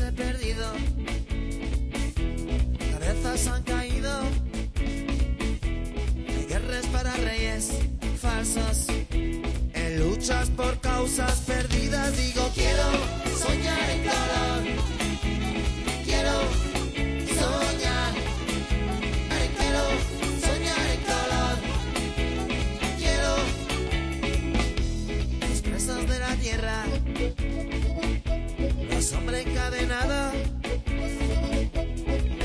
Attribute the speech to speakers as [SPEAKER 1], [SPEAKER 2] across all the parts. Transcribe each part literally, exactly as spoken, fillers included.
[SPEAKER 1] he perdido, cabezas han caído, hay guerras para reyes falsos, en luchas por causas perdidas. Digo, quiero soñar en color, quiero soñar, quiero soñar en color, quiero los presos de la tierra, los hombres encadenados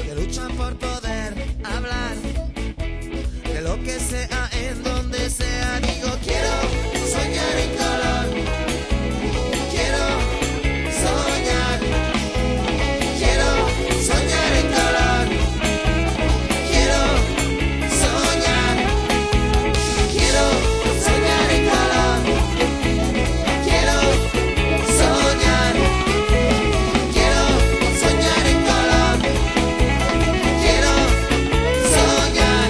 [SPEAKER 1] que luchan por poder hablar de lo que sea en donde sea. Digo, quiero soñar en color, quiero soñar, quiero soñar en color, quiero soñar, quiero soñar en color, quiero soñar, quiero soñar en color, quiero soñar.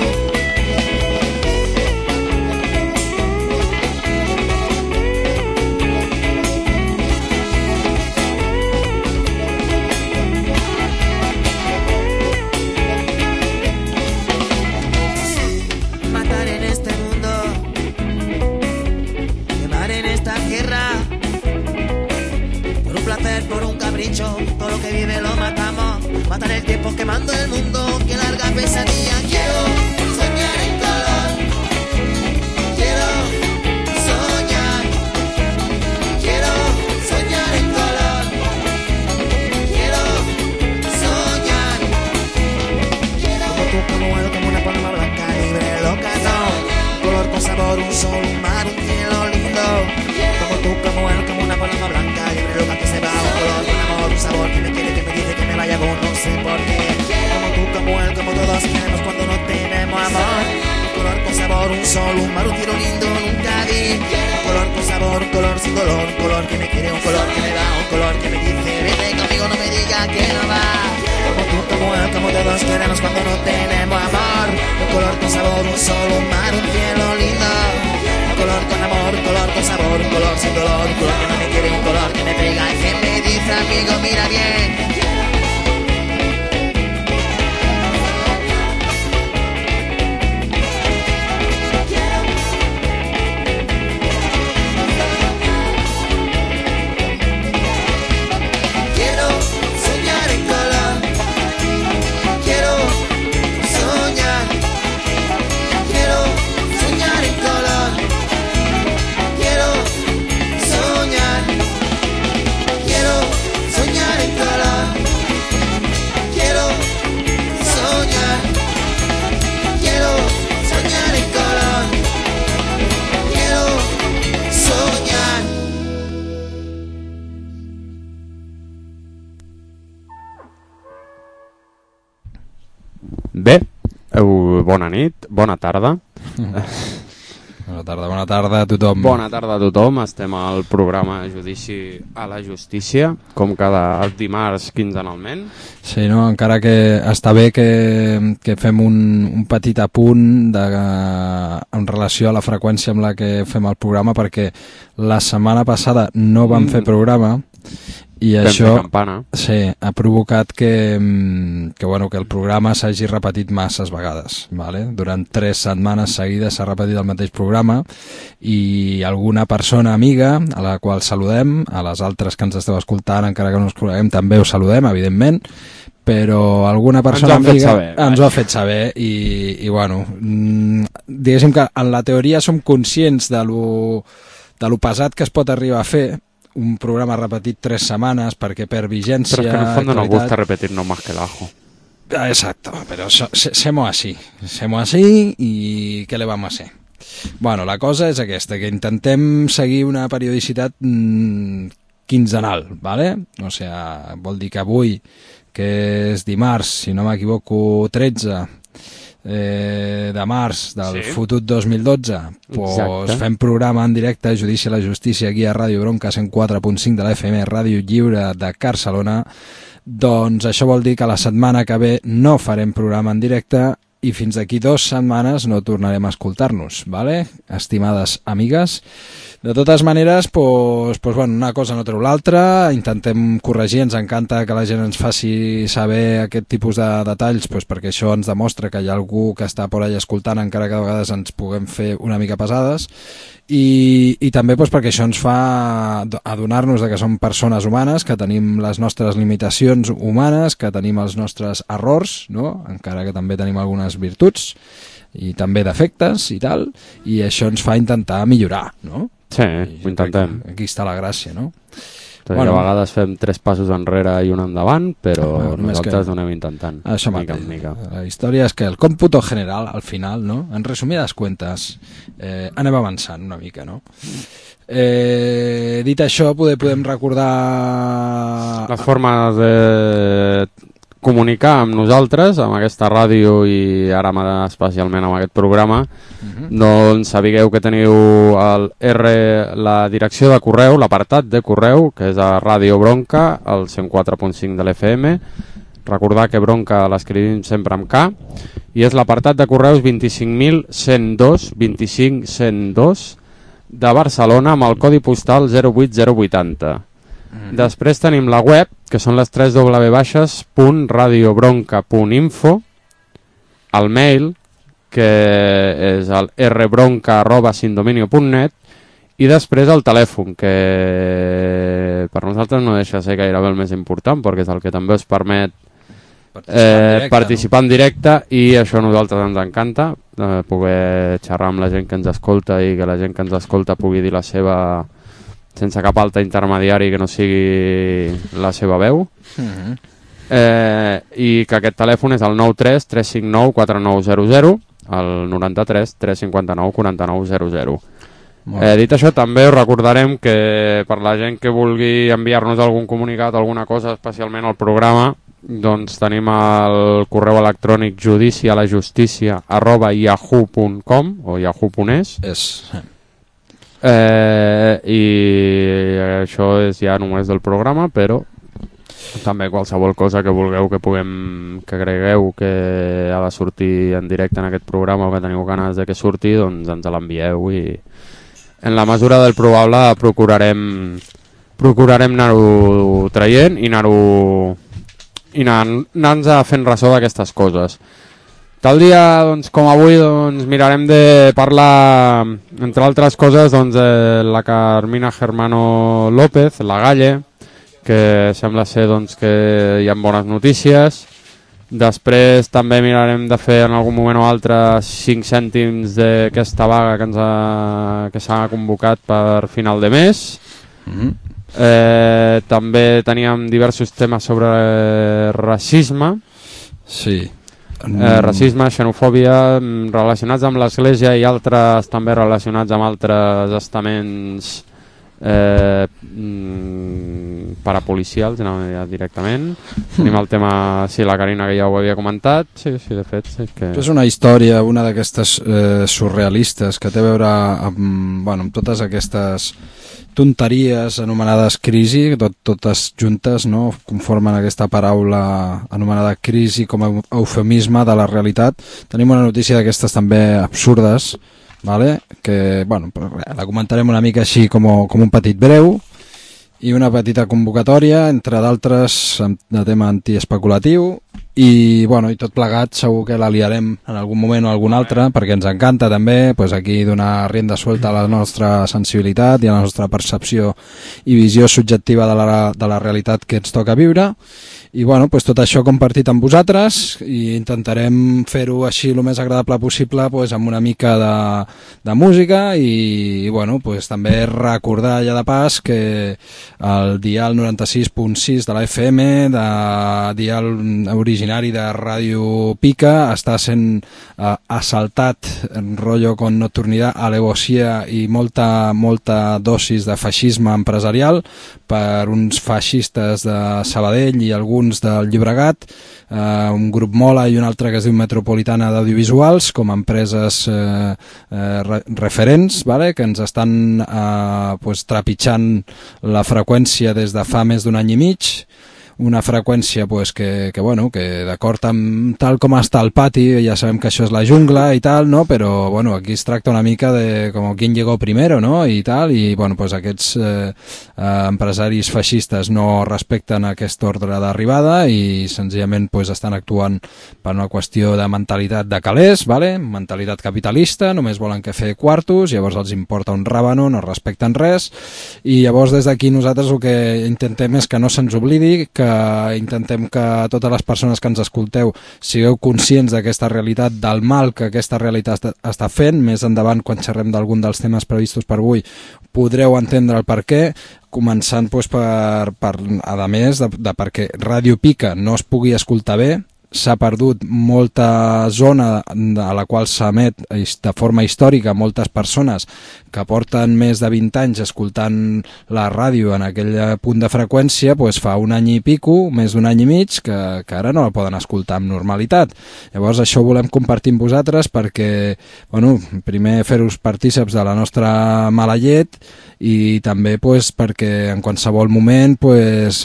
[SPEAKER 1] Matar en este mundo, quemar en esta tierra, por un placer, por un capricho, todo lo que vive lo matamos. Matar el tiempo quemando el mundo, que larga pesadilla. Quiero soñar en color, quiero soñar, quiero soñar en color, quiero soñar, quiero. Como tú, como él, como una paloma blanca, libre, loca, no. Color con sabor, un sol, un mar, un cielo lindo. Como tú, como él, como una paloma blanca, libre, loca, que se va. Un color, un amor, un sabor, que me quiere, que me dice que me vaya con no sé por qué. Como tú, como él, como todos queremos cuando no tenemos amor. Un color con sabor, un sol, un mar, un cielo lindo, nunca vi. Un color con sabor, un color sin dolor, un color que me quiere, un color que me da, un color que me dice, vete conmigo, no me diga que no va. Como tú, como él, como todos queremos cuando no tenemos amor. Un color con sabor, un sol, un mar, un cielo lindo. Un color con amor, un color con sabor, un color sin dolor, un color que no me quiere, un color que me pega y que me dice, amigo, mira bien. Quiero soñar en color, quiero soñar, quiero soñar en color, quiero soñar, quiero soñar en color, quiero soñar, quiero soñar en color, quiero soñar.
[SPEAKER 2] Bé, eh, bona nit, bona tarda.
[SPEAKER 3] Bona tarda, bona tarda a tothom.
[SPEAKER 2] Bona tarda a tothom, estem al programa Judici a la Justícia, com cada dimarts quinzenalment.
[SPEAKER 3] Sí, no? Encara que està bé que, que fem un, un petit apunt de, en relació a la freqüència amb la que fem el programa, perquè la setmana passada no vam mm. fer programa i
[SPEAKER 2] Vam
[SPEAKER 3] això
[SPEAKER 2] fer campana.
[SPEAKER 3] sí, ha provocat que, que, bueno, que el programa s'hagi repetit masses vegades, vale? Durant tres setmanes seguides s'ha repetit el mateix programa i alguna persona amiga a la qual saludem, a les altres que ens esteu escoltant encara que no us coneguem també us saludem, evidentment, però alguna persona
[SPEAKER 2] ens ho
[SPEAKER 3] amiga
[SPEAKER 2] saber,
[SPEAKER 3] ens ho ha fet saber i, i bueno, diguéssim que en la teoria som conscients de lo, de lo pesat que es pot arribar a fer un programa repetit tres setmanes perquè per vigència...
[SPEAKER 2] Pero es que en el fondo nos
[SPEAKER 3] actualitat...
[SPEAKER 2] gusta repetirnos más que el ajo.
[SPEAKER 3] Exacto, pero so, se, semos así, semos así i què le vamos a hacer? Bueno, la cosa és aquesta, que intentem seguir una periodicitat mmm, quinzenal, ¿vale? O sea, vol dir que avui, que és dimarts, si no m'equivoco, tretze eh, de març del
[SPEAKER 2] sí.
[SPEAKER 3] fotut dos mil dotze, pues fem programa en directe, Judici a la Justícia, aquí a Ràdio Bronca cent quatre punt cinc de la F M, Ràdio Lliure de Barcelona. Doncs això vol dir que la setmana que ve no farem programa en directe i fins d'aquí dues setmanes no tornarem a escoltar-nos, ¿vale? Estimades amigues, De totes maneres, pues, pues, bueno, una cosa no treu l'altra, intentem corregir, ens encanta que la gent ens faci saber aquest tipus de detalls, pues, perquè això ens demostra que hi ha algú que està por allà escoltant, encara que a vegades ens puguem fer una mica pesades, i, i també pues, perquè això ens fa adonar-nos de que som persones humanes, que tenim les nostres limitacions humanes, que tenim els nostres errors, no? Encara que també tenim algunes virtuts i també defectes i tal, i això ens fa intentar millorar, no?
[SPEAKER 2] Sí, ho intentem.
[SPEAKER 3] Aquí està la gràcia, no?
[SPEAKER 2] Tot bueno, a vegades fem tres passos enrere i un endavant, però bueno, nosaltres ho anem intentant.
[SPEAKER 3] Això mateix. Mica. La història és que el còmputo general, al final, no? En resumides cuentes, eh, anem avançant una mica, no? Eh, dit això, poder, podem recordar...
[SPEAKER 2] Les formes de comunicar amb nosaltres, amb aquesta ràdio i ara especialment amb aquest programa, uh-huh. Doncs sapigueu que teniu el R, la direcció de correu, l'apartat de correu, que és a Ràdio Bronca, al cent quatre punt cinc de l'F M. Recordar que Bronca l'escrivim sempre amb K, i és l'apartat de correus vint-i-cinc mil cent dos, vint-i-cinc cent dos de Barcelona, amb el codi postal zero vuit zero vuitanta. Mm-hmm. Després tenim la web, que són les tres doble u punt radiobronca punt info, el mail, que és el rbronca arroba sindominio punt net, i després el telèfon, que per nosaltres no deixa de ser gairebé el més important, perquè és el que també us permet participar, eh, en, directe, participar no? en directe, i això a nosaltres ens encanta, eh, poder xerrar amb la gent que ens escolta i que la gent que ens escolta pugui dir la seva... sense cap altre intermediari que no sigui la seva veu. Uh-huh. eh, i que aquest telèfon és el nou tres tres cinc nou quatre nou zero zero, el noranta-tres tres cinquanta-nou quaranta-nou zero zero. Eh, dit això, també us recordarem que per la gent que vulgui enviar-nos algun comunicat, alguna cosa especialment al programa, doncs tenim el correu electrònic judici a la justícia arroba yahoo punt com o yahoo punt es.
[SPEAKER 3] És...
[SPEAKER 2] Eh, i això és ja només del programa, però també qualsevol cosa que vulgueu que puguem, que cregueu que ha de sortir en directe en aquest programa o que teniu ganes de que surti, doncs ens l'envieu i en la mesura del probable procurarem procurarem anar-ho traient i anar-ho i anar-nos fent ressò d'aquestes coses. Tal dia, doncs, com avui, doncs, mirarem de parlar, entre altres coses, doncs, de la Carmina Germano López, la Galle, que sembla ser doncs, que hi ha bones notícies. Després també mirarem de fer en algun moment o altre cinc cèntims d'aquesta vaga que ens ha, que s'ha convocat per final de mes. Mm-hmm. eh, també teníem diversos temes sobre racisme.
[SPEAKER 3] Sí.
[SPEAKER 2] Eh, racisme, xenofòbia, relacionats amb l'Església i altres també relacionats amb altres estaments eh, parapolicials, no, ja directament. Tenim el tema, sí, la Carina, que ja ho havia comentat. Sí, sí, de fet. Sí, que...
[SPEAKER 3] És una història, una d'aquestes eh, surrealistes, que té a veure amb, bueno, amb totes aquestes tonteries anomenades crisi, tot, totes juntes, no? Conformen aquesta paraula anomenada crisi com a eufemisme de la realitat. Tenim una notícia d'aquestes també absurdes, vale? Que bueno, la comentarem una mica així com, com un petit breu, i una petita convocatòria, entre d'altres, de tema antiespeculatiu, i, bueno, i tot plegat segur que la liarem en algun moment o algun altre, perquè ens encanta també pues, aquí donar rienda suelta a la nostra sensibilitat i a la nostra percepció i visió subjectiva de la, de la realitat que ens toca viure. I bueno, pues, tot això compartit amb vosaltres, i intentarem fer-ho així el més agradable possible, pues, amb una mica de, de música, i, i bueno, pues, també recordar ja de pas que el dial noranta-sis punt sis de la F M, de dial originari de Ràdio Pica, està sent eh, assaltat en rotllo con nocturnidad, alevosía i molta, molta dosis de feixisme empresarial per uns feixistes de Sabadell i alguns del Llobregat, eh, un grup Mola i un altre que es diu Metropolitana d'Audiovisuals, com a empreses eh, eh, re referents, vale? Que ens estan eh, pues, trepitjant la freqüència des de fa més d'un any i mig. una freqüència pues, que, que, bueno, que d'acord amb tal com està el pati, ja sabem que això és la jungla i tal, no? Però bueno, aquí es tracta una mica de com qui llegó primero, no? I tal, i bueno, pues, aquests eh, eh, empresaris feixistes no respecten aquest ordre d'arribada i senzillament pues, estan actuant per una qüestió de mentalitat de calés, vale? Mentalitat capitalista, només volen que fer quartos, llavors els importa un ràbano, no respecten res, i llavors des d'aquí nosaltres el que intentem és que no se'ns oblidi, que intentem que totes les persones que ens escolteu sigueu conscients d'aquesta realitat, del mal que aquesta realitat està fent. Més endavant, quan xerrem d'algun dels temes previstos per avui, podreu entendre el per què, començant doncs, per, per, a més de, de perquè Ràdio Pica no es pugui escoltar bé. S'ha perdut molta zona a la qual s'emet de forma històrica moltes persones que porten més de vint anys escoltant la ràdio en aquell punt de freqüència, doncs fa un any i pico, més d'un any i mig, que, que ara no la poden escoltar amb normalitat. Llavors això ho volem compartir amb vosaltres perquè, bueno, primer fer-vos partíceps de la nostra mala llet i també pues, perquè en qualsevol moment pues,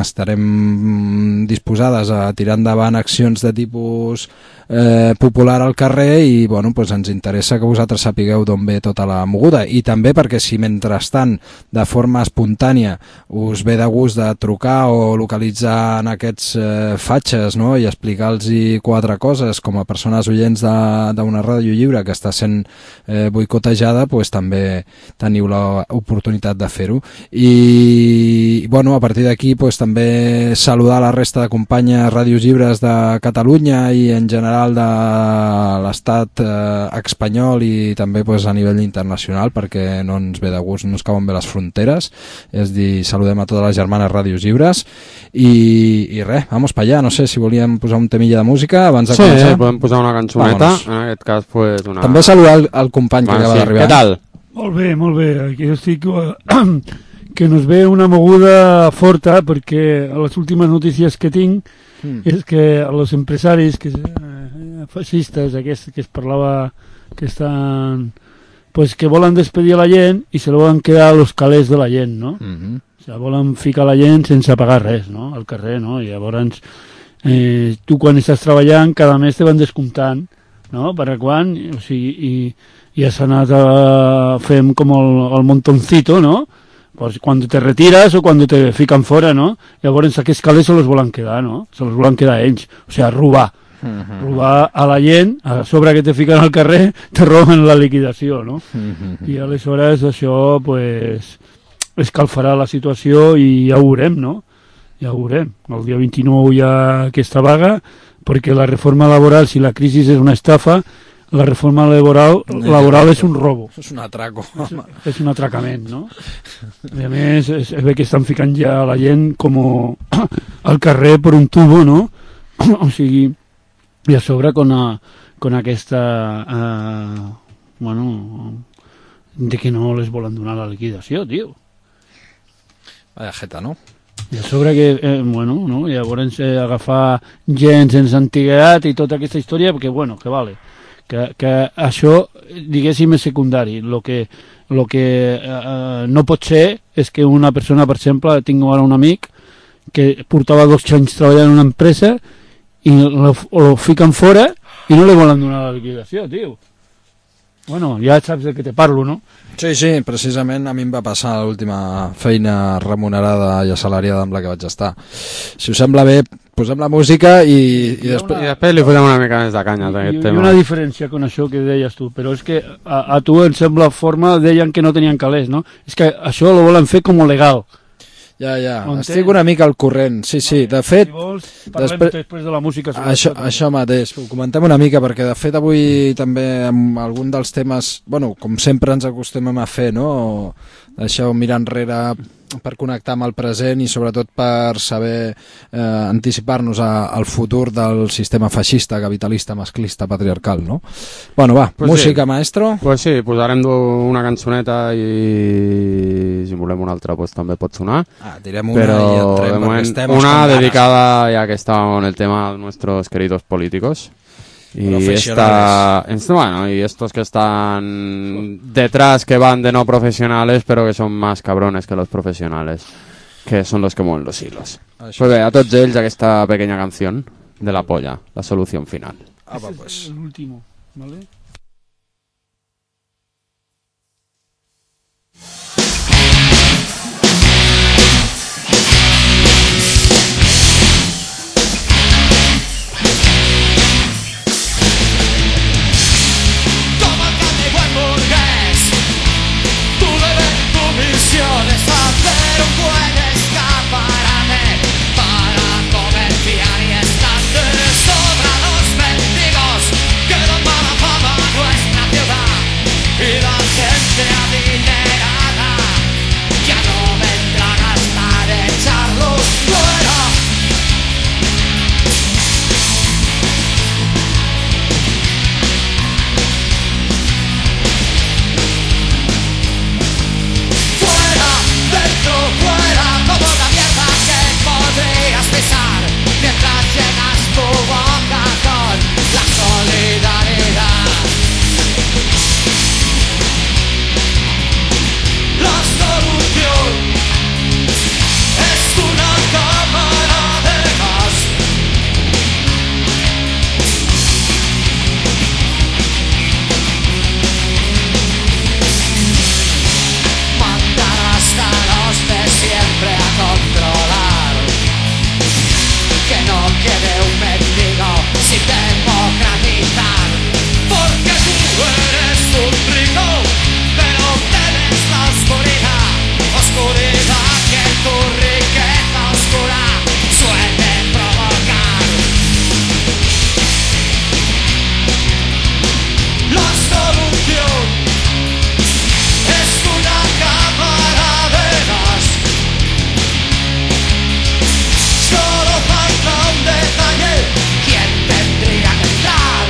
[SPEAKER 3] estarem disposades a tirar endavant accions de tipus eh, popular al carrer i bueno, pues, ens interessa que vosaltres sapigueu d'on ve tota la moguda, i també perquè si mentrestant de forma espontània us ve de gust de trucar o localitzar en aquests eh, fatxes, no? I explicar-los quatre coses com a persones oients d'una ràdio lliure que està sent eh, boicotejada, pues, també teniu l'oportunitat de fer-ho. I bueno, a partir d'aquí pues, també saludar la resta de companyes ràdios lliures de Catalunya i en general de l'estat eh, espanyol i també pues, a nivell internacional, perquè no ens ve de gust, no ens cauen bé les fronteres, és dir, saludem a totes les germanes ràdios lliures i, i res, vamos pa allà. No sé si volíem posar un temilla de música abans de
[SPEAKER 2] sí,
[SPEAKER 3] començar.
[SPEAKER 2] Sí, podem posar una cançoneta. Vámonos. En aquest cas pues, una...
[SPEAKER 3] També saludar el, el company que bueno, acaba sí. d'arribar.
[SPEAKER 2] Què tal?
[SPEAKER 4] Molt bé, molt bé. Aquí estic que nos ve una moguda forta perquè les últimes notícies que tinc mm. és que els empresaris que, eh, feixistes aquests que es parlava que estan pues que volen despedir a la gent i se lo volen quedar a los calés de la gent, no? Mm-hmm. O sigui, volen ficar la gent sense pagar res, no? Al carrer, no? I llavors eh, tu quan estàs treballant cada mes te van descomptant, no? Per a quan? O sigui, i i has anat a fem com el, el montoncito, ¿no? Pues cuando te retiras o cuando te fican fora, ¿no? Llavors aquests calés se los volen quedar, ¿no? Se los volen quedar ells. O sigui, robar. Uh-huh. Robar a la gent, a sobre que te fiquen al carrer, te roben la liquidació, no? Uh-huh. I aleshores això, pues, escalfarà la situació i ja ho veurem, no? Ja ho veurem. El dia vint-i-nou hi ha aquesta vaga, perquè la reforma laboral, si la crisi és una estafa, la reforma laboral, laboral és un robo.
[SPEAKER 3] És un atraco.
[SPEAKER 4] És, és un atracament, no? I a més, es, es ve que estan ficant ja la gent com al carrer per un tubo, no? O sigui, i a sobre con, a, con aquesta... Uh, bueno, de que no les volen donar la liquidació, tio.
[SPEAKER 3] Vaya jeta, no?
[SPEAKER 4] I a sobre que, eh, bueno, no? Llavors eh, agafar gent sense antiguitat i tota aquesta història, perquè, bueno, que vale. Que, que això, diguéssim, és secundari. Lo que, lo que eh, no pot ser és que una persona, per exemple, tinc ara un amic que portava dos anys treballant en una empresa i lo, lo fiquen fora i no li volen donar la liquidació, tio. Bueno, ja saps de què te parlo, no?
[SPEAKER 3] Sí, sí, precisament a mi em va passar l'última feina remunerada i assalariada amb la que vaig estar. Si us sembla bé, posem la música i, i, després...
[SPEAKER 2] I després li fotem una mica més de canya a aquest tema.
[SPEAKER 4] Hi ha una diferència con això que deies tu, però és que a, a tu em sembla forma, deien que no tenien calés, no? És que això lo volen fer com legal.
[SPEAKER 3] Ja, ja, estic una mica al corrent, sí, sí, de fet...
[SPEAKER 4] Si vols, parlem després, després de la música.
[SPEAKER 3] Això, això mateix, ho comentem una mica, perquè de fet avui també amb algun dels temes, bueno, com sempre ens acostumem a fer, no? Deixeu mirar enrere per connectar amb el present i sobretot per saber eh, anticipar-nos al futur del sistema feixista, capitalista, masclista, patriarcal, no? Bueno, va, pues música, sí. Maestro.
[SPEAKER 2] Pues sí, posarem una cançoneta i si volem una altra pues, també pot sonar.
[SPEAKER 3] Ah, direm una
[SPEAKER 2] però
[SPEAKER 3] i entrem,
[SPEAKER 2] de moment,
[SPEAKER 3] estem
[SPEAKER 2] una dedicada, ya que estábamos en el tema de nuestros queridos políticos. Y, esta, esta, bueno, y estos que están detrás, que van de no profesionales, pero que son más cabrones que los profesionales, que son los que mueven los hilos. Pues bé, a tots ells aquesta pequeña canción de la polla, la solución final.
[SPEAKER 3] Ah, va, pues.
[SPEAKER 4] Es el último, ¿vale?
[SPEAKER 1] Es hacer un buen escaparate para comerciar y estar de sobra los mendigos que dan mala fama a nuestra ciudad y la gente adinerada ya no vendrá a gastar echarlos fuera. Dentro, fuera, como la mierda que podrías pisar mientras llenas tu boca con la solidaridad. La solución es una cámara de gas. Mandar hasta los de siempre a controlar, que no quede un mendigo sin democratizar, porque tú eres un rico, pero temes la oscuridad, oscuridad que tu riqueza oscura suele provocar. La solución es una cámara de gas. Solo falta un detalle. ¿Quién tendría que entrar?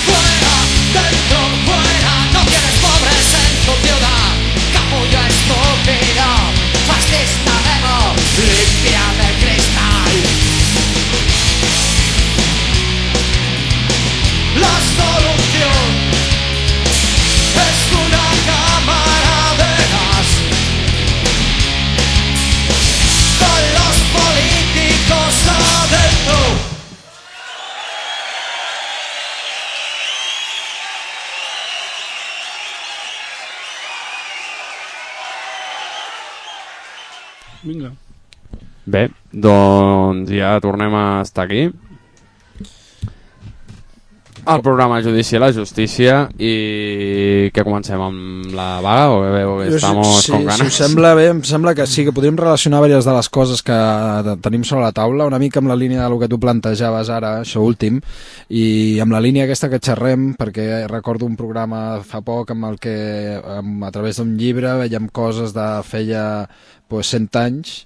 [SPEAKER 1] Fuera, dentro, fuera, no quieres pobres en tu ciudad. Capullo estúpido, fascista demo, limpia de cristal. La solución es una cámara de gas con los políticos adentro.
[SPEAKER 4] Vinga.
[SPEAKER 2] Bé, doncs ja tornem a estar aquí. El programa Judici a la Justícia i que comencem amb la vaga o que veu que estamos
[SPEAKER 3] sí,
[SPEAKER 2] con ganas.
[SPEAKER 3] Si us sembla bé, em sembla que sí, que podríem relacionar diverses de les coses que tenim sobre la taula, una mica amb la línia del que tu plantejaves ara, això últim, i amb la línia aquesta que xerrem, perquè recordo un programa fa poc amb el que a través d'un llibre veiem coses de feia pues, cent anys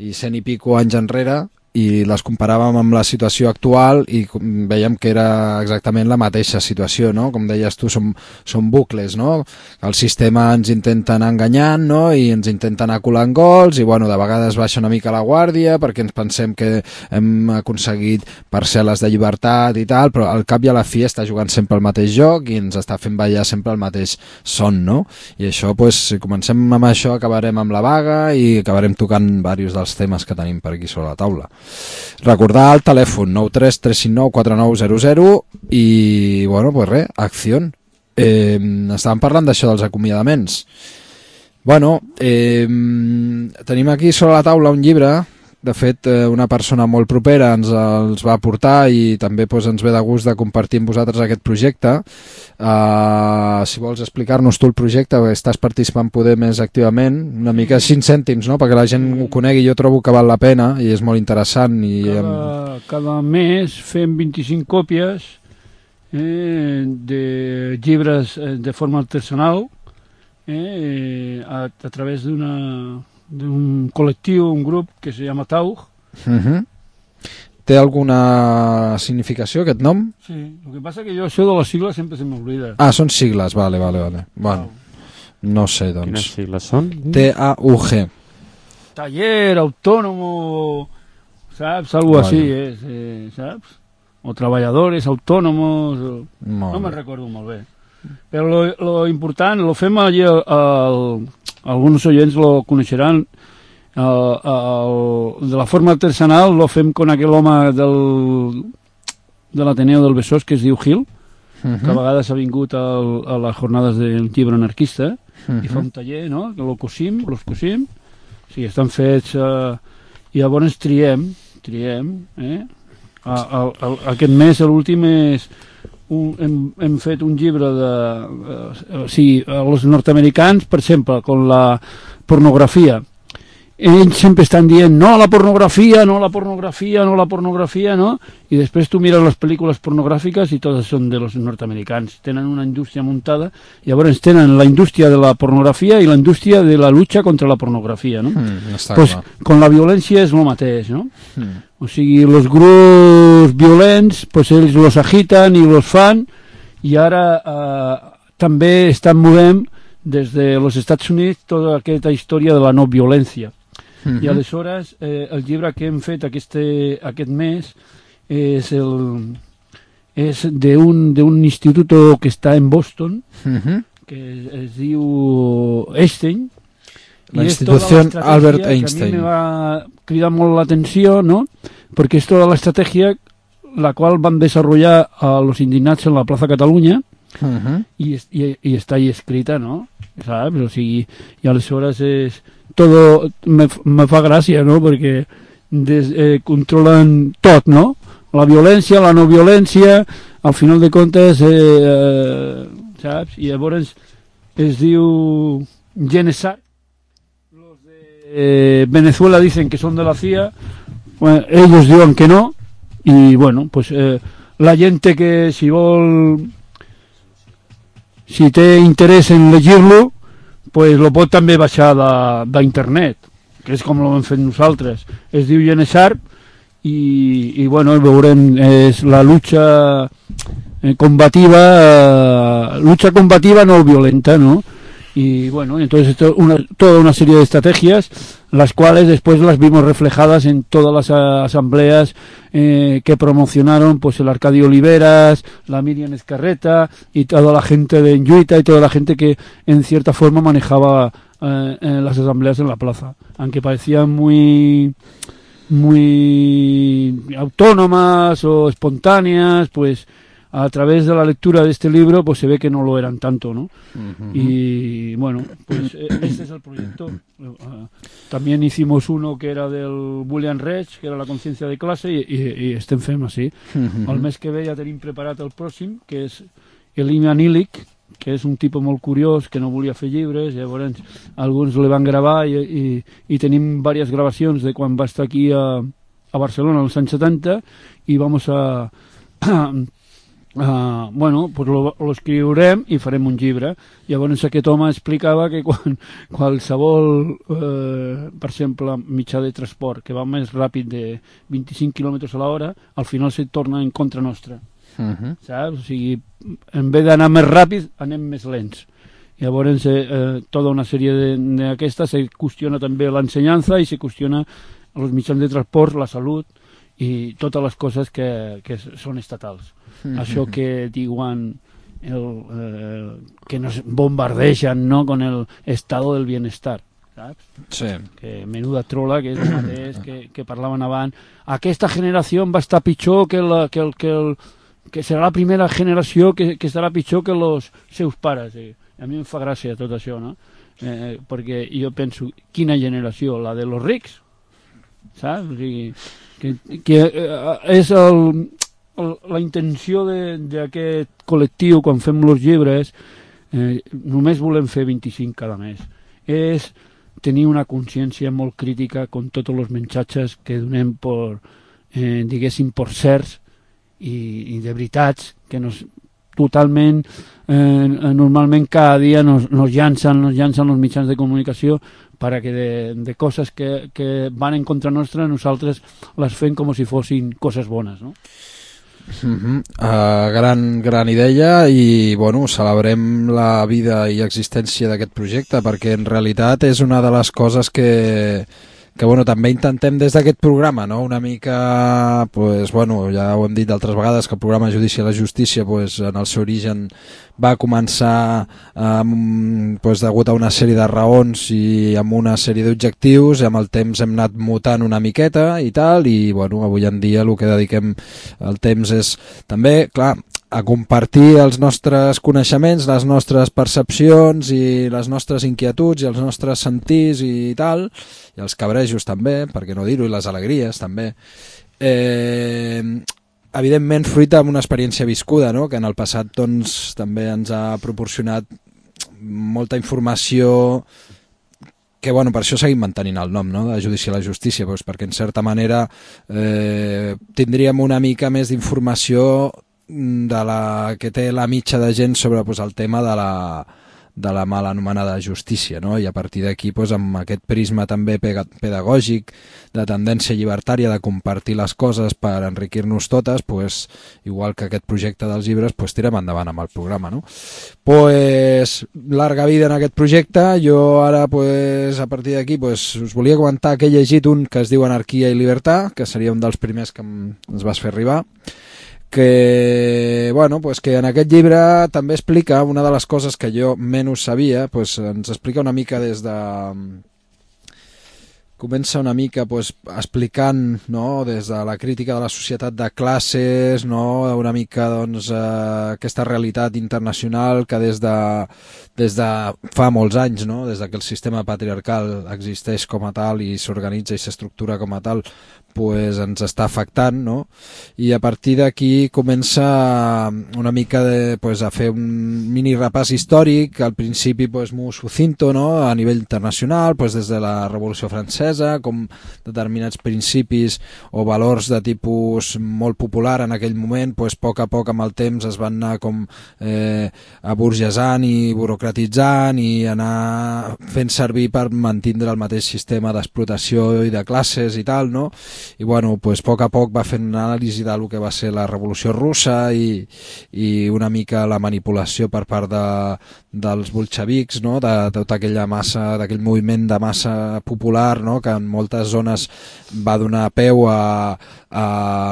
[SPEAKER 3] i cent i pico anys enrere, i les comparàvem amb la situació actual i veiem que era exactament la mateixa situació, no? Com deies tu, són, són bucles, no? El sistema ens intenta anar enganyant, no? I ens intenta anar colant gols i, bueno, de vegades baixa una mica la guàrdia perquè ens pensem que hem aconseguit parcel·les de llibertat i tal, però al cap i a la fi està jugant sempre el mateix joc i ens està fent ballar sempre el mateix son, no? I això, pues, si comencem amb això, acabarem amb la vaga i acabarem tocant diversos dels temes que tenim per aquí sobre la taula. Recordar el telèfon nou tres tres cinc nou quatre nou zero zero i, bueno, pues res, acció. Eh, estàvem parlant d'això dels acomiadaments. Bueno, eh, tenim aquí sobre la taula un llibre. De fet, una persona molt propera ens els va aportar i també pues, ens ve de gust de compartir amb vosaltres aquest projecte. Uh, si vols explicar-nos tu el projecte, perquè estàs participant poder més activament, una mica cinc cèntims, no? Perquè la gent ho conegui, jo trobo que val la pena i és molt interessant. I,
[SPEAKER 4] cada, cada mes fem vint-i-cinc còpies eh, de llibres de forma artesanal eh, a, a través d'una d'un col·lectiu, un grup que se llama Taug.
[SPEAKER 3] Uh-huh. Té alguna significació aquest nom?
[SPEAKER 4] Sí, el que passa que jo això de les sigles sempre se m'oblida.
[SPEAKER 3] Ah, són sigles, vale, vale, vale. Bueno, no sé, doncs.
[SPEAKER 2] Quines sigles són?
[SPEAKER 3] T A U G.
[SPEAKER 4] Taller, autónomo, saps? Algo vale. Así, eh, eh, saps? O treballadores, autònomos, o... no me'n recordo molt bé. Però lo, lo important, lo fem allí, el, el, alguns oients lo coneixeran, el, el, de la forma artesanal lo fem con aquell home del, de l'Ateneu del Besòs que es diu Gil, uh-huh. que a vegades ha vingut al, a les jornades del llibre anarquista, uh-huh. i fa un taller, no?, que lo cosim, los cosim, o sigui, estan fets, eh, i llavors triem, triem, eh, a, a, a, aquest mes, l'últim és, un, hem, hem fet un llibre de, eh, o sigui, els nord-americans, per exemple, con la pornografia, ells sempre estan dient no a la pornografia, no a la pornografia, no a la pornografia, no? I després tu mires les pel·lícules pornogràfiques i totes són de los nord-americans. Tenen una indústria muntada, i llavors tenen la indústria de la pornografia i la indústria de la lucha contra la pornografia, no?
[SPEAKER 3] Mm,
[SPEAKER 4] pues con la violència és el mateix, no? Mm. O sigui, els grups violents, pues ells los agiten i los fan, i ara eh, també estan movent des dels Estats Units tota aquesta història de la no violència. Uh-huh. I aleshores eh, el llibre que hem fet aquest, aquest mes és el és d'un d'un institut que està en Boston, uh-huh. que es, es diu Einstein,
[SPEAKER 3] la institució Albert Einstein,
[SPEAKER 4] que a mi me va cridar molt l'atenció, no? Perquè és tota l'estratègia la qual van desenvolupar a los indignats en la plaça Catalunya, uh-huh. i, i, i està ahí escrita, no? Saps? O sigui, i aleshores és todo, me, me fa gràcia, no? Perquè des, eh, controlen tot, no? La violència, la no violència, al final de comptes, eh, eh, saps? I llavors es diu Genesar. Los de eh, Venezuela dicen que son de la C I A, bueno, ellos diuen que no, y bueno, pues eh, la gente que si vol, si té interès en llegir-lo, pues lo pot també baixar d'internet, que és com ho hem fet nosaltres. Es diu Genesar i, i bueno, veurem, és la lucha eh, combativa, eh, lucha combativa no violenta, ¿no? Y bueno, entonces esto una, toda una serie de estrategias, las cuales después las vimos reflejadas en todas las asambleas eh, que promocionaron pues el Arcadio Oliveras, la Miriam Ezcarreta y toda la gente de Enjuita y toda la gente que en cierta forma manejaba eh, en las asambleas en la plaza, aunque parecían muy muy autónomas o espontáneas, pues a través de la lectura de este libro pues se ve que no lo eran tanto, ¿no? Uh-huh. Y bueno, pues este es el proyecto. Uh, también hicimos uno que era del William Reich, que era la conciencia de clase, i, i, i estem fent així. Uh-huh. El mes que ve ja tenim preparat el pròxim, que és Elimia Illich, que és un tipus molt curiós, que no volia fer llibres, llavors alguns le van gravar i, i, i tenim diverses gravacions de quan va estar aquí a, a Barcelona als anys setanta, i vamos a... a Uh, bueno, pues lo, lo escriurem i farem un llibre. Llavors aquest home explicava que quan qualsevol eh, per exemple mitjà de transport que va més ràpid de vint-i-cinc quilòmetres a l'hora, al final se torna en contra nostra. Uh-huh. Saps? O sigui, en vez d'anar més ràpid anem més lents. Llavors eh, tota una sèrie d'aquestes se qüestiona també l'ensenyança i se qüestiona els mitjans de transport, la salut i totes les coses que, que són estatals. Mm-hmm. Això que diuen el, eh, que nos bombardegen, no?, con el estado del bienestar, saps?
[SPEAKER 3] Sí.
[SPEAKER 4] Que menuda trola, que és el mateix que, que parlaven abans. Aquesta generació va estar pitjor que, la, que, el, que, el, que serà la primera generació que, que estarà pitjor que els seus pares. Eh? A mi em fa gràcia tot això, no? Eh, perquè jo penso, quina generació? La de los rics? Saps? O sigui, que, que eh, és el... la intenció d'aquest col·lectiu quan fem els llibres, eh, només volem fer vint-i-cinc cada mes, és tenir una consciència molt crítica con tots els missatges que donem per, eh, diguéssim, per certs i, i de veritats que nos totalment, eh, normalment cada dia nos, nos llancen, nos llancen els mitjans de comunicació para que de, de coses que, que van en contra nostra nosaltres les fem com si fossin coses bones, no?
[SPEAKER 3] Uh-huh. uh, gran, gran idea i bueno, celebrem la vida i existència d'aquest projecte perquè en realitat és una de les coses que, que bueno, també intentem des d'aquest programa, no? Una mica, pues, bueno, ja ho hem dit d'altres vegades que el programa Judici a la Justícia pues, en el seu origen va començar um, pues, degut a una sèrie de raons i amb una sèrie d'objectius i amb el temps hem anat mutant una miqueta i tal i bueno, avui en dia el que dediquem el temps és també, clar, a compartir els nostres coneixements, les nostres percepcions i les nostres inquietuds i els nostres sentirs i tal, i els cabrejos també, per què no dir-ho, i les alegries també. Eh, evidentment fruit amb una experiència viscuda, no? Que en el passat doncs, també ens ha proporcionat molta informació que bueno, per això seguim mantenint el nom, no? De Judici a la Justícia, doncs, perquè en certa manera eh, tindríem una mica més d'informació de la que té la mitja de gent sobre pues, el tema de la, de la mal anomenada justícia, no? I a partir d'aquí pues, amb aquest prisma també pedagògic de tendència llibertària de compartir les coses per enriquir-nos totes, pues, igual que aquest projecte dels llibres, pues, tirem endavant amb el programa, no? Pues, larga vida en aquest projecte. Jo ara pues, a partir d'aquí pues, us volia comentar que he llegit un que es diu Anarquia i Libertà, que seria un dels primers que ens vas fer arribar, que, bueno, pues que en aquest llibre també explica una de les coses que jo menys sabia, pues ens explica una mica des de... Comença una mica pues, explicant, no, des de la crítica de la societat de classes, no, una mica doncs, eh, aquesta realitat internacional que des de, des de fa molts anys, no, des que el sistema patriarcal existeix com a tal i s'organitza i s'estructura com a tal, pues, ens està afectant, no? I a partir d'aquí comença una mica de, pues, a fer un mini repàs històric, al principi pues, molt sucinto, no? A nivell internacional, pues, des de la Revolució Francesa, com determinats principis o valors de tipus molt popular en aquell moment, pues, a poc a poc amb el temps es van anar com eh, aburgesant i burocratitzant i anar fent servir per mantindre el mateix sistema d'explotació i de classes i tal, no? I bueno, pues, a poc a poc va fent una anàlisi del que va ser la Revolució Russa i, i una mica la manipulació per part de, dels bolxevics, no? De, de tota aquella massa, d'aquell moviment de massa popular, no? Que en moltes zones va donar peu a, a,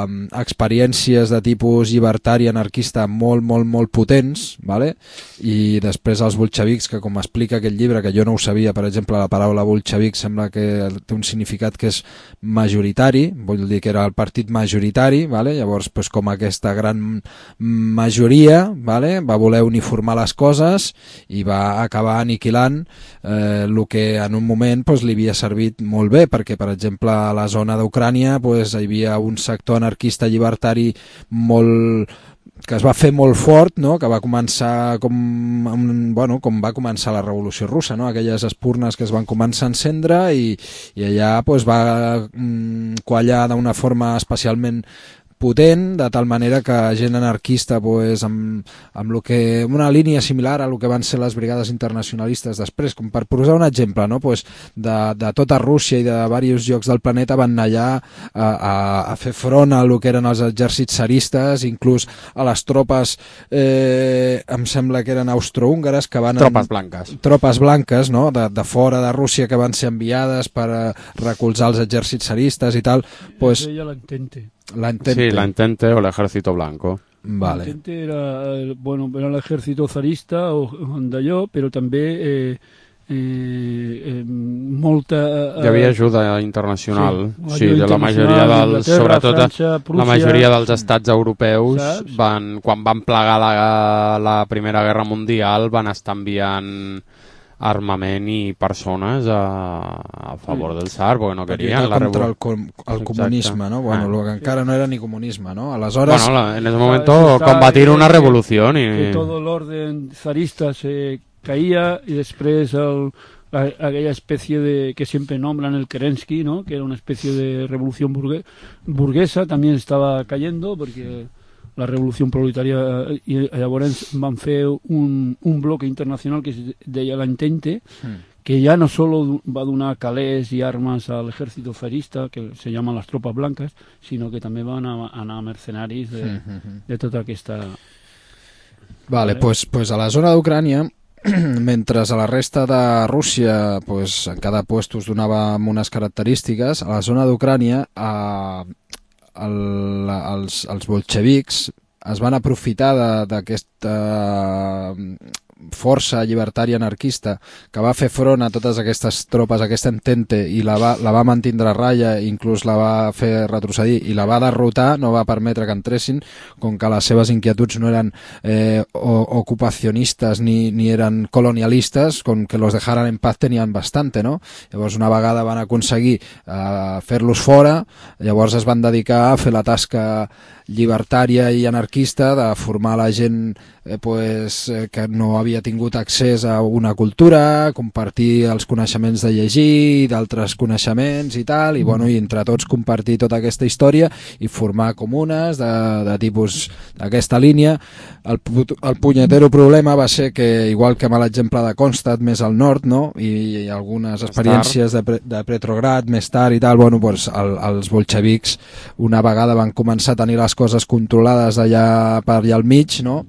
[SPEAKER 3] a experiències de tipus llibertari anarquista molt, molt, molt potents, vale? I després els bolxevics, que com explica aquest llibre, que jo no ho sabia, per exemple, la paraula bolxevic sembla que té un significat que és majoritari, vull dir que era el partit majoritari, vale? Llavors pues, com aquesta gran majoria, vale? Va voler uniformar les coses i va acabar aniquilant eh, el que en un moment pues, li havia servit molt bé, perquè per exemple a la zona d'Ucrània pues, hi havia un sector anarquista llibertari molt que es va fer molt fort, no? Que va començar com, bueno, com va començar la Revolució Russa, no? Aquelles espurnes que es van començar a encendre i, i allà pues, va mm, quallar d'una forma especialment potent, de tal manera que gent anarquista pues, amb, amb lo que, una línia similar a lo que van ser les brigades internacionalistes després, com per posar un exemple, no? Pues, de, de tota Rússia i de diversos llocs del planeta van anar allà a, a, a fer front a lo que eren els exèrcits tsaristes, inclús a les tropes, eh, em sembla que eren austrohúngares, que van...
[SPEAKER 2] Tropes blanques.
[SPEAKER 3] Tropes blanques, no? De, de fora de Rússia, que van ser enviades per a recolzar els exèrcits tsaristes i tal. Pues,
[SPEAKER 4] ella l'entente.
[SPEAKER 3] La Entente.
[SPEAKER 2] Sí, la Entente o el Ejército Blanco.
[SPEAKER 4] Vale. La Entente era, bueno, era l'ejército zarista o d'allò, però també eh, eh, eh, molta... Eh,
[SPEAKER 2] Hi havia ajuda internacional.
[SPEAKER 4] Sí,
[SPEAKER 2] sí de la majoria dels, sobretot França, Prússia, la majoria dels estats europeus van, quan van plegar la, la Primera Guerra Mundial van estar enviant armament i persones a, a favor del tsar, perquè no querien la
[SPEAKER 3] contra el, com, el comunisme, ¿no? Bueno, ah. Lo que encara no era ni comunisme, ¿no? Aleshores...
[SPEAKER 2] Bueno, la, en ese momento combatir una revolución y...
[SPEAKER 4] Que todo el orden zarista se caía y després el, la, aquella especie de que siempre nombran el Kerensky, ¿no? Que era una especie de revolución burgue, burguesa, también estaba cayendo porque la revolució proletària, i llavors van fer un, un bloc internacional que es deia l'Entente, mm. que ja no solo va donar calés i armes a l'exèrcit zarista, que se llaman les tropes blanques, sinó que també van anar, anar mercenaris de, mm-hmm. de tota aquesta...
[SPEAKER 3] Vale, doncs pues, pues a la zona d'Ucrània, mentre a la resta de Rússia pues, en cada puesto us donava unes característiques, a la zona d'Ucrània eh, el, els, els bolxevics es van aprofitar d'aquesta força llibertària anarquista que va fer front a totes aquestes tropes, aquesta Entente, i la va, la va mantindre a ratlla, inclús la va fer retrocedir i la va derrotar, no va permetre que entressin, com que les seves inquietuds no eren eh, ocupacionistes ni, ni eren colonialistes, com que los dejaran en paz tenien bastante, no? Llavors una vegada van aconseguir eh, fer-los fora, llavors es van dedicar a fer la tasca llibertària i anarquista de formar la gent eh, pues, eh, que no havia tingut accés a una cultura, compartir els coneixements de llegir, d'altres coneixements i tal, i, bueno, i entre tots compartir tota aquesta història i formar comunes de, de tipus d'aquesta línia. El, el punyetero problema va ser que, igual que amb l'exemple de Kronstadt més al nord, no? I, i algunes experiències de, de Petrograd més tard i tal, bueno, pues, el, els bolxevics una vegada van començar a tenir les coses controlades allà per allà al mig, no?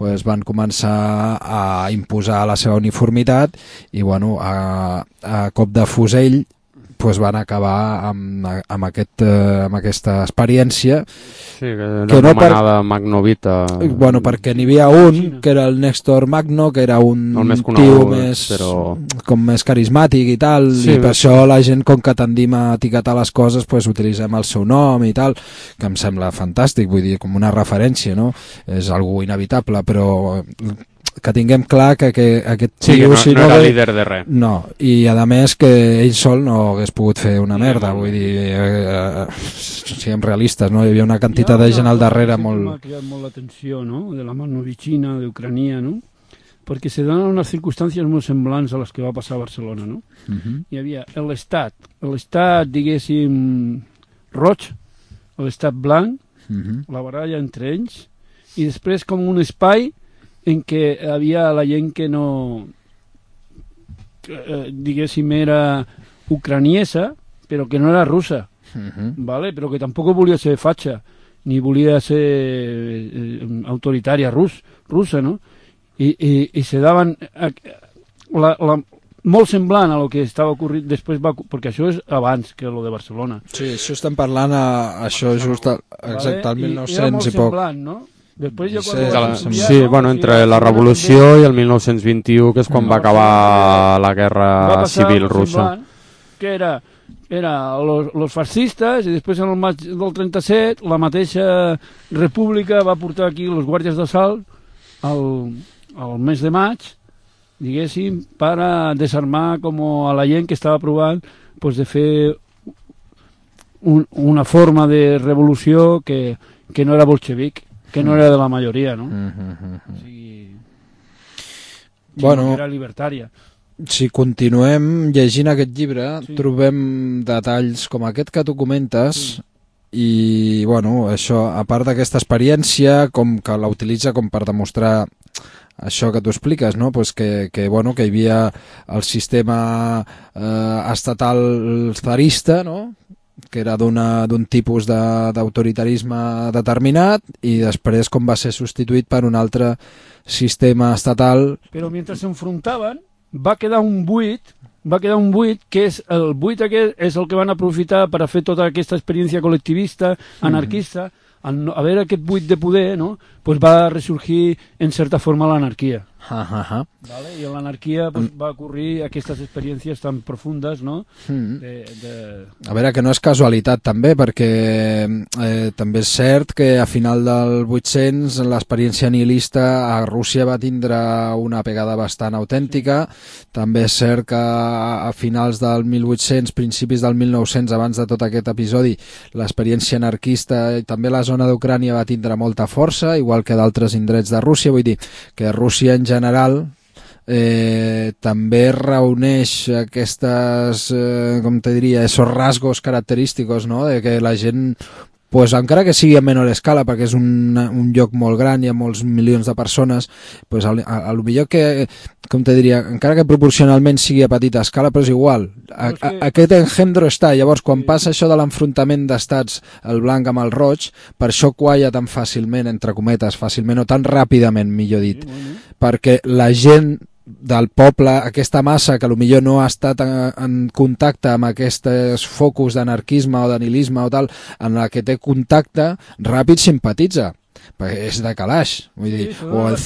[SPEAKER 3] Pues van començar a imposar la seva uniformitat i, bueno, a, a cop de fusell pues van acabar amb, amb, aquest, eh, amb aquesta experiència.
[SPEAKER 2] Sí, que era que anomenada no per... Magnovita.
[SPEAKER 3] Bueno, perquè n'hi havia un, que era el Néstor Magno, que era un
[SPEAKER 2] més
[SPEAKER 3] tio
[SPEAKER 2] conegut,
[SPEAKER 3] més,
[SPEAKER 2] però...
[SPEAKER 3] com més carismàtic i tal, sí, i per això la gent, com que tendim a etiquetar les coses, pues utilitzem el seu nom i tal, que em sembla fantàstic, vull dir, com una referència, no? És algo inevitable, però... que tinguem clar que, que aquest
[SPEAKER 2] sí,
[SPEAKER 3] tio...
[SPEAKER 2] Que no,
[SPEAKER 3] si
[SPEAKER 2] no
[SPEAKER 3] no
[SPEAKER 2] era
[SPEAKER 3] ve...
[SPEAKER 2] líder de res.
[SPEAKER 3] No, i a més que ell sol no hagués pogut fer una merda, vull dir, eh, eh, siguem realistes, no? Hi havia una quantitat de gent al darrere molt...
[SPEAKER 4] M'ha cridat molt l'atenció, no?, de la Magnovitxina, d'Ucrania, no?, perquè se donen unes circumstàncies molt semblants a les que va passar a Barcelona, no? Uh-huh. Hi havia l'estat, l'estat, diguéssim, roig, l'estat blanc, uh-huh. la baralla entre ells, i després com un espai en què havia la gent que no, eh, diguéssim, era ucraniesa, però que no era russa, uh-huh. ¿vale? Però que tampoc volia ser fatxa, ni volia ser eh, autoritària rus, russa, no? I, i, i se daven... La, la, molt semblant a lo que estava ocorrint després, va, perquè això és abans que lo de Barcelona.
[SPEAKER 3] Sí, això estem parlant a, això just a, exacte al mil nou-cents i, i poc.
[SPEAKER 4] Semblant, no? Després jo
[SPEAKER 2] sí,
[SPEAKER 4] quan
[SPEAKER 2] sí, sí, bueno, entre la revolució i el mil nou-cents vint-i-u, que és quan va acabar la guerra civil russa.
[SPEAKER 4] Que era, era los, los fascistes, i després en el maig del trenta-set la mateixa república va portar aquí els guàrdies d'assalt al, al mes de maig, diguéssim, per a desarmar com a la gent que estava provant pues, de fer un, una forma de revolució que, que no era bolxevic, que no era de la majoria, no?
[SPEAKER 3] Mm-hmm.
[SPEAKER 4] O sigui,
[SPEAKER 3] bueno,
[SPEAKER 4] era libertària.
[SPEAKER 3] Si continuem llegint aquest llibre,
[SPEAKER 4] sí.
[SPEAKER 3] trobem detalls com aquest que tu comentes, sí. i, bueno, això, a part d'aquesta experiència, com que la utilitza com per demostrar això que tu expliques, no? Pues que, que, bueno, que hi havia el sistema eh, estatal zarista, no?, que era d'un tipus d'autoritarisme de, determinat, i després com va ser substituït per un altre sistema estatal.
[SPEAKER 4] Però mentre s'enfrontaven va quedar un buit, va quedar un buit que és el buit aquest és el que van aprofitar per a fer tota aquesta experiència col·lectivista, anarquista. Mm. Al no, haver aquest buit de poder, no?, pues va ressurgir en certa forma l'anarquia.
[SPEAKER 3] Uh -huh.
[SPEAKER 4] ¿Vale? I en l'anarquia pues, va ocorrir aquestes experiències tan profundes, no?
[SPEAKER 3] Mm.
[SPEAKER 4] De, de...
[SPEAKER 3] A veure, que no és casualitat també, perquè eh, també és cert que a final del vuit-cents l'experiència nihilista a Rússia va tindre una pegada bastant autèntica. També és cert que a finals del mil vuit-cents, principis del mil nou-cents, abans de tot aquest episodi, l'experiència anarquista i també la zona d'Ucrània va tindre molta força, igual que d'altres indrets de Rússia. Vull dir que Rússia en general eh, també reuneix aquestes, eh, com te diria, esos rasgos característicos, no?, de que la gent pues, encara que sigui a menor escala, perquè és un, un lloc molt gran, hi ha molts milions de persones, pues, a, a, a lo millor que, com te diria, encara que proporcionalment sigui a petita escala, però és igual. A, a, aquest engendro està. Llavors, quan passa això de l'enfrontament d'estats, el blanc amb el roig, per això qualla tan fàcilment, entre cometes, fàcilment o tan ràpidament, millor dit, perquè la gent del poble, aquesta massa que potser no ha estat en, en contacte amb aquests focus d'anarquisme o d'anilisme o tal, en la que té contacte, ràpid simpatitza, perquè és de calaix, vull dir, sí, o el,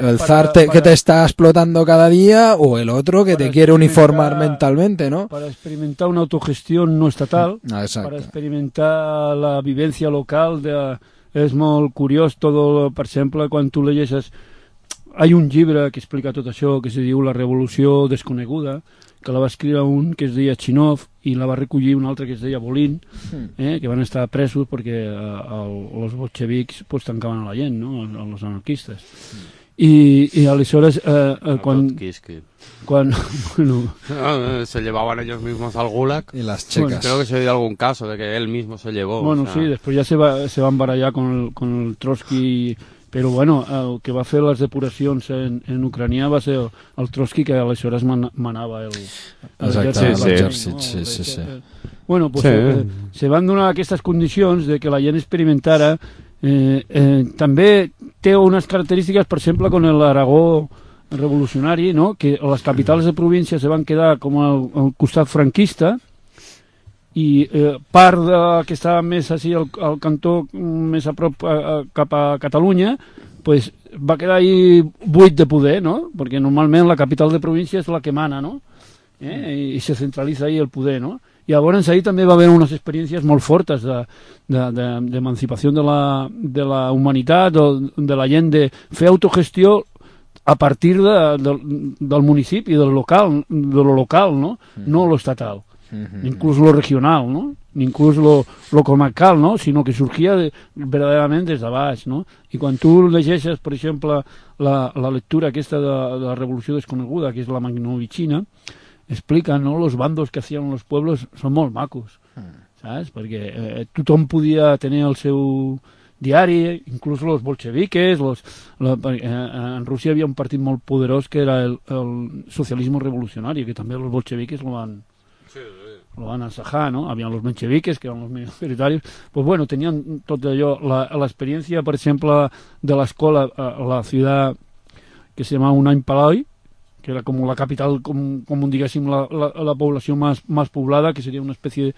[SPEAKER 3] el zar te, para... que te está explotando cada día, o el otro que te quiere uniformar mentalmente, ¿no?
[SPEAKER 4] Para experimentar una autogestión no estatal, ah, para experimentar la vivencia local, de, és molt curiós, todo, per exemple, quan tu llegeixes. Hi ha un llibre que explica tot això, que se diu La revolució desconeguda, que la va escriure un que es deia Chinov i la va recollir un altre que es deia Bolin, eh, que van estar presos perquè eh, els bolxevics pues, tancaven a la gent, no? Els anarquistes. I, i aleshores eh, eh, quan, quan bueno,
[SPEAKER 2] no, se llevaban ellos mismos al gulag
[SPEAKER 3] y las checas.
[SPEAKER 2] Bueno, creo que se dio algún caso de que él mismo se llevó.
[SPEAKER 4] Bueno,
[SPEAKER 2] o sea...
[SPEAKER 4] sí, después ya se, va, se van barallar con el, con el Trotsky. Però bueno, el que va fer les depuracions en, en Ucrània va ser el, el Trotsky, que aleshores man, manava el, el
[SPEAKER 3] l'exèrcit. Sí, sí, sí, sí.
[SPEAKER 4] Bueno, pues sí. eh, se van donar aquestes condicions de que la gent experimentara. Eh, eh, també té unes característiques, per exemple, con l'Aragó revolucionari, no? Que les capitals de província se van quedar com al, al costat franquista, i eh, part de, que estava més així al, al cantó més a prop a, a, cap a Catalunya, pues, va quedar ahí buit de poder, no? Perquè normalment la capital de província és la que mana, no? Eh? I, i se centralitza ahí el poder, no? I llavors ahí també va haver unes experiències molt fortes d'emancipació de, de, de, la, de la humanitat, de, de la gent, de fer autogestió a partir de, de, del municipi, del local, de lo local, no? No lo estatal. Uh-huh. Inclús lo regional, ¿no? Inclús lo, lo comarcal, ¿no? Sino que surgia de, verdaderament des de baix, ¿no? I quan tu llegeixes, per exemple, la, la lectura aquesta de, de la Revolució Desconeguda, que és la Magnovitxina, explica, ¿no? Los bandos que hacían los pueblos són molt macos, ¿sabes? Perquè eh, tothom podia tenir el seu diari, inclús los bolcheviques, los, la, eh, en Rússia hi havia un partit molt poderós que era el, el socialisme revolucionari, que també els bolcheviques lo van... lo van a ensajar, ¿no? Habían los mencheviques, que eran los minoritarios. Pues bueno, tenían todo ello. La, la experiencia, por ejemplo, de la escuela, la ciudad que se llamaba Unai Palai, que era como la capital, como, como digássim, la, la, la població más, más poblada, que sería una especie de...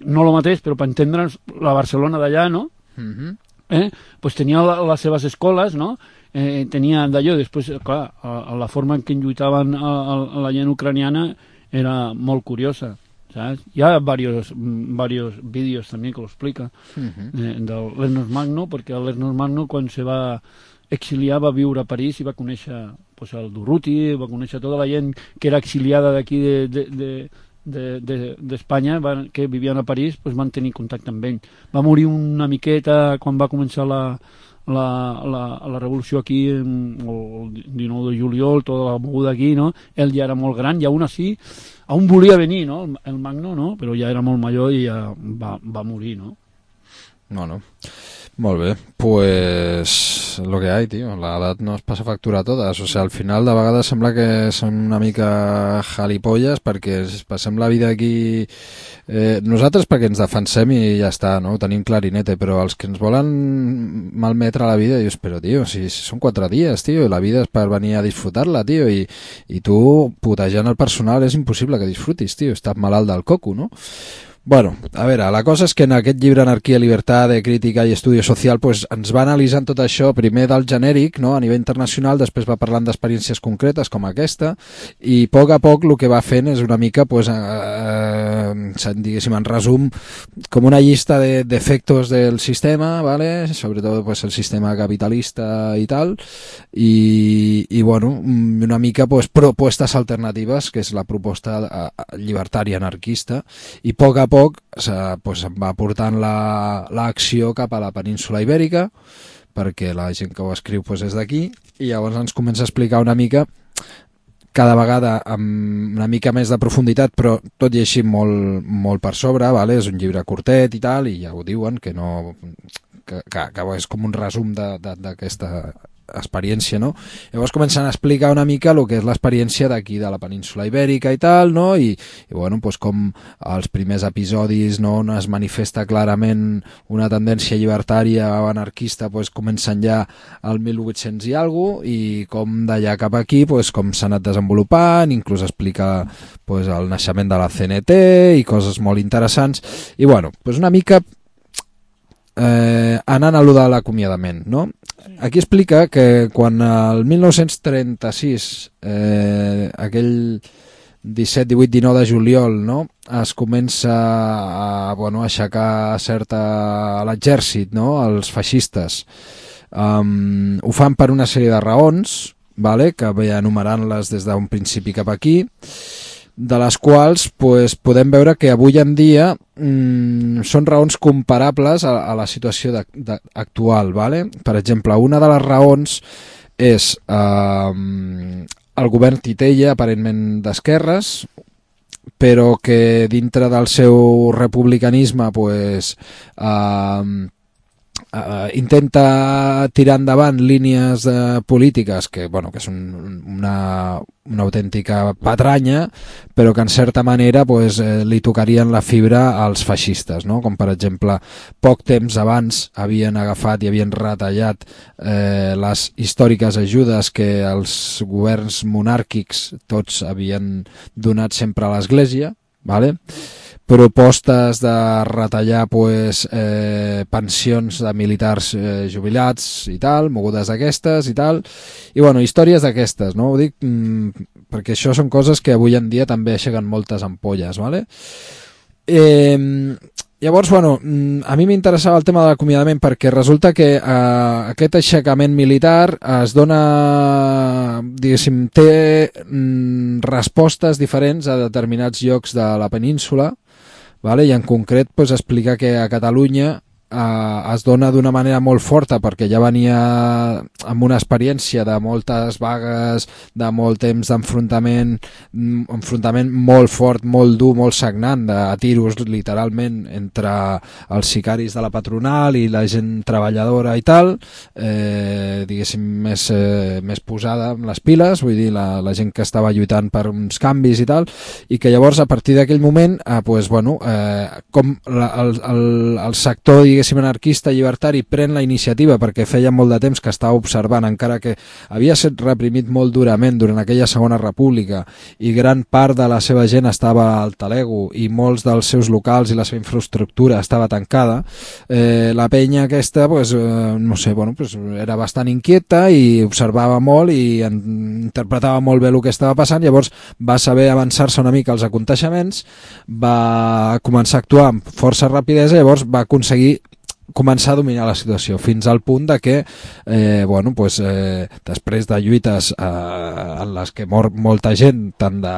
[SPEAKER 4] No lo mateix, però per entendre'ns, la Barcelona d'allà, no? Uh-huh. eh? Pues tenia la, les seves escoles, no? Eh, tenia d'allò, després, clar, a, a la forma en què lluitaven a, a, a la gent ucraniana era molt curiosa, saps? Hi ha varios, varios vídeos també que lo explica, uh-huh. eh, de l'Ernest Magno, perquè l'Ernest Magno quan se va exiliar va viure a París i va conèixer pues, el Durruti, va conèixer tota la gent que era exiliada d'aquí de, de, de d'Espanya, de, de, que vivien a París, pues van tenir contacte amb ell. Va morir una miqueta quan va començar la, la, la, la revolució aquí, en, el dinou de juliol, tota la moguda aquí, no? Ell ja era molt gran i aún així, aún volia venir, no? El, el Magno, no? Però ja era molt major i ja va, va morir, no?
[SPEAKER 3] No, no. Molt bé, pues lo que hay, tío, la edat nos passa factura a totes, o sea, al final de vegades sembla que són una mica jalipolles perquè passem la vida aquí, eh, nosaltres perquè ens defensem i ja està, no? Ho tenim clarinete, però els que ens volen malmetre la vida, dius, però tio, si, si són quatre dies, tio, i la vida és per venir a disfrutar-la, tio, i, i tu putejant el personal és impossible que disfrutis, tio, estàs malalt del coco, no? Bueno, a veure, la cosa és que en aquest llibre Anarquia, Libertad, de Crítica i Estudio Social pues, ens va analitzant tot això, primer del genèric, no? A nivell internacional, després va parlant d'experiències concretes com aquesta, i a poc a poc el que va fent és una mica, pues, eh, diguéssim, en resum, com una llista de defectos del sistema, ¿vale? Sobretot pues, el sistema capitalista i tal, i, i bueno, una mica pues, propostes alternatives, que és la proposta llibertària anarquista, i a poc a poc poc pues, va portant l'acció cap a la península Ibèrica perquè la gent que ho escriu pues, és d'aquí i llavors ens comença a explicar una mica cada vegada amb una mica més de profunditat, però tot i així molt, molt per sobre, vale? És un llibre curtet i tal, i ja ho diuen, que no que, que, que és com un resum d'aquesta experiència, no? Llavors comencen a explicar una mica el que és l'experiència d'aquí de la península ibèrica i tal, no? I, i bueno, pues com els primers episodis, no, on es manifesta clarament una tendència llibertària o anarquista, pues comencen ja al mil vuit-cents i alguna cosa, i com d'allà cap aquí, pues com s'ha anat desenvolupant, inclús explica pues el naixement de la C N T i coses molt interessants, i bueno, pues una mica eh, anant a lo de l'acomiadament, no? Aquí explica que quan el mil nou-cents trenta-sis, eh, aquell disset, divuit, dinou de juliol, no, es comença a, bueno, a aixecar certa l'exèrcit, no, els feixistes, um, ho fan per una sèrie de raons, vale, que ve enumerant-les des d'un principi cap aquí, de les quals pues, podem veure que avui en dia mmm, són raons comparables a, a la situació de, de, actual. Vale? Per exemple, una de les raons és eh, el govern Titella, aparentment d'esquerres, però que dintre del seu republicanisme pues, eh, Uh, intenta tirar endavant línies uh, polítiques que, bueno, que són una, una autèntica patranya, però que en certa manera pues, eh, li tocarien la fibra als feixistes, no? Com per exemple poc temps abans havien agafat i havien retallat eh, les històriques ajudes que els governs monàrquics tots havien donat sempre a l'Església, vale? Propostes de retallar pues, eh, pensions de militars eh, jubilats i tal, mogudes d'aquestes i tal, i bueno, històries d'aquestes, no? Ho dic mm, perquè això són coses que avui en dia també aixeguen moltes ampolles, vale? Eh, llavors, bueno, a mi m'interessava el tema de l'acomiadament perquè resulta que eh, aquest aixecament militar es dona, diguéssim, té mm, respostes diferents a determinats llocs de la península, vale? I en concret pues, explica que a Catalunya eh, es dona d'una manera molt forta perquè ja venia amb una experiència de moltes vagues, de molt temps d'enfrontament, enfrontament molt fort, molt dur, molt sagnant, de tiros literalment entre els sicaris de la patronal i la gent treballadora i tal, eh, diguéssim més, eh, més posada amb les piles, vull dir, la, la gent que estava lluitant per uns canvis i tal, i que llavors a partir d'aquell moment eh, pues, bueno, eh, com la, el, el, el sector diguéssim anarquista llibertari pren la iniciativa perquè feia molt de temps que estava observant, encara que havia estat reprimit molt durament durant aquella segona república i gran part de la seva gent estava al talego i molts dels seus locals i la seva infraestructura estava tancada, eh, la penya aquesta pues, eh, no sé, bueno, pues, era bastant inquieta i observava molt i en, interpretava molt bé el que estava passant, llavors va saber avançar-se una mica als aconteixements, va començar a actuar amb força rapidesa, llavors va aconseguir començar a dominar la situació fins al punt de que eh, bueno, pues, eh, després de lluites eh, en les que mor molta gent tant de,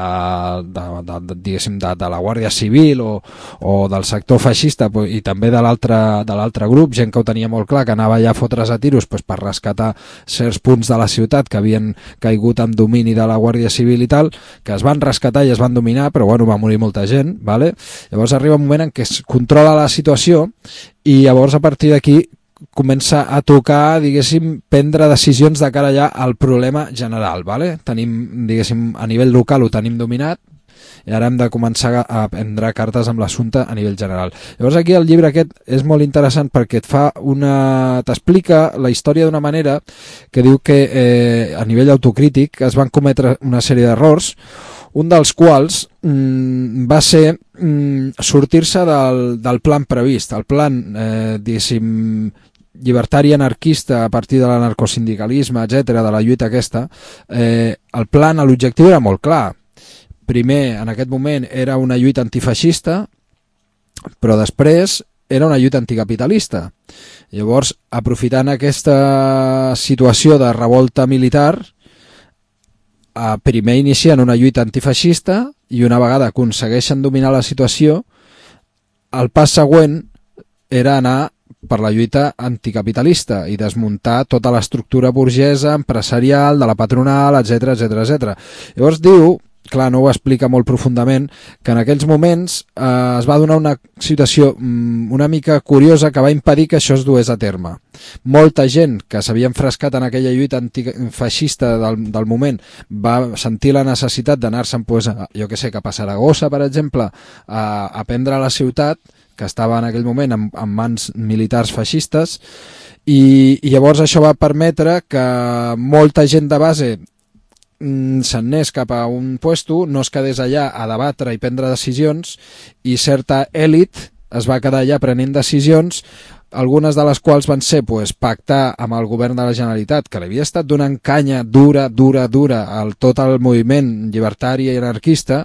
[SPEAKER 3] de, de, de, diguéssim, de, de la Guàrdia Civil o, o del sector feixista pues, i també de l'altre de l'altre grup, gent que ho tenia molt clar que anava ja a fotre's a tiros pues, per rescatar certs punts de la ciutat que havien caigut en domini de la Guàrdia Civil i tal, que es van rescatar i es van dominar, però bueno, va morir molta gent, vale? Llavors arriba un moment en què es controla la situació i llavors a partir d'aquí comença a tocar, diguéssim, prendre decisions de cara ja al problema general, vale? Tenim, diguéssim, a nivell local ho tenim dominat i ara hem de començar a prendre cartes amb l'assumpte a nivell general. Llavors aquí el llibre aquest és molt interessant perquè et fa una... t'explica la història d'una manera que diu que eh, a nivell autocrític es van cometre una sèrie d'errors, un dels quals mm, va ser mm, sortir-se del, del plan previst, el plan, eh, diguéssim, llibertari anarquista a partir de l'anarcosindicalisme, etcètera, de la lluita aquesta. Eh, el plan, l'objectiu era molt clar. Primer, en aquest moment, era una lluita antifeixista, però després era una lluita anticapitalista. Llavors, aprofitant aquesta situació de revolta militar, primer inicien una lluita antifeixista i una vegada aconsegueixen dominar la situació, el pas següent era anar per la lluita anticapitalista i desmuntar tota l'estructura burgesa, empresarial, de la patronal, etcètera, etcètera, etcètera. Llavors diu, clar, no ho explica molt profundament, que en aquells moments eh, es va donar una situació mm, una mica curiosa que va impedir que això es dués a terme. Molta gent que s'havia enfrescat en aquella lluita antifeixista del, del moment va sentir la necessitat d'anar-se'n, pues, jo que sé, cap a Saragossa, per exemple, a, a prendre la ciutat, que estava en aquell moment en, en mans militars feixistes, i, i llavors això va permetre que molta gent de base se'n anés cap a un puesto, no es quedés allà a debatre i prendre decisions, i certa èlit es va quedar allà prenent decisions, algunes de les quals van ser pues, pactar amb el govern de la Generalitat, que li havia estat donant canya dura, dura, dura al tot el moviment llibertari i anarquista,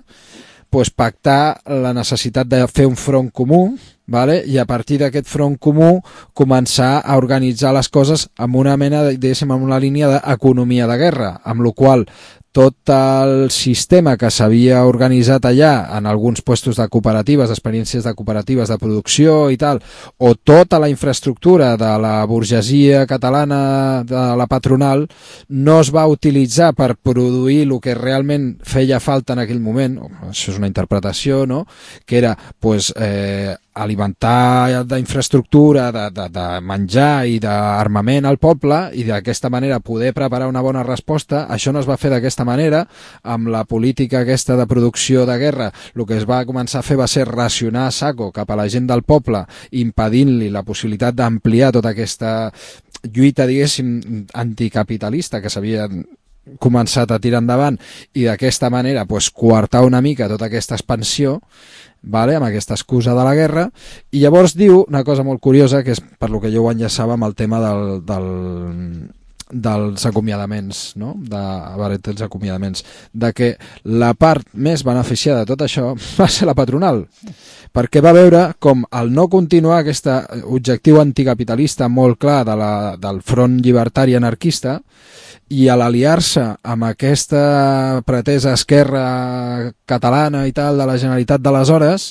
[SPEAKER 3] pues, pactar la necessitat de fer un front comú, vale? I a partir d'aquest front comú començar a organitzar les coses amb una mena, diguéssim, amb una línia d'economia de guerra, amb la qual tot el sistema que s'havia organitzat allà en alguns puestos de cooperatives, d'experiències de cooperatives de producció i tal, o tota la infraestructura de la burgesia catalana, de la patronal, no es va utilitzar per produir el que realment feia falta en aquell moment, això és una interpretació, no?, que era, pues, eh, alimentar d'infraestructura, de, de, de menjar i d'armament al poble, i d'aquesta manera poder preparar una bona resposta. Això no es va fer d'aquesta manera. Amb la política aquesta de producció de guerra, el que es va començar a fer va ser racionar a saco cap a la gent del poble, impedint-li la possibilitat d'ampliar tota aquesta lluita, diguéssim, anticapitalista que s'havia començat a tirar endavant, i d'aquesta manera pues, coartar una mica tota aquesta expansió, vale, amb aquesta excusa de la guerra. I llavors diu una cosa molt curiosa, que és per lo que jo ho enllaçava amb el tema del, del, dels acomiadaments, no?, de, a veure, dels acomiadaments, de que la part més beneficiada de tot això va ser la patronal, perquè va veure com al no continuar aquest objectiu anticapitalista molt clar de la, del front llibertari anarquista, i a l'aliar-se amb aquesta pretesa esquerra catalana i tal de la Generalitat d'aleshores,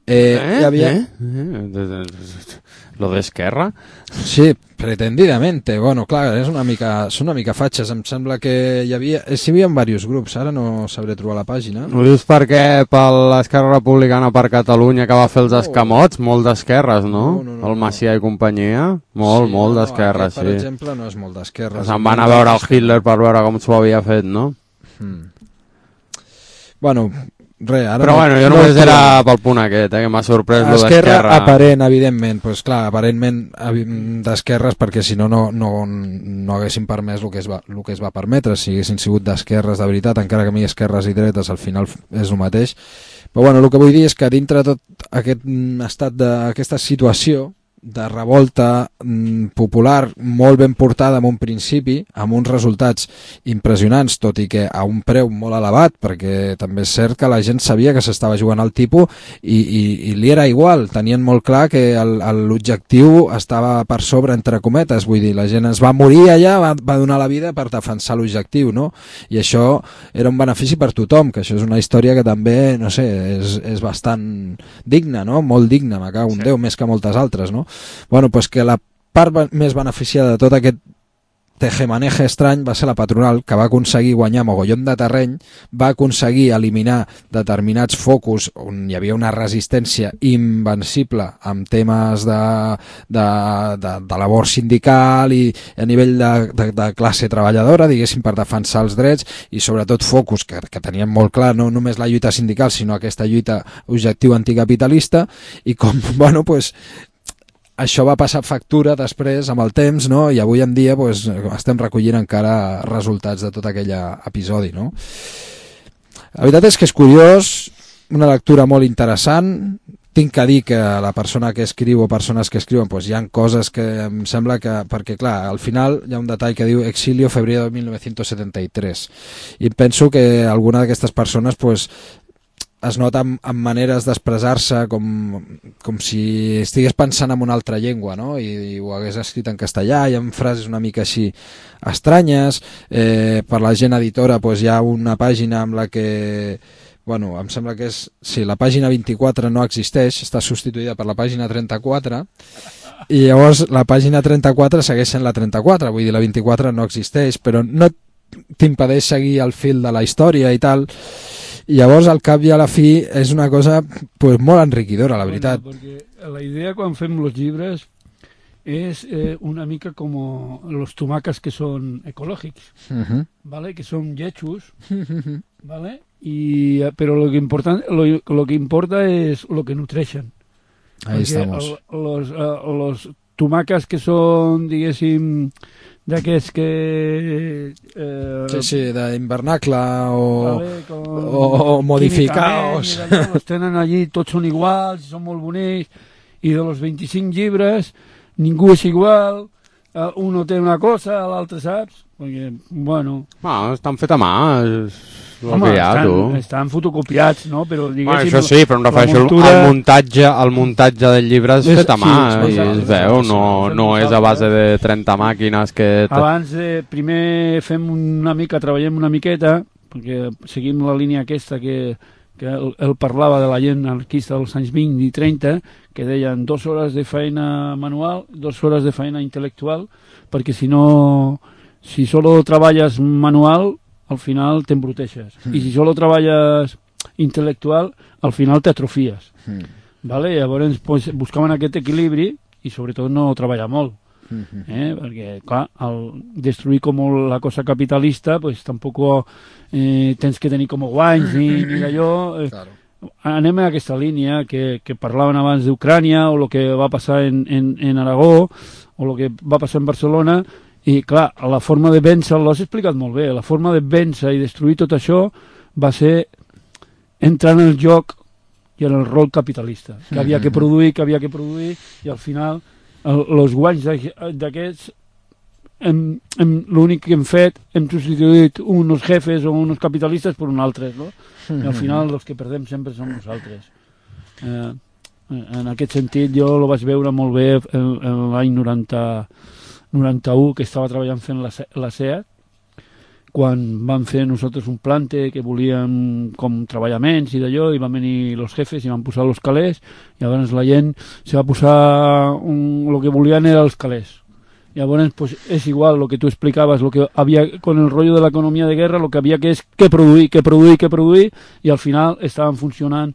[SPEAKER 3] eh,
[SPEAKER 2] eh?
[SPEAKER 3] hi havia...
[SPEAKER 2] Eh? Eh? Lo d'esquerra?
[SPEAKER 3] Sí, pretendidamente. Bueno, clar, és una mica, són una mica fatxes. Em sembla que hi havia... Hi havia diversos grups, ara no sabré trobar la pàgina.
[SPEAKER 2] Ho dius perquè per l'Esquerra Republicana per Catalunya, que va fer els escamots, molt d'esquerres, no?
[SPEAKER 3] No, no, no,
[SPEAKER 2] el Macià i companyia, molt,
[SPEAKER 3] sí,
[SPEAKER 2] molt
[SPEAKER 3] no,
[SPEAKER 2] d'esquerres,
[SPEAKER 3] aquest,
[SPEAKER 2] sí.
[SPEAKER 3] per exemple, no és molt d'esquerres.
[SPEAKER 2] Se'n van a veure el Hitler per veure com s'ho havia fet, no?
[SPEAKER 3] Hmm. Bueno, res, ara
[SPEAKER 2] però
[SPEAKER 3] no,
[SPEAKER 2] bueno, jo
[SPEAKER 3] no
[SPEAKER 2] només era pel punt aquest, eh, que m'ha sorprès lo
[SPEAKER 3] Esquerra
[SPEAKER 2] d'Esquerra.
[SPEAKER 3] aparent, evidentment, pues clar, aparentment d'esquerres, perquè si no, no, no, no haguessin permès el que, es va, el que es va permetre. Si haguessin sigut d'esquerres de veritat, encara que a mi esquerres i dretes al final és el mateix. Però bueno, el que vull dir és que dintre de tot aquest estat d'aquesta situació de revolta mm, popular molt ben portada en un principi, amb uns resultats impressionants, tot i que a un preu molt elevat, perquè també és cert que la gent sabia que s'estava jugant al tipus i, i, i li era igual, tenien molt clar que l'objectiu estava per sobre, entre cometes, vull dir, la gent es va morir allà, va, va donar la vida per defensar l'objectiu, no? I això era un benefici per tothom, que això és una història que també, no sé, és, és bastant digna, no? Molt digna, me cago en Déu, més que moltes altres, no? Bueno, pues que la part més beneficiada de tot aquest tejemaneje estrany va ser la patronal, que va aconseguir guanyar mogollon de terreny, va aconseguir eliminar determinats focus on hi havia una resistència invencible amb temes de, de, de, de labor sindical i a nivell de, de, de classe treballadora, diguéssim, per defensar els drets, i sobretot focus que, que tenien molt clar, no només la lluita sindical, sinó aquesta lluita objectiu anticapitalista, i com, bueno, pues això va passar factura després amb el temps, no? I avui en dia pues, estem recollint encara resultats de tot aquell episodi, no? La veritat és que és curiós, una lectura molt interessant. Tinc que dir que la persona que escriu o persones que escriuen, pues, hi ha coses que em sembla que... Perquè, clar, al final hi ha un detall que diu Exilio, febrero de mil novecientos setenta y tres. I penso que alguna d'aquestes persones, pues, es nota amb, amb maneres d'expressar-se com, com si estigués pensant en una altra llengua, no? I, i ho hagués escrit en castellà, hi ha frases una mica així estranyes. Eh, per la gent editora pues, hi ha una pàgina amb la que... Bueno, em sembla que és... Sí, la pàgina vint-i-quatre no existeix, està substituïda per la pàgina trenta-quatre, I llavors la pàgina trenta-quatre segueix sent la trenta-quatre, vull dir, la vint-i-quatre no existeix, però no t'impedeix seguir el fil de la història i tal. I llavors, al cap i a la fi, és una cosa pues, molt enriquidora, la veritat.
[SPEAKER 4] Bueno, perquè la idea quan fem els llibres és eh, una mica com los tomacas que són ecològics,
[SPEAKER 3] Uh-huh.
[SPEAKER 4] ¿vale? Que són lletjos, ¿vale? Y, però lo que, importa, lo, lo que importa és lo que nutreixen.
[SPEAKER 3] Ahí
[SPEAKER 4] Perquè
[SPEAKER 3] estamos.
[SPEAKER 4] El, los, uh, los tomacas que són, diguéssim, d'aquests que... Eh,
[SPEAKER 3] Sí, sí, d'invernacle o,
[SPEAKER 4] vale, con
[SPEAKER 3] o, o modificados.
[SPEAKER 4] químicament, i d'allò, los tenen allí, tots són iguals, són molt bonics, i de los vint-i-cinc llibres ningú és igual, uh, uno té una cosa, l'altre saps? Perquè, bueno...
[SPEAKER 2] Ah, estan fet a mà, és el
[SPEAKER 4] Home,
[SPEAKER 2] que hi ha,
[SPEAKER 4] estan,
[SPEAKER 2] tu.
[SPEAKER 4] estan fotocopiats, no? Però
[SPEAKER 2] Bueno,
[SPEAKER 4] diguéssim...
[SPEAKER 2] això sí, però em refereixo
[SPEAKER 4] muntura...
[SPEAKER 2] al muntatge, el muntatge del llibre és
[SPEAKER 4] És-
[SPEAKER 2] fet a mà
[SPEAKER 4] sí,
[SPEAKER 2] i
[SPEAKER 4] és-
[SPEAKER 2] es veu, no,
[SPEAKER 4] és-
[SPEAKER 2] no és a base de trenta màquines que...
[SPEAKER 4] Abans de... Primer fem una mica, treballem una miqueta, perquè seguim la línia aquesta que, que el, el parlava de la gent anarquista dels anys vint i trenta, que deien dues hores de feina manual, dues hores de feina intel·lectual, perquè si no... Si solo treballes manual, al final t'embruteixes. Mm. I si solo treballes intel·lectual, al final t'atrofies.
[SPEAKER 3] Mm.
[SPEAKER 4] Vale? Llavors pues, buscaven aquest equilibri i sobretot no treballar molt. Eh? Perquè, clar, al destruir com la cosa capitalista, pues tampoc eh, tens que tenir com guanys ni, ni d'allò. Eh,
[SPEAKER 3] Claro.
[SPEAKER 4] Anem a aquesta línia que, que parlaven abans d'Ucrània o el que va passar en, en, en Aragó o el que va passar en Barcelona. I, clar, la forma de vèncer, l'has explicat molt bé, la forma de vèncer i destruir tot això va ser entrar en el joc i en el rol capitalista, que havia que produir, que havia que produir, i al final els guanys d'aquests, l'únic que hem fet, hem substituït uns jefes o uns capitalistes per uns altres, no? I al final els que perdem sempre som nosaltres. Eh, en aquest sentit jo ho vaig veure molt bé en, en l'any noranta... noranta-u, que estava treballant fent la, la SEAT, quan van fer nosaltres un plante que volíem com treballaments i d'allò, i van venir els jefes i van posar els calés, i llavors la gent se va posar un, el que volien era els calés. Llavors pues, és igual el que tu explicaves, lo que havia con el rollo de l'economia de guerra, el que havia que és que produir, que produir, que produir, i al final estaven funcionant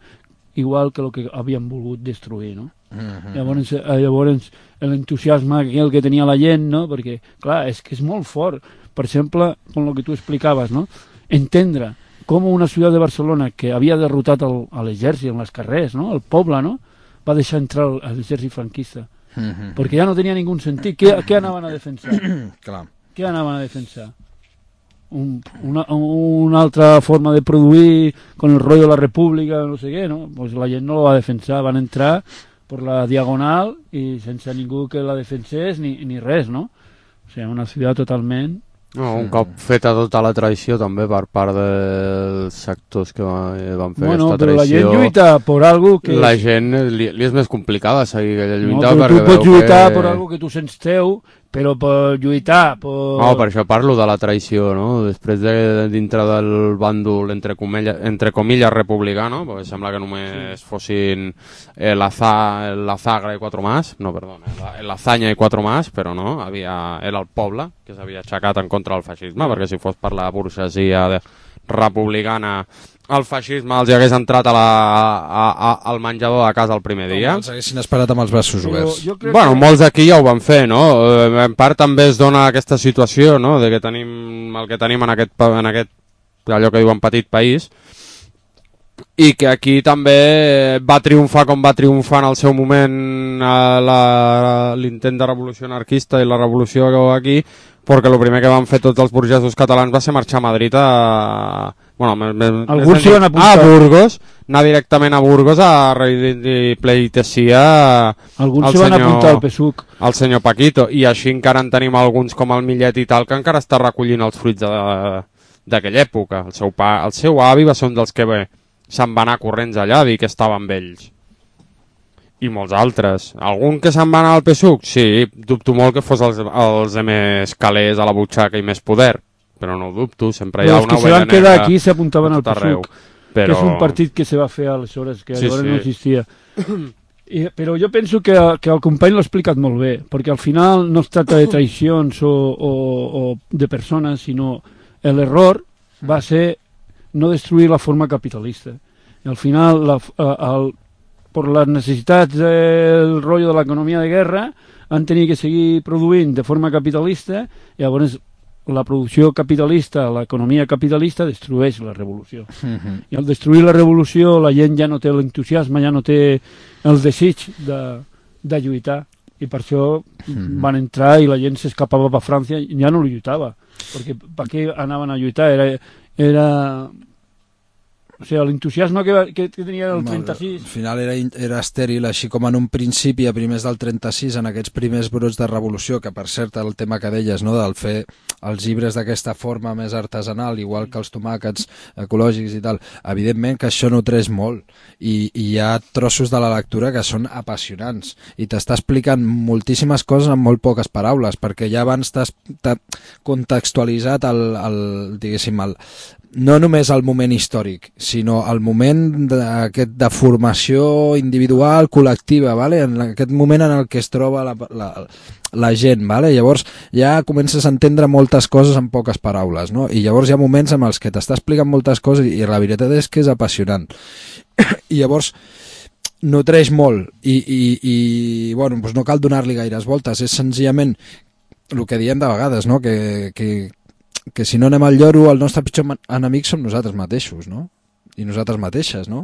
[SPEAKER 4] igual que el que havien volgut destruir, no? Uh-huh. Llavors, llavors l'entusiasme aquell que tenia la gent, no? Perquè, clar, és que és molt fort. Per exemple, com el que tu explicaves, no? Entendre com una ciutat de Barcelona que havia derrotat el, a l'exèrcit en les carrers, no? El poble, no? Va deixar entrar l'exèrcit franquista. Uh-huh. Perquè ja no tenia ningú sentit. Què, què anaven a defensar?
[SPEAKER 3] Clar.
[SPEAKER 4] Què anaven a defensar? Un, una, una altra forma de produir con el rollo de la república, no sé què, no? Pues la gent no lo va defensar, van entrar per la diagonal i sense ningú que la defensés ni, ni res, no? O sigui, una ciutat totalment...
[SPEAKER 2] No, un cop feta tota la traïció també per part dels sectors que van fer
[SPEAKER 4] bueno,
[SPEAKER 2] aquesta traïció.
[SPEAKER 4] Bueno, però la gent lluita per algo que...
[SPEAKER 2] La gent li, li és més complicada seguir aquella
[SPEAKER 4] No,
[SPEAKER 2] lluita.
[SPEAKER 4] però tu pots lluitar
[SPEAKER 2] que...
[SPEAKER 4] per algo que tu sents teu, però per lluitar... Per...
[SPEAKER 2] No, per això parlo de la traïció, no? Després de dintre del bàndol, entre, comilla, entre comilles, republicà, no? Perquè sembla que només sí. fossin eh, la, za, la zagra i quatre más, no, perdona, la, la zanya i quatre más, però no, havia, era el poble que s'havia aixecat en contra del feixisme, perquè si fos per la burgesia de, republicana el feixisme els hagués entrat a la, a, a, al menjador de casa el primer dia.
[SPEAKER 3] No, els haguessin esperat amb els braços oberts.
[SPEAKER 2] Bueno, que... molts d'aquí ja ho van fer, no? En part també es dona aquesta situació, no? De que tenim el que tenim en aquest, en aquest allò que diuen petit país, i que aquí també va triomfar com va triomfar en el seu moment l'intent de revolució anarquista i la revolució aquí, perquè el primer que van fer tots els burgesos catalans va ser marxar a Madrid a... Bueno, me, me,
[SPEAKER 4] alguns s'hi van apuntar.
[SPEAKER 2] A Burgos, anar directament a Burgos a pleitesia
[SPEAKER 4] alguns s'hi van apuntar al P S U C.
[SPEAKER 2] El senyor Paquito, i així encara en tenim alguns com el Millet i tal, que encara està recollint els fruits d'aquella època. El seu, pa, el seu avi va ser un dels que bé, se'n va anar corrents allà a dir que estava amb ells. I molts altres. Algun que se'n va anar al P S U C? Sí, dubto molt que fos els, els més calés a la butxaca i més poder, però no ho dubto, sempre hi ha una ovella negra.
[SPEAKER 4] Els que se van quedar aquí s'apuntaven al P S U C,
[SPEAKER 2] però...
[SPEAKER 4] que és un partit que se va fer aleshores, que
[SPEAKER 2] sí,
[SPEAKER 4] llavors
[SPEAKER 2] sí.
[SPEAKER 4] no existia. I, però jo penso que, que el company l'ha explicat molt bé, perquè al final no es tracta de traïcions o, o, o de persones, sinó l'error va ser no destruir la forma capitalista. I al final, la, el, per les necessitats del rotllo de l'economia de guerra, han tenir que seguir produint de forma capitalista, i llavors la producció capitalista, l'economia capitalista destrueix la revolució. Uh-huh. I al destruir la revolució la gent ja no té l'entusiasme, ja no té el desig de, de lluitar, i per això uh-huh. van entrar i la gent s'escapava per França i ja no lluitava, perquè per què anaven a lluitar? Era, era o sigui, l'entusiasme que, que, que tenia el trenta-sis...
[SPEAKER 3] Al final era, era estèril, així com en un principi, a primers del trenta-sis, en aquests primers brots de revolució, que per cert el tema que deies, no?, del fer els llibres d'aquesta forma més artesanal, igual que els tomàquets ecològics i tal, evidentment que això no treix molt, i, i hi ha trossos de la lectura que són apassionants, i t'està explicant moltíssimes coses en molt poques paraules, perquè ja abans t'has contextualitzat el, el, diguéssim, el, no només el moment històric, sinó el moment d'aquest de formació individual, col·lectiva, ¿vale? En aquest moment en el que es troba la, la, la gent, ¿vale? Llavors ja comences a entendre moltes coses en poques paraules, no? I llavors hi ha moments en els que t'està explicant moltes coses i la veritat és que és apassionant. I llavors nutreix molt i, i, i bueno, doncs no cal donar-li gaires voltes, és senzillament el que diem de vegades, no? Que, que que si no anem al lloro, el nostre pitjor enemic som nosaltres mateixos, no? I nosaltres mateixes, no?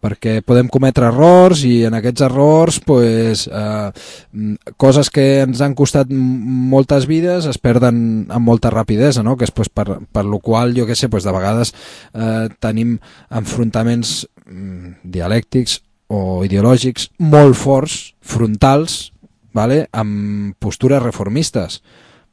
[SPEAKER 3] Perquè podem cometre errors i en aquests errors pues, eh, coses que ens han costat moltes vides es perden amb molta rapidesa, no? Que és pues, per, per lo qual, jo què sé, pues, de vegades eh, tenim enfrontaments mm, dialèctics o ideològics molt forts, frontals, ¿vale? Amb postures reformistes.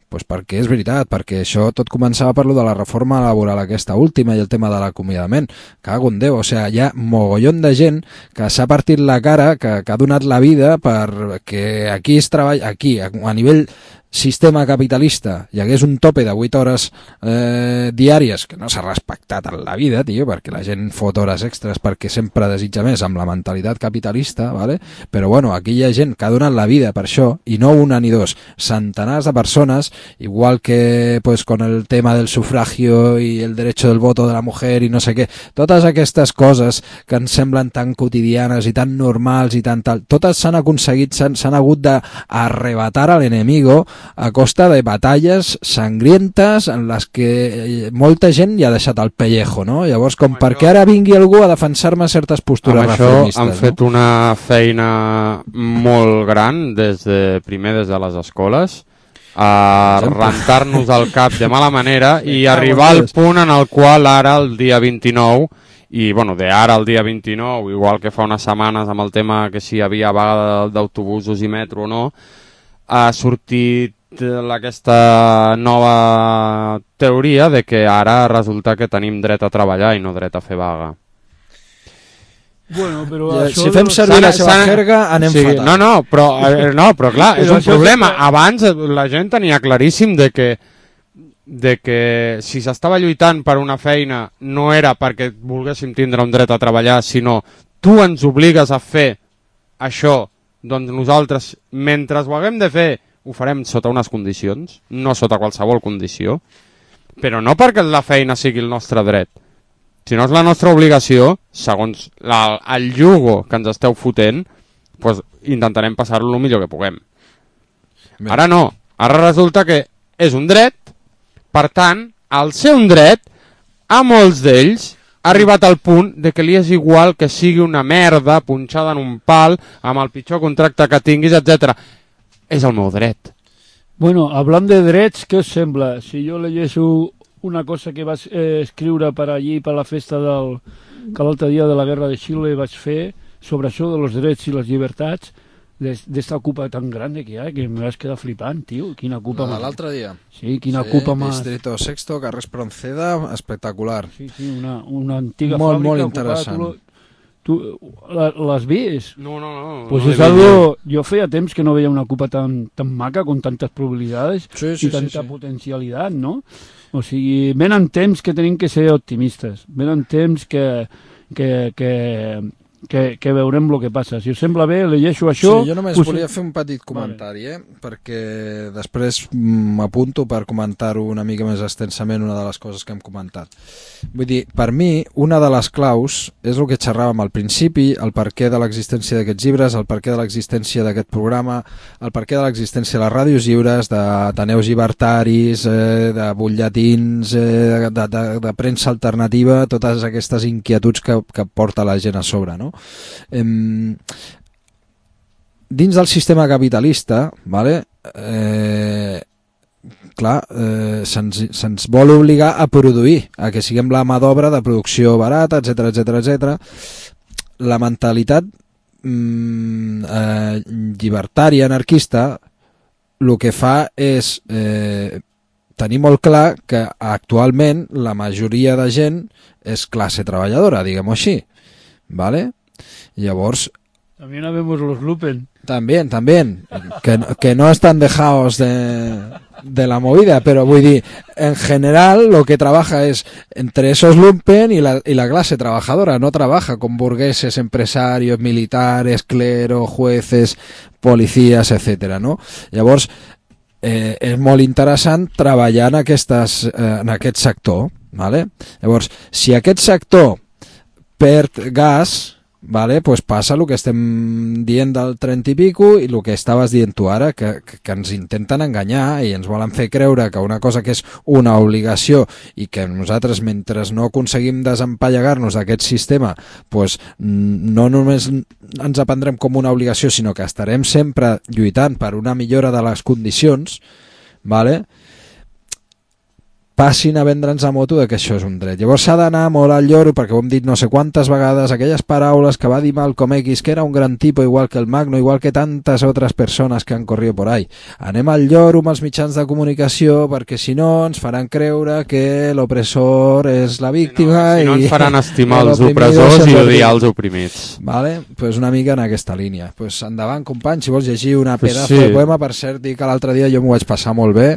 [SPEAKER 3] Pues perquè és veritat, perquè això tot començava per lo de la reforma laboral aquesta última i el tema de l'acomiadament. Cago en Déu, o sigui, hi ha mogollon de gent que s'ha partit la cara, que, que ha donat la vida perquè aquí es treballa, aquí, a, a nivell sistema capitalista, hi hagués un tope de vuit hores eh, diàries, que no s'ha respectat en la vida, tio, perquè la gent fot hores extres perquè sempre desitja més amb la mentalitat capitalista, ¿vale? Però bueno, aquí hi ha gent que ha donat la vida per això, i no una ni dos, centenars de persones, igual que pues, con el tema del sufragio i el derecho del voto de la mujer i no sé què, totes aquestes coses que ens semblen tan quotidianes i tan normals i tan tal, totes s'han aconseguit, s'han hagut d'arrebatar a l'enemigo a costa de batalles sangrientes en les que molta gent hi ha deixat el pellejo, no? Llavors, com per què ara vingui algú a defensar-me certes postures reformistes?
[SPEAKER 2] Amb això han
[SPEAKER 3] no?
[SPEAKER 2] fet una feina molt gran des de, primer des de les escoles, a rentar-nos el cap de mala manera i arribar al punt en el qual ara, el dia vint-i-nou, i bueno, de ara al dia vint-i-nou, igual que fa unes setmanes amb el tema que si hi havia vaga d'autobusos i metro o no, ha sortit aquesta nova teoria de que ara resulta que tenim dret a treballar i no dret a fer vaga.
[SPEAKER 4] Bueno, però
[SPEAKER 3] ja,
[SPEAKER 4] això
[SPEAKER 3] si fem servir la seva jerga anem
[SPEAKER 2] sí,
[SPEAKER 3] fatal.
[SPEAKER 2] No, no, però, eh, no, però clar, és un problema. Abans la gent tenia claríssim de que, de que si s'estava lluitant per una feina no era perquè volguéssim tindre un dret a treballar, sinó tu ens obligues a fer això, doncs nosaltres, mentre ho haguem de fer, ho farem sota unes condicions, no sota qualsevol condició, però no perquè la feina sigui el nostre dret, sinó és la nostra obligació, segons la, el jugo que ens esteu fotent, doncs intentarem passar-lo el millor que puguem. Bé. Ara no, ara resulta que és un dret, per tant, al ser un dret, a molts d'ells ha arribat al punt de que li és igual que sigui una merda punxada en un pal amb el pitjor contracte que tinguis, etcètera. És el meu dret.
[SPEAKER 4] Bueno, hablant de drets, què us sembla? Si jo llegeixo una cosa que vas eh, escriure per allí, per la festa del, que l'altre dia de la guerra de Xile vaig fer, sobre això de los drets i les llibertats, d'esta ocupa tan grande que hi ha, que me vas quedar flipant, tio. Quina ocupa
[SPEAKER 3] la
[SPEAKER 4] más...
[SPEAKER 3] de l'altre dia.
[SPEAKER 4] Sí, quina sí, ocupa más...
[SPEAKER 3] Distrito Sexto, carrer Espronceda, espectacular.
[SPEAKER 4] Sí, sí, una, una antiga
[SPEAKER 3] molt,
[SPEAKER 4] fàbrica.
[SPEAKER 3] Molt interessant.
[SPEAKER 4] Tu, tu l'has vist?
[SPEAKER 2] No, no, no.
[SPEAKER 4] Pues
[SPEAKER 2] no
[SPEAKER 4] és algo... Jo feia temps que no veia una ocupa tan, tan maca, con tantes probabilitats
[SPEAKER 3] sí, sí,
[SPEAKER 4] i tanta
[SPEAKER 3] sí, sí.
[SPEAKER 4] potencialitat, no? O sigui, venen temps que tenim que ser optimistes. Venen temps que... que, que que, que veurem el que passa. Si us sembla bé, llegeixo això...
[SPEAKER 3] Sí, jo només us... volia fer un petit comentari, vale. eh? perquè després m'apunto per comentar-ho una mica més extensament, una de les coses que hem comentat. Vull dir, per mi, una de les claus és el que xerràvem al principi, el perquè de l'existència d'aquests llibres, el perquè de l'existència d'aquest programa, el perquè de l'existència de les ràdios lliures, d'ateneus llibertaris, eh, de butlletins, eh, de, de, de premsa alternativa, totes aquestes inquietuds que, que porta la gent a sobre, no? Em, dins del sistema capitalista, vale, eh, clar, eh, se'ns se'ns vol obligar a produir, a que siguem la mà d'obra de producció barata, etcètera, etcètera, etcètera. La mentalitat mm, eh, llibertària, anarquista, el que fa és eh, tenir molt clar que actualment la majoria de gent és classe treballadora, diguem-ho així, ¿vale? Llavors...
[SPEAKER 4] También habemos los lupen.
[SPEAKER 3] También, también. Que, que no están dejados de, de la movida, pero voy a decir, en general lo que trabaja es entre esos lumpen y la, y la clase trabajadora. No trabaja con burgueses, empresarios, militares, clero, jueces, policías, etcétera, no? Llavors, eh, és molt interessant treballar en, aquestes, eh, en aquest sector, ¿vale? Llavors, si aquest sector perd gas, vale, pues passa el que estem dient del trenta i pico i el que estaves dient tu ara, que, que, que ens intenten enganyar i ens volen fer creure que una cosa que és una obligació i que nosaltres, mentre no aconseguim desempallegar-nos d'aquest sistema, pues, no només ens aprendrem com una obligació, sinó que estarem sempre lluitant per una millora de les condicions, vale? Passin a vendre'ns a moto de que això és un dret. Llavors s'ha d'anar molt al lloro, perquè ho hem dit no sé quantes vegades, aquelles paraules que va dir Malcolm X, que era un gran tipo igual que el Magno, igual que tantes altres persones que han corrido por ahí. Anem al lloro amb els mitjans de comunicació, perquè si no ens faran creure que l'opressor és la víctima...
[SPEAKER 2] Si no, si no
[SPEAKER 3] i
[SPEAKER 2] ens faran estimar els opressors i odiar els oprimits.
[SPEAKER 3] Vale? Pues una mica en aquesta línia. Pues endavant, company, si vols llegir una
[SPEAKER 2] pues
[SPEAKER 3] pedazo
[SPEAKER 2] sí.
[SPEAKER 3] de poema, per cert, dir que l'altre dia jo m'ho vaig passar molt bé,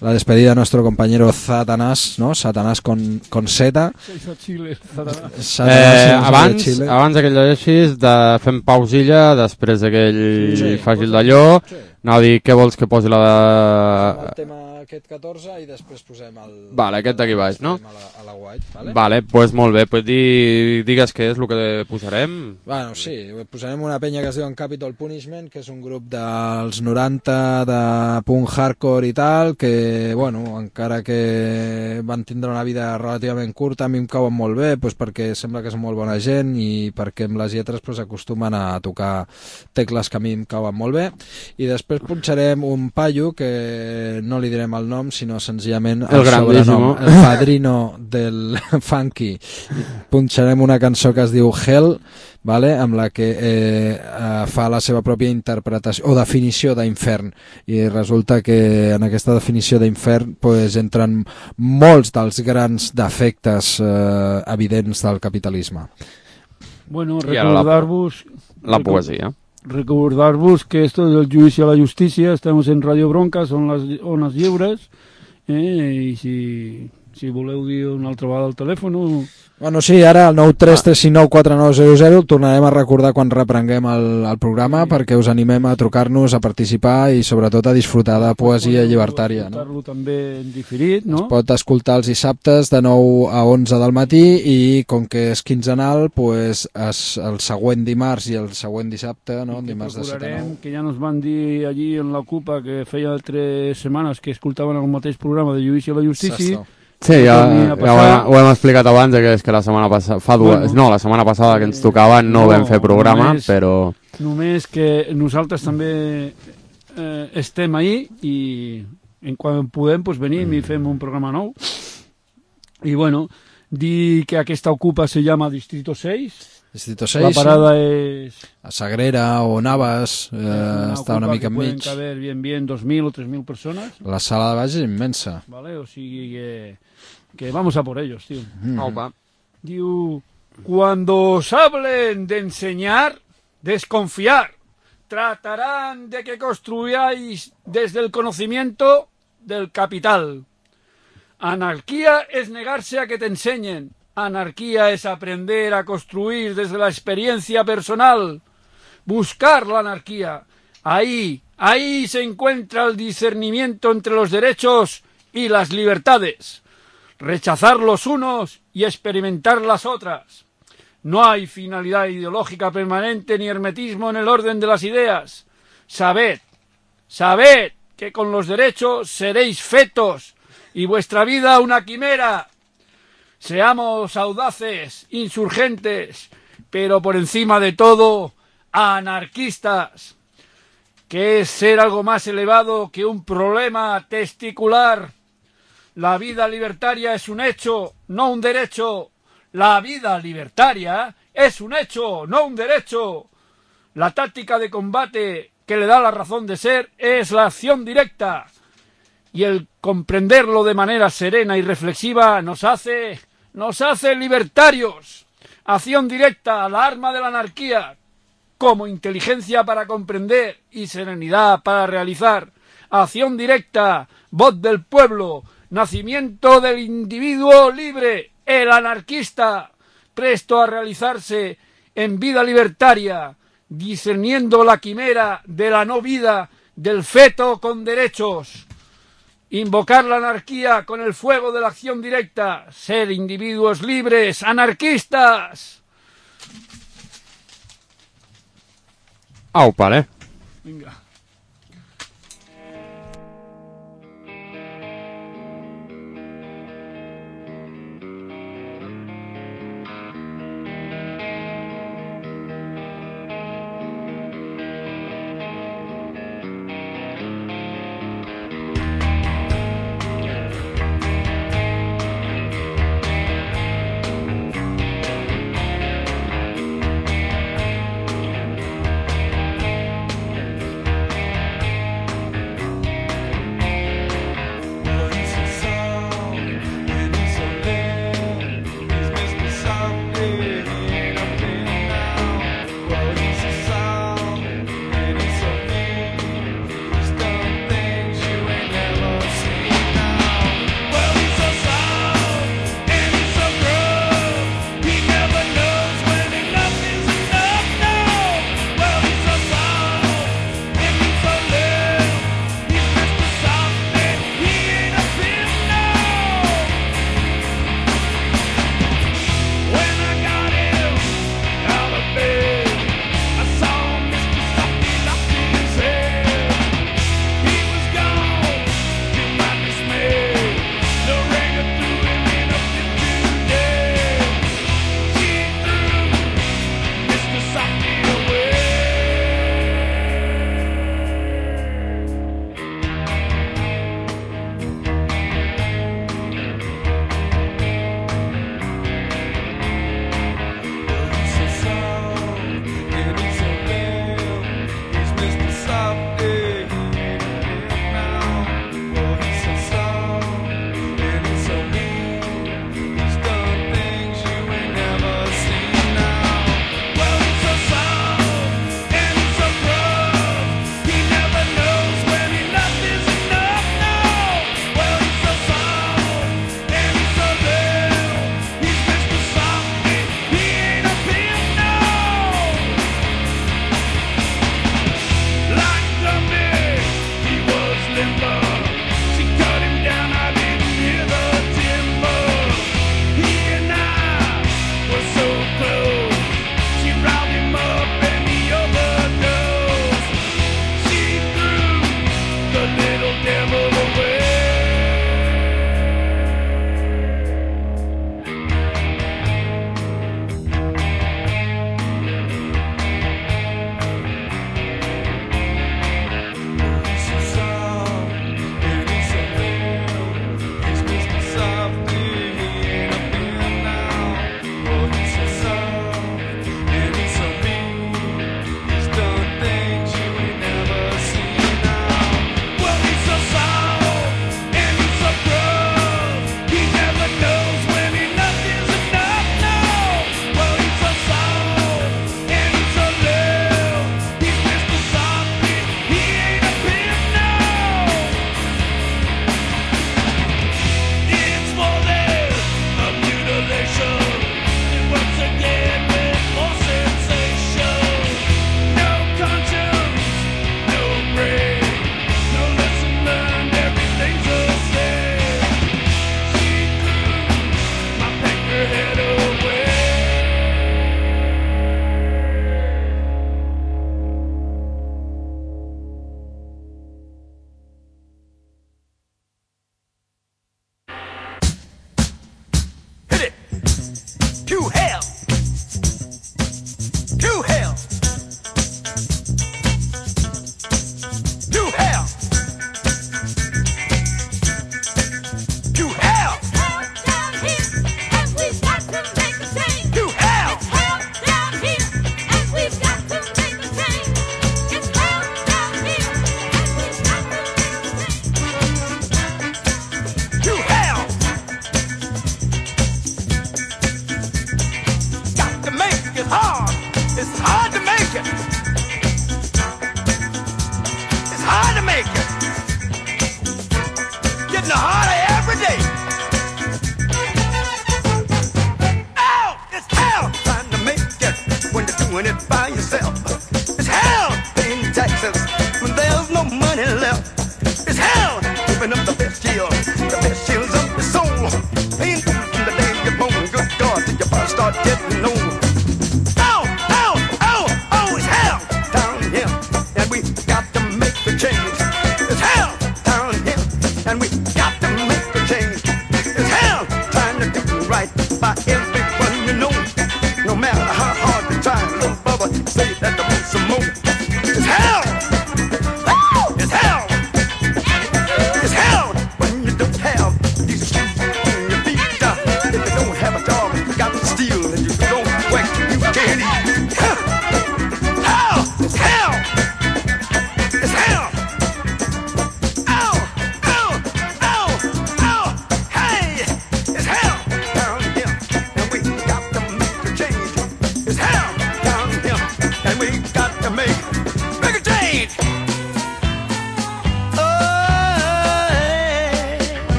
[SPEAKER 3] la despedida de nuestro compañero Satanás, ¿no? Satanás con, con Z.
[SPEAKER 4] Chile, Satanás.
[SPEAKER 2] Eh, abans, abans que llegeixis, de, fem pausilla, després d'aquell
[SPEAKER 3] sí,
[SPEAKER 2] faci el d'allò, sí. Anava a dir, què vols que posi la de...
[SPEAKER 3] El tema aquest catorze i després posem el...
[SPEAKER 2] Vale, aquest d'aquí baix, no?
[SPEAKER 3] A la, a la white, vale?
[SPEAKER 2] Vale, doncs pues molt bé, pues di, digues què és el que posarem.
[SPEAKER 3] Bueno, sí, posarem una penya que es diu Capital Punishment, que és un grup dels noranta de punk hardcore i tal, que, bueno, encara que van tindre una vida relativament curta, a mi em cauen molt bé, pues perquè sembla que és molt bona gent i perquè amb les lletres pues, acostumen a tocar tecles que a mi em cauen molt bé. I després punxarem un paio que no li direm el nom, sinó senzillament el, el sobrenom, el padrino del funky. Punxarem una cançó que es diu Hell, vale? Amb la que eh, eh, fa la seva pròpia interpretació o definició d'infern, i resulta que en aquesta definició d'infern pues, entren molts dels grans defectes eh, evidents del capitalisme.
[SPEAKER 4] Bueno, recordar-vos
[SPEAKER 2] la, la poesia.
[SPEAKER 4] Recordar-vos que esto del juicio a la justicia, estamos en Radio Bronca, son les ones lliures, eh, i si, si voleu dir una altra vegada al telèfon...
[SPEAKER 3] Bueno, sí, ara el nou tres tres cinc nou quatre nou zero zero el tornarem a recordar quan reprenguem el, el programa, sí, perquè us animem a trucar-nos, a participar i sobretot a disfrutar de poesia llibertària.
[SPEAKER 4] No? També en diferit, no?
[SPEAKER 3] Es pot escoltar els dissabtes de nou a onze del matí i com que és quinzenal, pues, es, el següent dimarts i el següent dissabte, no? Dimarts de set a nou.
[SPEAKER 4] Que ja nos van dir allí en l'Ocupa que feia tres setmanes que escoltaven el mateix programa de Judici a la Justícia.
[SPEAKER 2] Sí, ja, ja ho, hem, ho hem explicat abans, que és que la setmana passada, fa dues, bueno, no, la setmana passada que ens tocava no, no vam fer programa, només, però...
[SPEAKER 4] Només que nosaltres també eh, estem ahí i en quan podem pues, venim mm. i fem un programa nou. I bueno, dir que aquesta Ocupa se llama Distrito seis.
[SPEAKER 3] Distrito seis,
[SPEAKER 4] la parada sí. És...
[SPEAKER 3] A Sagrera o Navas, eh, una està una mica enmig.
[SPEAKER 4] Pueden caber bien, bien dos mil o tres mil persones.
[SPEAKER 3] La sala de baix és immensa.
[SPEAKER 4] Vale, o sigui que, que vamos a por ellos, tío.
[SPEAKER 3] Mm.
[SPEAKER 2] Opa.
[SPEAKER 4] Diu, cuando os hablen de enseñar, desconfiar. Tratarán de que construyáis desde el conocimiento del capital. Anarquía es negarse a que te enseñen. Anarquía es aprender a construir desde la experiencia personal, buscar la anarquía. Ahí, ahí se encuentra el discernimiento entre los derechos y las libertades. Rechazar los unos y experimentar las otras. No hay finalidad ideológica permanente ni hermetismo en el orden de las ideas. Sabed, sabed que con los derechos seréis fetos y vuestra vida una quimera. Seamos audaces, insurgentes, pero por encima de todo, anarquistas, que es ser algo más elevado que un problema testicular. La vida libertaria es un hecho, no un derecho. La vida libertaria es un hecho, no un derecho. La táctica de combate que le da la razón de ser es la acción directa. Y el comprenderlo de manera serena y reflexiva nos hace, nos hace libertarios. Acción directa, la arma de la anarquía, como inteligencia para comprender y serenidad para realizar. Acción directa, voz del pueblo, nacimiento del individuo libre, el anarquista, presto a realizarse en vida libertaria, discerniendo la quimera de la no vida del feto con derechos. Invocar la anarquía con el fuego de la acción directa, ser individuos libres, anarquistas.
[SPEAKER 2] Au, vale.
[SPEAKER 4] Venga.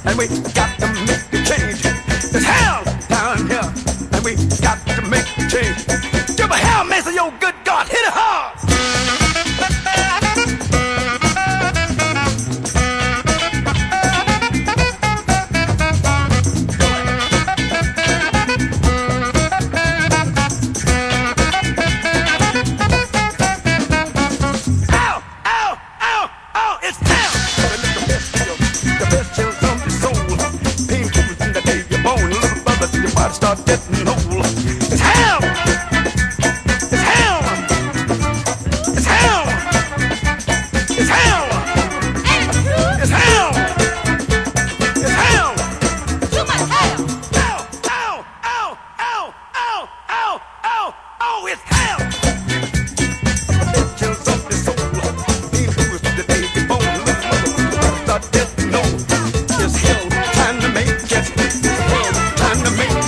[SPEAKER 5] and we got to make a change. There's hell down here, and we got to make a change. Give a hell, Mason, yo, good God, hit it hard. Start getting old. It's hell! It's hell! It's hell! It's hell! It's hell! It's hell! Too much hell! Ow! Ow! Ow! Ow! Ow! Ow! Ow! Ow! It's hell! It chills up the soul. He moves to the baby bone. Start getting old. It's hell. Time to make it. It's hell. Time to make it.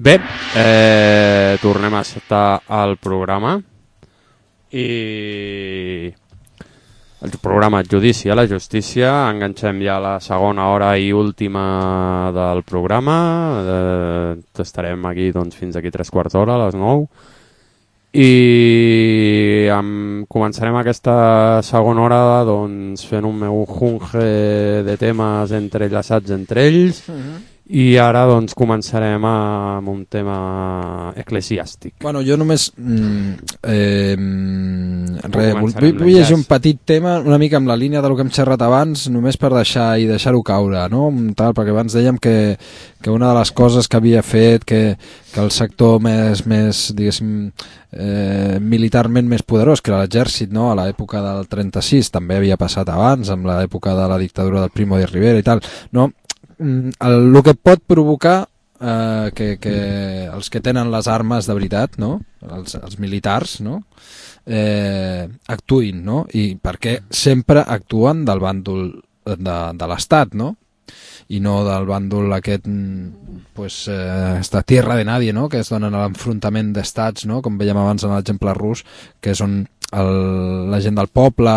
[SPEAKER 2] Bé, eh, tornem a estar al programa i el programa Judici a la Justícia. Enganxem ja la segona hora i última del programa. Eh, estarem aquí doncs, fins aquí tres quarts d'hora, a les nou. I amb, començarem aquesta segona hora doncs, fent un meu junge de temes entrellaçats entre ells. Uh-huh. I ara doncs començarem amb un tema eclesiàstic.
[SPEAKER 3] Bueno, jo només mm, eh, re, vull, vull llegir un petit tema una mica amb la línia del que hem xerrat abans, només per deixar i deixar-ho caure, no? Tal, perquè abans dèiem que, que una de les coses que havia fet que, que el sector més, més diguéssim, eh, militarment més poderós, que era l'exèrcit, no? A l'època del trenta-sis, també havia passat abans, amb l'època de la dictadura del Primo de Rivera i tal, no? El, el que pot provocar eh, que, que els que tenen les armes de veritat, no? els, els militars, no? eh, actuïn, no? I perquè sempre actuen del bàndol de, de l'Estat, no? I no del bàndol aquest pues, eh, de tierra de nadie, no? Que es donen a l'enfrontament d'estats, no? Com veiem abans en l'exemple rus, que és on el, la gent del poble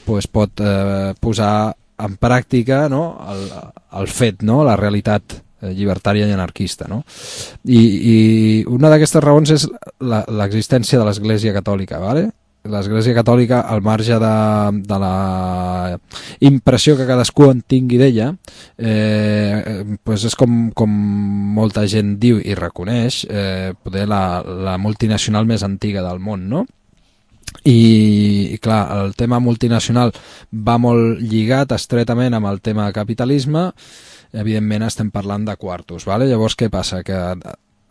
[SPEAKER 3] pues, pot eh, posar en pràctica, no? el, el fet, no? La realitat llibertària i anarquista, no? I, i una d'aquestes raons és l'existència de l'Església Catòlica, ¿vale? L'Església Catòlica, al marge de, de la impressió que cadascú en tingui d'ella, eh, pues és com, com molta gent diu i reconeix, eh, poder la, la multinacional més antiga del món, no? I, i clar, el tema multinacional va molt lligat estretament amb el tema capitalisme. Evidentment estem parlant de quartos, ¿vale? Llavors què passa? Que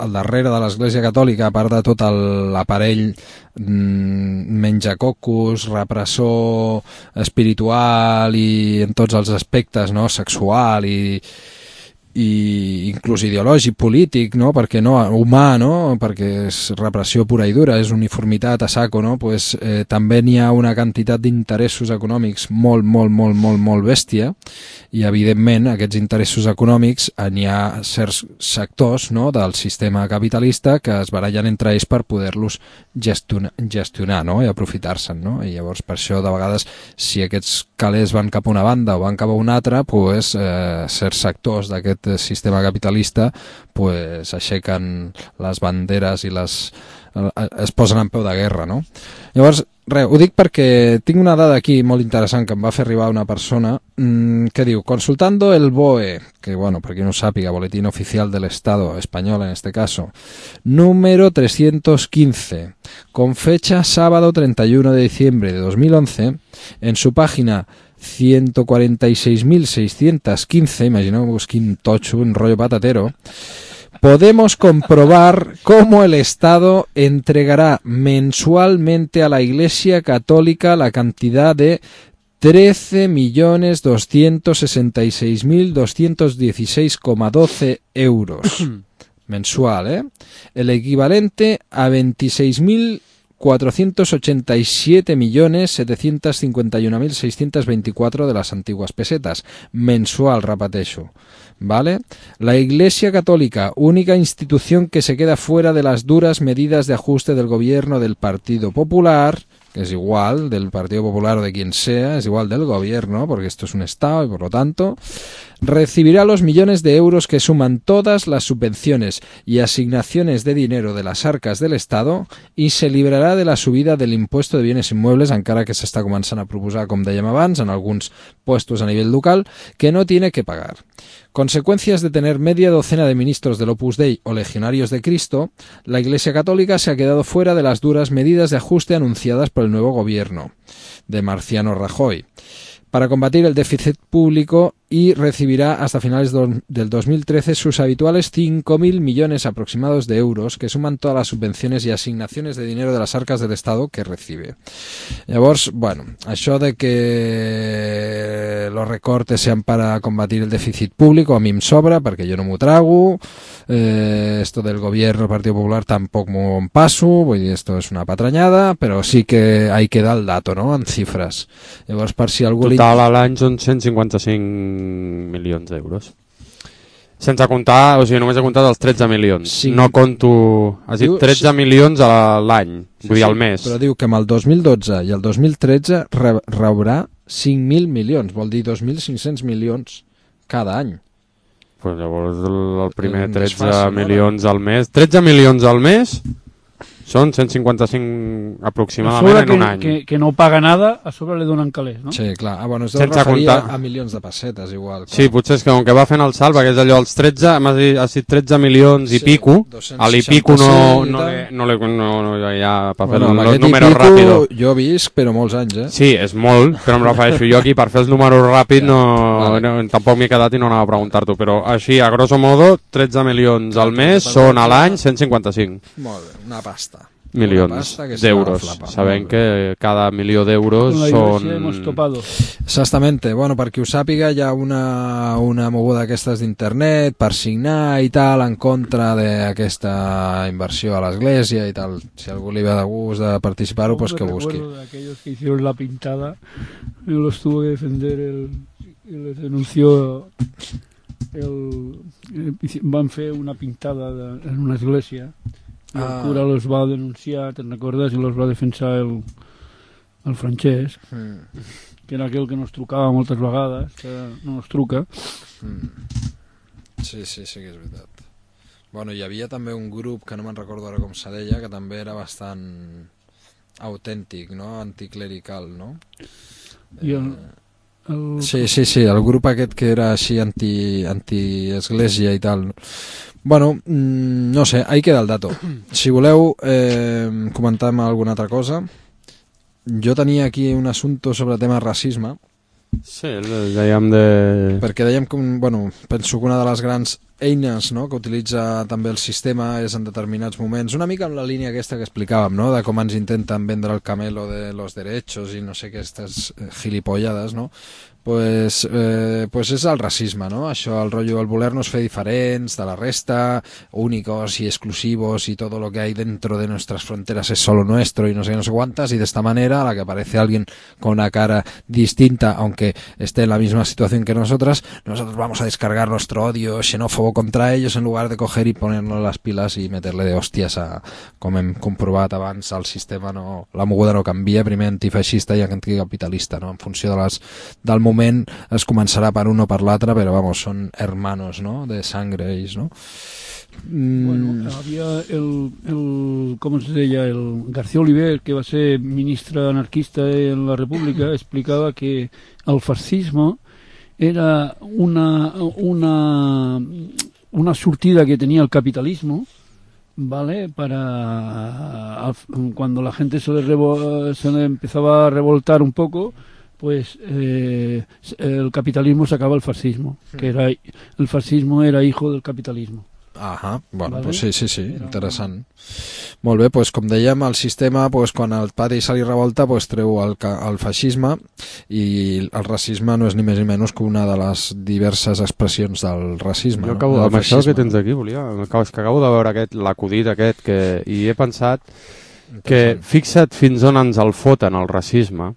[SPEAKER 3] al darrere de l'Església Catòlica, a part de tot l'aparell mmm, menjacocos, repressor espiritual i en tots els aspectes, no? Sexual i i inclús ideològic, polític, no? Perquè no, humà, no? Perquè és repressió pura i dura, és uniformitat a saco, no? Pues, eh, també n'hi ha una quantitat d'interessos econòmics molt, molt, molt, molt, molt bèstia, i evidentment aquests interessos econòmics n'hi ha certs sectors, no? Del sistema capitalista que es barallen entre ells per poder-los gestionar, gestionar, no? I aprofitar-se'n, no? I llavors per això de vegades si aquests calés van cap a una banda o van cap a una altra, pues, eh, certs sectors d'aquest sistema capitalista pues aixequen les banderes i les es posen en peu de guerra, no? Llavors res, ho dic perquè tinc una dada aquí molt interessant que em va fer arribar una persona mmm, que diu, consultando el B O E, que bueno, per qui no sàpiga, Boletín Oficial del Estado Español en este caso, número trescientos quince, con fecha sábado treinta y uno de diciembre de dos mil once, en su página ciento cuarenta y seis mil seiscientos quince, imagineu-vos quin totxo, un rollo patatero, podemos comprobar cómo el Estado entregará mensualmente a la Iglesia Católica la cantidad de trece millones doscientos sesenta y seis mil doscientos dieciséis coma doce euros mensual, ¿eh? El equivalente a veintiséis mil cuatrocientos ochenta y siete millones setecientos cincuenta y uno mil seiscientos veinticuatro de las antiguas pesetas, mensual, repeteixo. ¿Vale? La Iglesia Católica, única institución que se queda fuera de las duras medidas de ajuste del gobierno del Partido Popular, que es igual del Partido Popular o de quien sea, es igual del gobierno, porque esto es un Estado y por lo tanto, recibirá los millones de euros que suman todas las subvenciones y asignaciones de dinero de las arcas del Estado y se librarà de la subida del impuesto de bienes inmuebles, encara que s'està començant a proposar, com dèiem abans, en alguns puestos a nivell local, que no tiene que pagar. Consecuencias de tener media docena de ministros del Opus Dei o legionarios de Cristo, la Iglesia Católica se ha quedado fuera de las duras medidas de ajuste anunciadas por el nuevo gobierno de Marciano Rajoy para combatir el déficit público y recibirá hasta finales del dos mil trece sus habituales cinco mil millones aproximados de euros que suman todas las subvenciones y asignaciones de dinero de las arcas del Estado que recibe. Llavors, bueno, això de que los recortes sean para combatir el déficit público a mi em sobra perquè jo no m'ho trago, eh, esto del gobierno del Partido Popular tampoc m'ho en passo, vull dir, esto és una patranyada, però sí que ahí queda el dato, no?, en xifres. Llavors, per si algú...
[SPEAKER 2] Total a l'any són cent cinquanta-cinc milions d'euros. Sense comptar, o sigui, només he comptat els tretze milions. Sí. No conto... Has dit tretze sí. milions a l'any, vull dir, sí, al mes.
[SPEAKER 3] Però diu que amb el dos mil dotze i el dos mil tretze re rebrà cinc mil milions, vol dir dos mil cinc-cents milions cada any.
[SPEAKER 2] Pues llavors el, el primer tretze milions al mes... tretze milions al mes... Són cent cinquanta-cinc aproximadament en un any.
[SPEAKER 4] Que, que no paga nada, a sobre li donen calés, no?
[SPEAKER 3] Sí, clar. Ah, bueno, es deu referir a milions de pessetes, igual. Clar.
[SPEAKER 2] Sí, potser és que com que va fent el salt, perquè és allò, els tretze, has dit tretze milions i sí, pico, a l'Ipico no, no, no, no, no, no hi ha per fer bueno, els números ràpidos.
[SPEAKER 3] Jo he vist, però molts anys, eh?
[SPEAKER 2] Sí, és molt, però em refereixo jo aquí, per fer els números ràpids, no, vale. no, tampoc m'he quedat i no anava a preguntar-t'ho, però així, a grosso modo, tretze milions al mes són a l'any cent cinquanta-cinc.
[SPEAKER 3] Molt bé, una pasta.
[SPEAKER 2] Milions d'euros, sabent que cada milió d'euros són...
[SPEAKER 3] Exactamente, bueno, per qui ho sàpiga hi ha una, una moguda d'aquestes d'internet per signar i tal en contra d'aquesta inversió a l'església i tal, si algú li ve de gust de participar-ho, pues que busqui.
[SPEAKER 4] De aquellos que hicieron la pintada, los tuvo que defender el, el denunció el, el, van fer una pintada de, en una església. El ah. cura los va denunciar, te'n recordes, i los va defensar el, el Francesc, mm. que era aquell que nos trucava moltes vegades, que no nos truca.
[SPEAKER 3] Mm. Sí, sí, sí que és veritat. Bueno, hi havia també un grup, que no me'n recordo ara com se deia, que també era bastant autèntic, no?, anticlerical, no?
[SPEAKER 4] I el... el...
[SPEAKER 3] Sí, sí, sí, el grup aquest que era així anti, anti-església i tal. Bueno, no sé, ahí queda el dato. Si voleu eh, comentar alguna altra cosa, jo tenia aquí un assumpte sobre tema racisme.
[SPEAKER 2] Sí, dèiem de...
[SPEAKER 3] Perquè dèiem que, bueno, penso que una de les grans eines, no?, que utilitza també el sistema és en determinats moments, una mica en la línia aquesta que explicàvem, no?, de com ens intenten vendre el camelo de los derechos i no sé què, aquestes gilipollades, no?, pues, eh, pues és el racisme, no? Això, el rotllo, el voler-nos fer diferents de la resta, únicos y exclusivos y todo lo que hay dentro de nuestras fronteras es solo nuestro y no sé qué, no sé cuántas, y de esta manera a la que aparece alguien con una cara distinta, aunque esté en la misma situación que nosotras, nosotros vamos a descargar nuestro odio xenófobo contra ellos en lugar de coger y ponernos las pilas y meterle de hòsties a, com hem comprovat abans, el sistema no, la moguda no canvia, primer antifeixista i anticapitalista, no? En funció de les, del moment moment es començarà per un o per l'altre, però vamos, són hermanos, no?, de sangre ells, no? Mm.
[SPEAKER 4] Bueno, había el, el, com es deia, el García Oliver, que va ser ministre anarquista en la República, explicava que el fascisme era una, una, una sortida que tenía el capitalismo, ¿vale? Para cuando la gente se le, revo, se le empezaba a revoltar un poco, pues eh, el capitalismo sacaba el fascismo, que era el fascismo era hijo del capitalismo.
[SPEAKER 3] Ahà, bueno,
[SPEAKER 4] Vale.
[SPEAKER 3] pues sí, sí, sí, interessant. Molt bé, doncs com dèiem, el sistema, doncs, quan el pati se li revolta, doncs, treu el, el feixisme, i el racisme no és ni més ni menys que una de les diverses expressions del racisme.
[SPEAKER 2] Jo acabo,
[SPEAKER 3] no?
[SPEAKER 2] amb això que tens aquí, volia, és que acabo de veure aquest, l'acudit aquest, que, i he pensat que fixa't fins on ens el foten el racisme,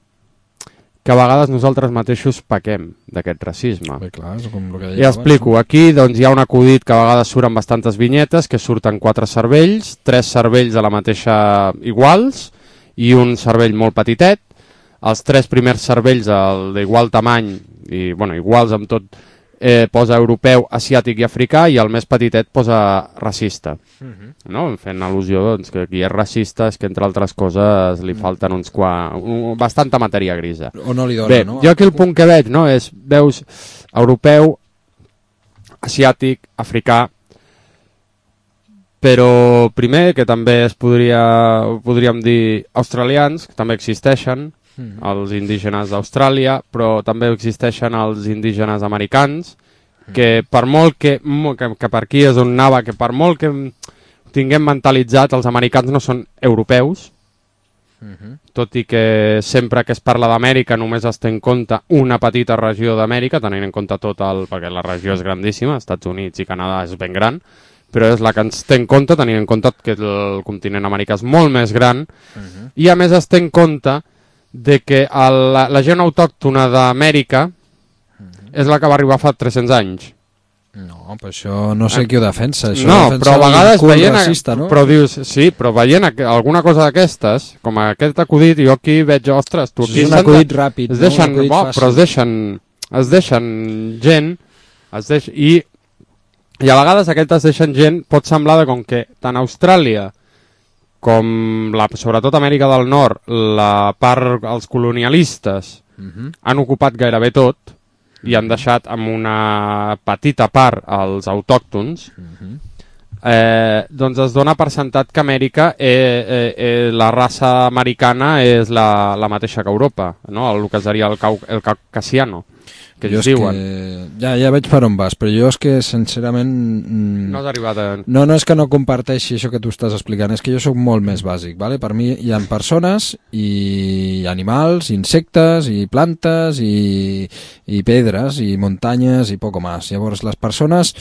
[SPEAKER 2] que a vegades nosaltres mateixos pequem d'aquest racisme.
[SPEAKER 3] Bé, clar, és com el que deia
[SPEAKER 2] I explico,
[SPEAKER 3] abans.
[SPEAKER 2] aquí doncs, hi ha un acudit que a vegades surt amb bastantes vinyetes, que surten quatre cervells, tres cervells de la mateixa iguals i un cervell molt petitet, els tres primers cervells d'igual tamany, i bueno, iguals amb tot, eh, posa europeu, asiàtic i africà, i el més petitet posa racista. Uh-huh. No? Fent al·lusió doncs, que qui és racista és que, entre altres coses, li falten uns qua... un, bastanta matèria grisa.
[SPEAKER 3] O no li dona,
[SPEAKER 2] Bé,
[SPEAKER 3] no?
[SPEAKER 2] jo aquí el punt que veig, no, és, veus, europeu, asiàtic, africà, però primer, que també es podria, podríem dir australians, que també existeixen, mm. els indígenes d'Austràlia, però també existeixen els indígenes americans, que per molt que, que, que per aquí és on anava, que per molt que tinguem mentalitzat, els americans no són europeus, uh-huh. tot i que sempre que es parla d'Amèrica només es té en compte una petita regió d'Amèrica, tenint en compte tot el... perquè la regió és grandíssima, Estats Units i Canadà és ben gran, però és la que ens té en compte, tenint en compte que el continent americà és molt més gran, uh-huh. i a més es té en compte de que el, la, la gent autòctona d'Amèrica uh-huh. és la que va arribar fa tres-cents anys.
[SPEAKER 3] No, però això no sé qui ho defensa. Això
[SPEAKER 2] no,
[SPEAKER 3] defensa
[SPEAKER 2] però a vegades veient...
[SPEAKER 3] racista, no?
[SPEAKER 2] Però dius, sí, però veient alguna cosa d'aquestes, com aquest acudit, jo aquí veig, ostres, tu aquí...
[SPEAKER 3] És un acudit de... ràpid,
[SPEAKER 2] es deixen,
[SPEAKER 3] no? Un
[SPEAKER 2] bo, però es deixen, es deixen gent, es deix... I, i a vegades aquest es deixen gent, pot semblar de com que tant Austràlia com la, sobretot Amèrica del Nord, la part, els colonialistes uh-huh. han ocupat gairebé tot, i han deixat amb una petita part als autòctons, uh-huh. eh, doncs es dona per sentat que Amèrica, eh, eh, eh, la raça americana és la, la mateixa que Europa, no? El que seria el, cau, el caucasiano, que ells diuen.
[SPEAKER 3] Que... Ja, ja veig per on vas, però jo és que sincerament...
[SPEAKER 2] No has arribat a...
[SPEAKER 3] No, no és que no comparteixi això que tu estàs explicant, és que jo sóc molt més bàsic, ¿vale? Per mi hi ha persones i animals, insectes i plantes i, i pedres i muntanyes i poco más. Llavors les persones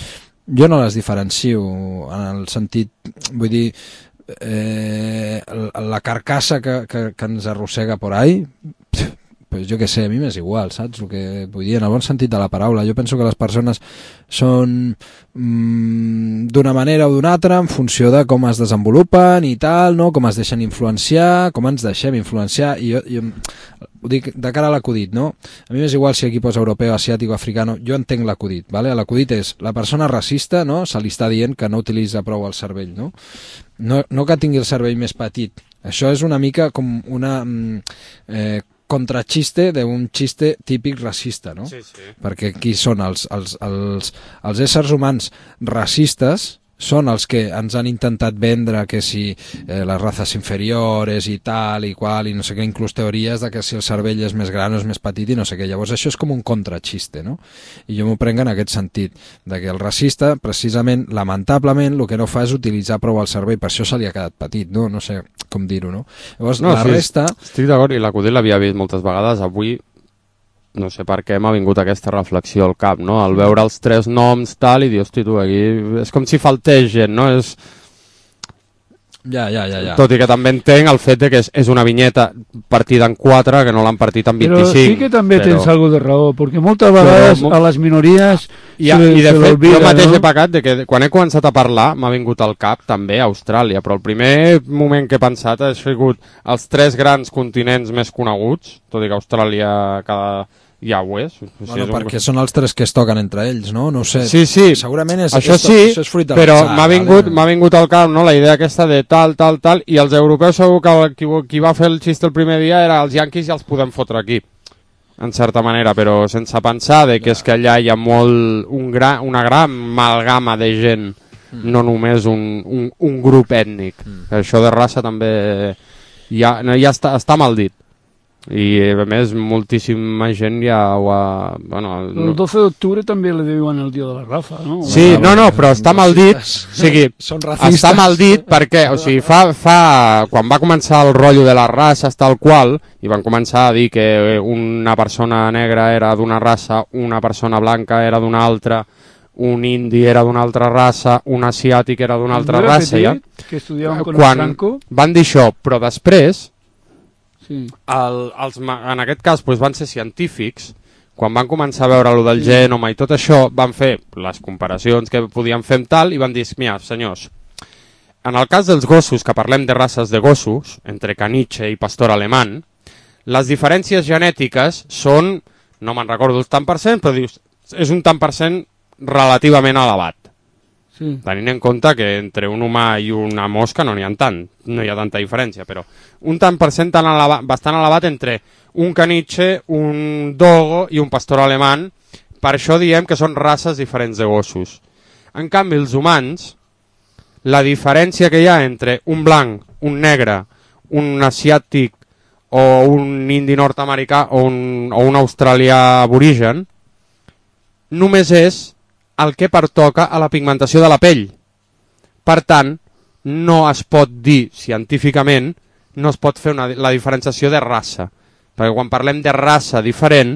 [SPEAKER 3] jo no les diferencio en el sentit, vull dir, eh, la carcassa que, que, que ens arrossega por ahí, pues jo què sé, a mi m'és igual, saps? El que vull dir, en el bon sentit de la paraula. Jo penso que les persones són mmm, d'una manera o d'una altra en funció de com es desenvolupen i tal, no? Com es deixen influenciar, com ens deixem influenciar, i jo, jo ho dic de cara a l'acudit, no? A mi m'és igual si aquí posa europeu, asiàtic o africano, jo entenc l'acudit, ¿vale? L'acudit és la persona racista, no? Se li està dient que no utilitza prou el cervell, no? No, no que tingui el cervell més petit. Això és una mica com una... Eh, contraxiste d'un xiste típic racista, no?
[SPEAKER 2] Sí, sí.
[SPEAKER 3] Perquè aquí són els, els, els, els éssers humans racistes, són els que ens han intentat vendre que si eh, les races inferiores i tal i qual, i no sé què, inclús teories de que si el cervell és més gran o és més petit i no sé què. Llavors això és com un contraxiste, no? I jo m'ho prenc en aquest sentit, de que el racista, precisament, lamentablement, el que no fa és utilitzar prou el cervell, per això se li ha quedat petit, no? No sé com dir-ho, no? Llavors
[SPEAKER 2] no,
[SPEAKER 3] la
[SPEAKER 2] sí,
[SPEAKER 3] resta...
[SPEAKER 2] Estic d'acord, i l'acudit l'havia vist moltes vegades, avui no sé per què m'ha vingut aquesta reflexió al cap, no? Al veure els tres noms, tal, i dir, hosti, tu, aquí... És com si faltés gent, no? És...
[SPEAKER 3] Ja, ja, ja, ja.
[SPEAKER 2] Tot i que també entenc el fet de que és, és una vinyeta partida en quatre, que no l'han partit en vint-i-cinc.
[SPEAKER 4] Però sí que també
[SPEAKER 2] però...
[SPEAKER 4] tens algo de raó, perquè moltes vegades
[SPEAKER 2] però...
[SPEAKER 4] a les minories
[SPEAKER 2] I,
[SPEAKER 4] se,
[SPEAKER 2] i de
[SPEAKER 4] se
[SPEAKER 2] fet, jo mateix
[SPEAKER 4] no?
[SPEAKER 2] he pecat de que quan he començat a parlar m'ha vingut al cap també Austràlia, però el primer moment que he pensat ha sigut els tres grans continents més coneguts, tot i que Austràlia cada... ja ho és. O sigui,
[SPEAKER 3] Bueno,
[SPEAKER 2] és un...
[SPEAKER 3] perquè són els tres que es toquen entre ells, no? No ho sé.
[SPEAKER 2] Sí, sí.
[SPEAKER 3] Segurament és,
[SPEAKER 2] això
[SPEAKER 3] és,
[SPEAKER 2] sí,
[SPEAKER 3] això és fruit de
[SPEAKER 2] però
[SPEAKER 3] l'atzar,
[SPEAKER 2] m'ha vingut,
[SPEAKER 3] vale?
[SPEAKER 2] m'ha vingut al cap, no?, la idea aquesta de tal, tal, tal, i els europeus segur que qui, qui va fer el xiste el primer dia era els yanquis i els podem fotre aquí, en certa manera, però sense pensar de que és que allà hi ha molt, un gra, una gran amalgama de gent, mm. no només un, un, un grup ètnic. Mm. Això de raça també ja, ja està, està mal dit. I a més moltíssima gent ja ho ha... Bueno,
[SPEAKER 4] el doce d'octubre també li diuen el dia de la Rafa, no?
[SPEAKER 2] Sí, no, no, però està mal dit, o sigui, està mal dit perquè, o sigui, fa, fa, quan va començar el rotllo de les races tal qual, i van començar a dir que una persona negra era d'una raça, una persona blanca era d'una altra, un indi era d'una altra raça, un asiàtic era d'una altra raça, ja.
[SPEAKER 4] Que estudiaven con
[SPEAKER 2] quan
[SPEAKER 4] Franco.
[SPEAKER 2] Van dir això, però després...
[SPEAKER 4] Sí.
[SPEAKER 2] El, els, en aquest cas doncs, van ser científics, quan van començar a veure lo del sí. genoma i tot això, van fer les comparacions que podien fer amb tal i van dir, mira, senyors, en el cas dels gossos, que parlem de races de gossos, entre caniche i pastor alemany, les diferències genètiques són, no me'n recordo el tant per cent, però dius, és un tant per cent relativament elevat. Sí. Tenint en compte que entre un humà i una mosca no n'hi ha tant, no hi ha tanta diferència, però un tant per cent tan elevat, bastant elevat entre un caniche, un dogo i un pastor alemany, per això diem que són races diferents de gossos. En canvi, els humans, la diferència que hi ha entre un blanc, un negre, un asiàtic o un indi nord-americà o un, o un australià aborigen, només és el que pertoca a la pigmentació de la pell. Per tant, no es pot dir científicament, no es pot fer una, la diferenciació de raça, perquè quan parlem de raça diferent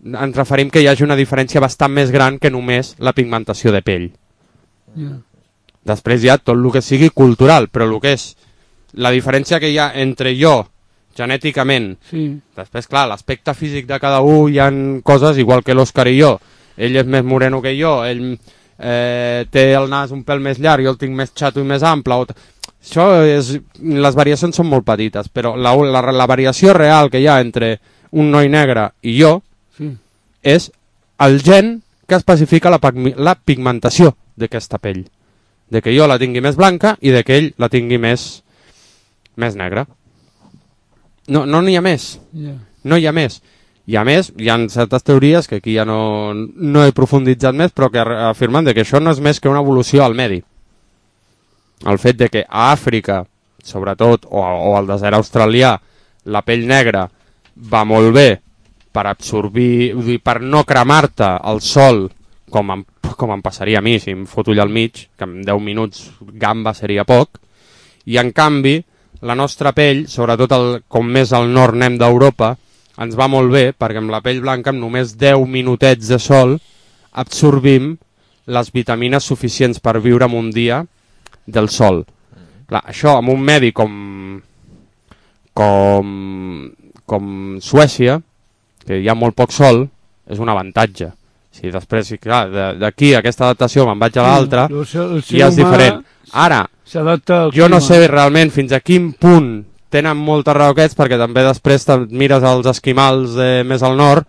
[SPEAKER 2] ens referim que hi hagi una diferència bastant més gran que només la pigmentació de pell. Yeah. Després hi ha tot el que sigui cultural, però el que és la diferència que hi ha entre jo genèticament, sí. Després clar, l'aspecte físic de cada un hi ha coses igual que l'Òscar i jo. Ell és més moreno que jo, ell eh, té el nas un pèl més llarg, jo el tinc més xato i més ample. O això és, les variacions són molt petites, però la, la, la variació real que hi ha entre un noi negre i jo sí. És el gen que especifica la, la pigmentació d'aquesta pell. De que jo la tingui més blanca i de que ell la tingui més, més negra. No, no n'hi ha més. Yeah. No hi ha més. I a més, hi ha certes teories que aquí ja no, no he profunditzat més, però que afirmen que això no és més que una evolució al medi. El fet de que a Àfrica, sobretot, o, o al desert australià, la pell negra va molt bé per absorbir, per no cremar-te al sol, com em, com em passaria a mi, si em foto allà al mig, que en deu minuts gamba seria poc, i en canvi, la nostra pell, sobretot el, com més al nord anem d'Europa, ens va molt bé perquè amb la pell blanca amb només deu minutets de sol absorbim les vitamines suficients per viure en un dia del sol. Clar, això en un medi com com com Suècia, que hi ha molt poc sol, és un avantatge. Si després, clar, d'aquí aquesta adaptació me'n vaig a l'altra i és diferent. Ara, jo no sé realment fins a quin punt tenen moltes raó aquests, perquè també després mires els esquimals de més al nord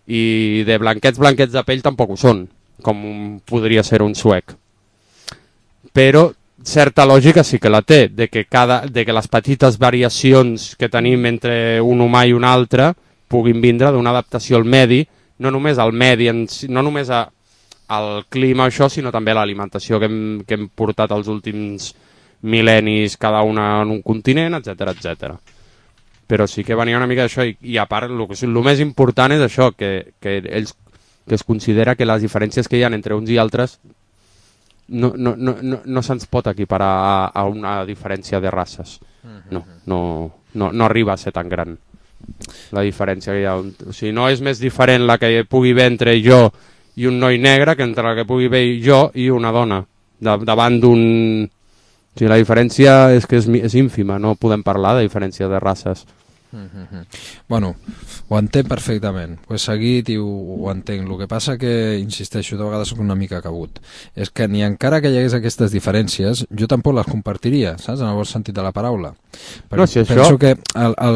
[SPEAKER 2] i de blanquets, blanquets de pell tampoc ho són, com podria ser un suec. Però certa lògica sí que la té, de que, cada, de que les petites variacions que tenim entre un humà i un altre puguin vindre d'una adaptació al medi, no només al medi, no només a, al clima això, sinó també a l'alimentació que, hem, que hem portat els últims mil·lennis cada una en un continent, etcètera, etcètera. Però sí que venia una mica d'això i, i a part el, el més important és això, que, que, ells, que es considera que les diferències que hi ha entre uns i altres no, no, no, no, no se'ns pot equiparar a, a una diferència de races. No, no, no, no arriba a ser tan gran la diferència que hi ha. O sigui, no és més diferent la que pugui haver entre jo i un noi negre que entre la que pugui haver jo i una dona de, davant d'un... O sigui, la diferència és que és, és ínfima, no podem parlar de diferència de races.
[SPEAKER 3] Mm-hmm. Bueno, ho entenc perfectament, ho he seguit i ho, ho entenc. El que passa que, insisteixo, de vegades soc una mica cabut, és que ni encara que hi hagués aquestes diferències jo tampoc les compartiria, saps? En el bon sentit de la paraula. Perquè
[SPEAKER 2] no, si
[SPEAKER 3] penso
[SPEAKER 2] això...
[SPEAKER 3] que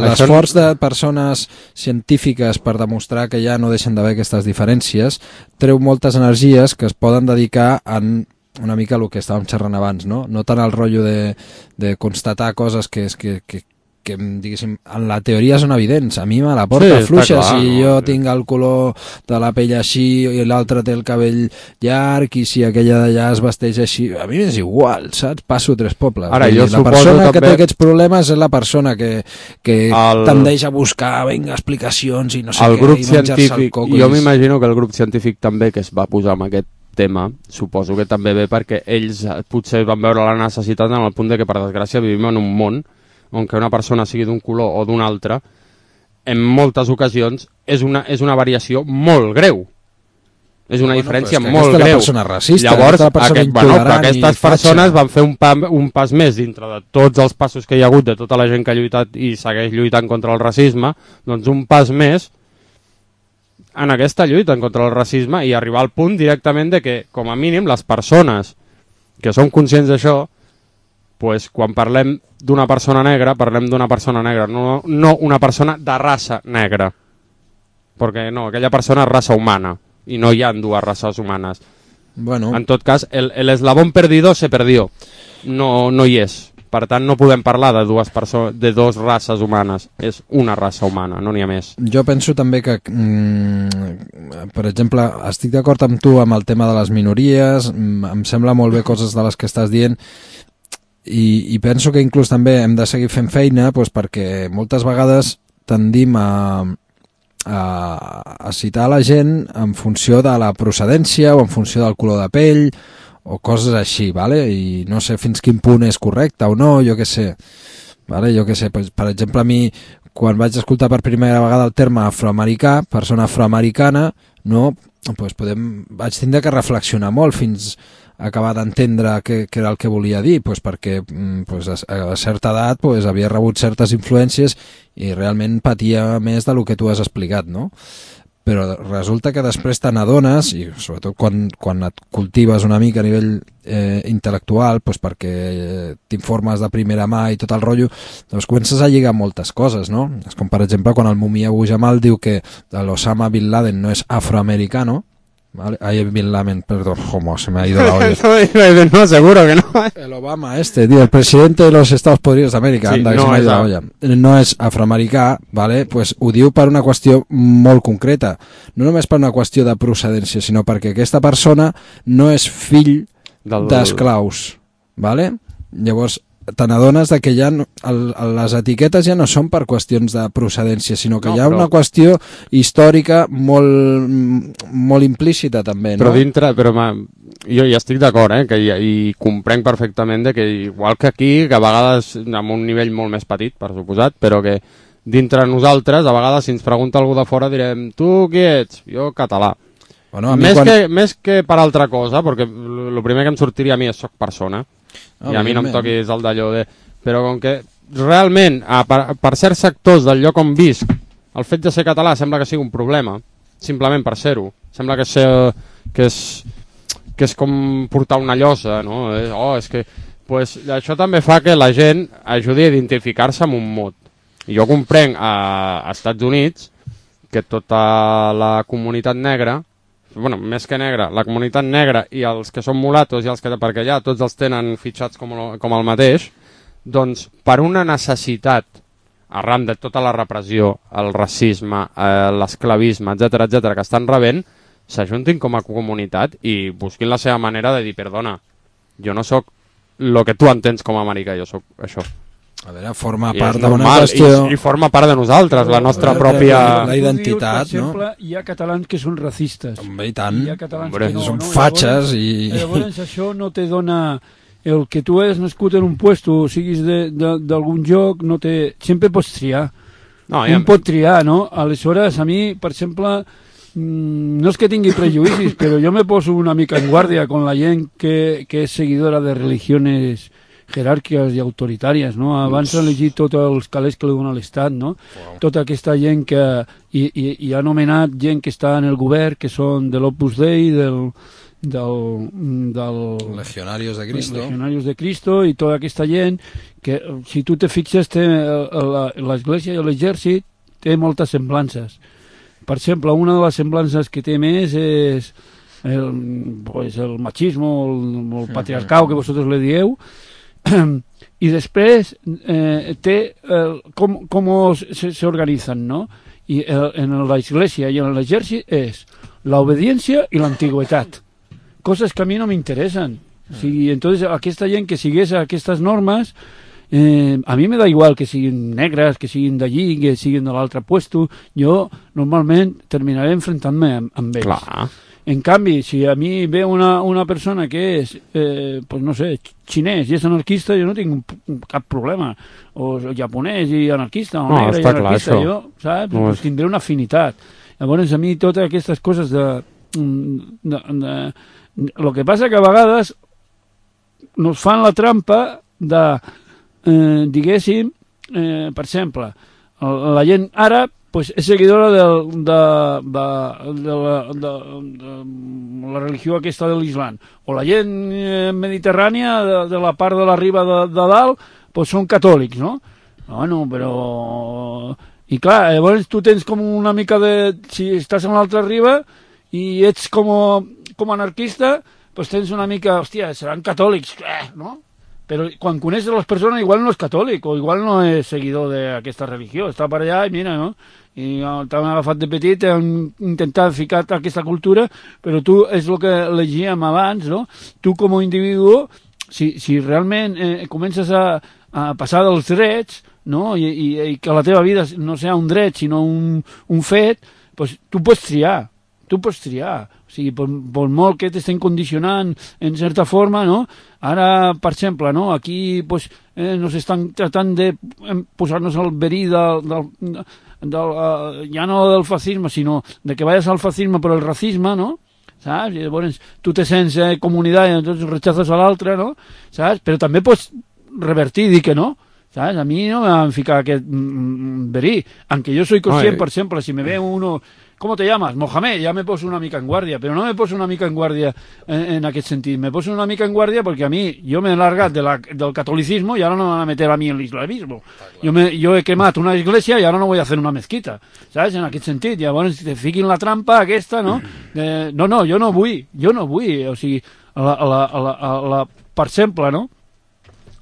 [SPEAKER 3] l'esforç de persones científiques per demostrar que ja no deixen d'haver aquestes diferències treu moltes energies que es poden dedicar en una mica el que estàvem xerrant abans, no? No tant el rotllo de, de constatar coses que, que, que que, diguéssim, en la teoria són evidents. A mi me la porta sí, fluixa clar, si no, jo sí. tinc el color de la pell així i l'altre té el cabell llarg i si aquella d'allà es vesteix així, a mi és igual, saps? Passo tres pobles.
[SPEAKER 2] Ara, jo
[SPEAKER 3] la persona que també... té aquests problemes és la persona que, que el... tendeix a buscar vinga, explicacions i no sé
[SPEAKER 2] el
[SPEAKER 3] què,
[SPEAKER 2] grup
[SPEAKER 3] i menjar-se el coco.
[SPEAKER 2] Jo m'imagino que el grup científic també que es va posar amb aquest tema, suposo que també ve perquè ells potser van veure la necessitat en el punt de que per desgràcia vivim en un món on que una persona sigui d'un color o d'un altre, en moltes ocasions és una, és una variació molt greu. És una bueno, diferència molt greu.
[SPEAKER 3] La persona racista,
[SPEAKER 2] llavors,
[SPEAKER 3] la persona
[SPEAKER 2] aquest, bueno, aquestes persones van fer un, pa, un pas més dintre de tots els passos que hi ha hagut, de tota la gent que ha lluitat i segueix lluitant contra el racisme, doncs un pas més en aquesta lluita contra el racisme i arribar al punt directament de que, com a mínim, les persones que som conscients d'això, pues, quan parlem d'una persona negra, parlem d'una persona negra, no, no una persona de raça negra. Perquè no, aquella persona és raça humana, i no hi ha dues races humanes.
[SPEAKER 3] Bueno.
[SPEAKER 2] En tot cas, el, el eslabón perdido se perdió. No, no hi és. Per tant, no podem parlar de dues perso- de dos races humanes. És una raça humana, no n'hi ha més.
[SPEAKER 3] Jo penso també que, mm, per exemple, estic d'acord amb tu amb el tema de les minories, em sembla molt bé coses de les que estàs dient, I, i penso que inclús també hem de seguir fent feina doncs, perquè moltes vegades tendim a, a, a citar la gent en funció de la procedència o en funció del color de pell o coses així, ¿vale? I no sé fins quin punt és correcte o no, jo què sé. ¿Vale? Jo què sé, per, per exemple, a mi quan vaig escoltar per primera vegada el terme afroamericà, persona afroamericana, no, doncs podem, vaig tindre que reflexionar molt fins acabar d'entendre què, què era el que volia dir, pues perquè pues a, a certa edat pues, havia rebut certes influències i realment patia més del que tu has explicat, no? Però resulta que després te n'adones, i sobretot quan, quan et cultives una mica a nivell eh, intel·lectual, pues perquè t'informes de primera mà i tot el rotllo, doncs comences a lligar moltes coses, no? És com per exemple quan el Mumia Abu Jamal diu que l'Osama Bin Laden no és afroamericano, ¿vale? Ahí Bin Laden, perdón, como se me ha ido la olla.
[SPEAKER 2] No, seguro que no.
[SPEAKER 3] El Obama este, tío, el presidente de los Estados Podridos de América, sí, anda, que no se me ha ido la olla. No és afroamericà, ¿vale? Pues ho diu per una qüestió molt concreta. No només per una qüestió de procedència, sinó perquè aquesta persona no és fill Del... d'esclaus, ¿vale? Llavors, te n'adones que ja no, el, les etiquetes ja no són per qüestions de procedència, sinó que no, hi ha però... una qüestió històrica molt, molt implícita també, no?
[SPEAKER 2] Però dintre, però ma, jo ja estic d'acord, eh, que hi, i comprenc perfectament de que igual que aquí, que a vegades amb un nivell molt més petit, per suposat, però que dintre nosaltres, a vegades si ens pregunta algú de fora direm, tu qui ets? Jo català. Bueno, més, quan... que, més que per altra cosa, perquè el primer que em sortiria a mi és soc persona, oh, i a mi no em toquis el d'allò de... Però com que realment, a, per, per certs sectors del lloc on visc, el fet de ser català sembla que sigui un problema, simplement per ser-ho. Sembla que, ser, que, és, que és com portar una llosa, no? Oh, és que... Pues, això també fa que la gent ajudi a identificar-se amb un mot. I jo comprenc a, a Estats Units que tota la comunitat negra, bueno, més que negra, la comunitat negra i els que són mulatos i els que, perquè allà tots els tenen fitxats com, lo, com el mateix, doncs per una necessitat arran de tota la repressió, el racisme, eh, l'esclavisme, etcètera, etcètera, que estan rebent, s'ajuntin com a comunitat i busquin la seva manera de dir, perdona, jo no sóc el que tu entens com a americà, jo sóc això.
[SPEAKER 3] A veure, forma I part d'una qüestió...
[SPEAKER 2] I, I forma part de nosaltres, la nostra veure, pròpia...
[SPEAKER 3] La identitat,
[SPEAKER 4] dius, per exemple, no? Hi ha catalans que són racistes.
[SPEAKER 3] Home, i tant.
[SPEAKER 4] Hi ha catalans
[SPEAKER 3] Hombre,
[SPEAKER 4] que no,
[SPEAKER 3] són
[SPEAKER 4] no?
[SPEAKER 3] fatxes i...
[SPEAKER 4] Llavors això no te dona... El que tu has nascut en un puesto o siguis d'algun lloc, no te... sempre pots triar. No, ja... Un pot triar, no? Aleshores, a mi, per exemple, no és que tingui prejudicis, però jo me poso una mica en guàrdia con la gent que, que és seguidora de religiones jeràrquiques i autoritàries, no? Abans s'ha elegit tots els calés que li dona l'Estat, no? Wow. Tota aquesta gent que... I, i, i ha nomenat gent que està en el govern, que són de l'Opus Dei, del... del, del
[SPEAKER 3] Legionarios de Cristo
[SPEAKER 4] Legionarios de Cristo i tota aquesta gent que, si tu te fixes, té l'Església i l'exèrcit té moltes semblances. Per exemple, una de les semblances que té més és el, pues, el machismo, el, el patriarcau, que vosaltres le dieu, i després eh, té el, com, com s'organitzen, no? I el, en l'Església i en l'exèrcit és l'obediència i l'antigüitat, coses que a mi no m'interessen. O sigui, entonces, aquesta gent que sigués aquestes normes, eh, a mi me da igual que siguin negres, que siguin d'allí, que siguin de l'altre puesto, jo normalment terminaré enfrontant-me amb, amb ells.
[SPEAKER 2] Clar.
[SPEAKER 4] En canvi, si a mi ve una, una persona que és, eh, pues no sé, xinès i és anarquista, jo no tinc cap problema. O japonès i anarquista, o
[SPEAKER 2] no,
[SPEAKER 4] negre i anarquista,
[SPEAKER 2] clar,
[SPEAKER 4] jo, saps?
[SPEAKER 2] No
[SPEAKER 4] pues tindré una afinitat. Llavors, a mi totes aquestes coses de... de, de el que passa que a vegades nos fan la trampa de, eh, diguéssim, eh, per exemple, la gent àrab pues, és seguidora de, de, de, de, la, de, de la religió aquesta de l'Islam, o la gent eh, mediterrània de, de la part de la riba de, de dalt pues, són catòlics, no? Bueno, però... I clar, llavors tu tens com una mica de... Si estàs en l'altra riba i ets com, com anarquista, doncs tens una mica... Hòstia, seran catòlics, eh, no? Però quan coneixes les persones igual no és catòlic o igual no és seguidor d'aquesta religió. Està per allà i mira, no? I t'han agafat de petit, t'han intentat ficar aquesta cultura, però tu, és el que legíem abans, no? Tu com a individu, si, si realment eh, comences a, a passar dels drets, no? I, i, i que la teva vida no sigui un dret, sinó un, un fet, doncs tu pots triar. Tu pots triar, o sigui, per, per molt que t'estem condicionant en certa forma, no? Ara, per exemple, no? Aquí pues, eh, nos estan tratant de posar-nos al verí del, del, del, uh, ja no del fascisme, sinó de que vayas al fascisme per el racisme, no? Saps? I llavors tu te sents eh, comunitat i entonces rechazas a l'altre, no? Saps? Però també pots revertir i dir que no. ¿Sabes? A mí no me van a ficar aquest mm, verí. Aunque yo soy consciente, por ejemplo, si me ve uno... ¿Cómo te llamas? Mohamed, ya me poso una mica en guardia, pero no me poso una mica en guardia en, en aquest sentit. Me poso una mica en guardia porque a mí, yo me he largat de la, del catolicismo y ahora no me van a meter a mí en l'islamismo. Yo, me, yo he quemat una iglesia y ahora no voy a hacer una mezquita, ¿sabes? En aquest sentit. Llavors te fiquin la trampa aquesta, no? Eh, no, no, jo no vull, jo no vull. O sigui, a la, a la, a la, a la, per exemple, no?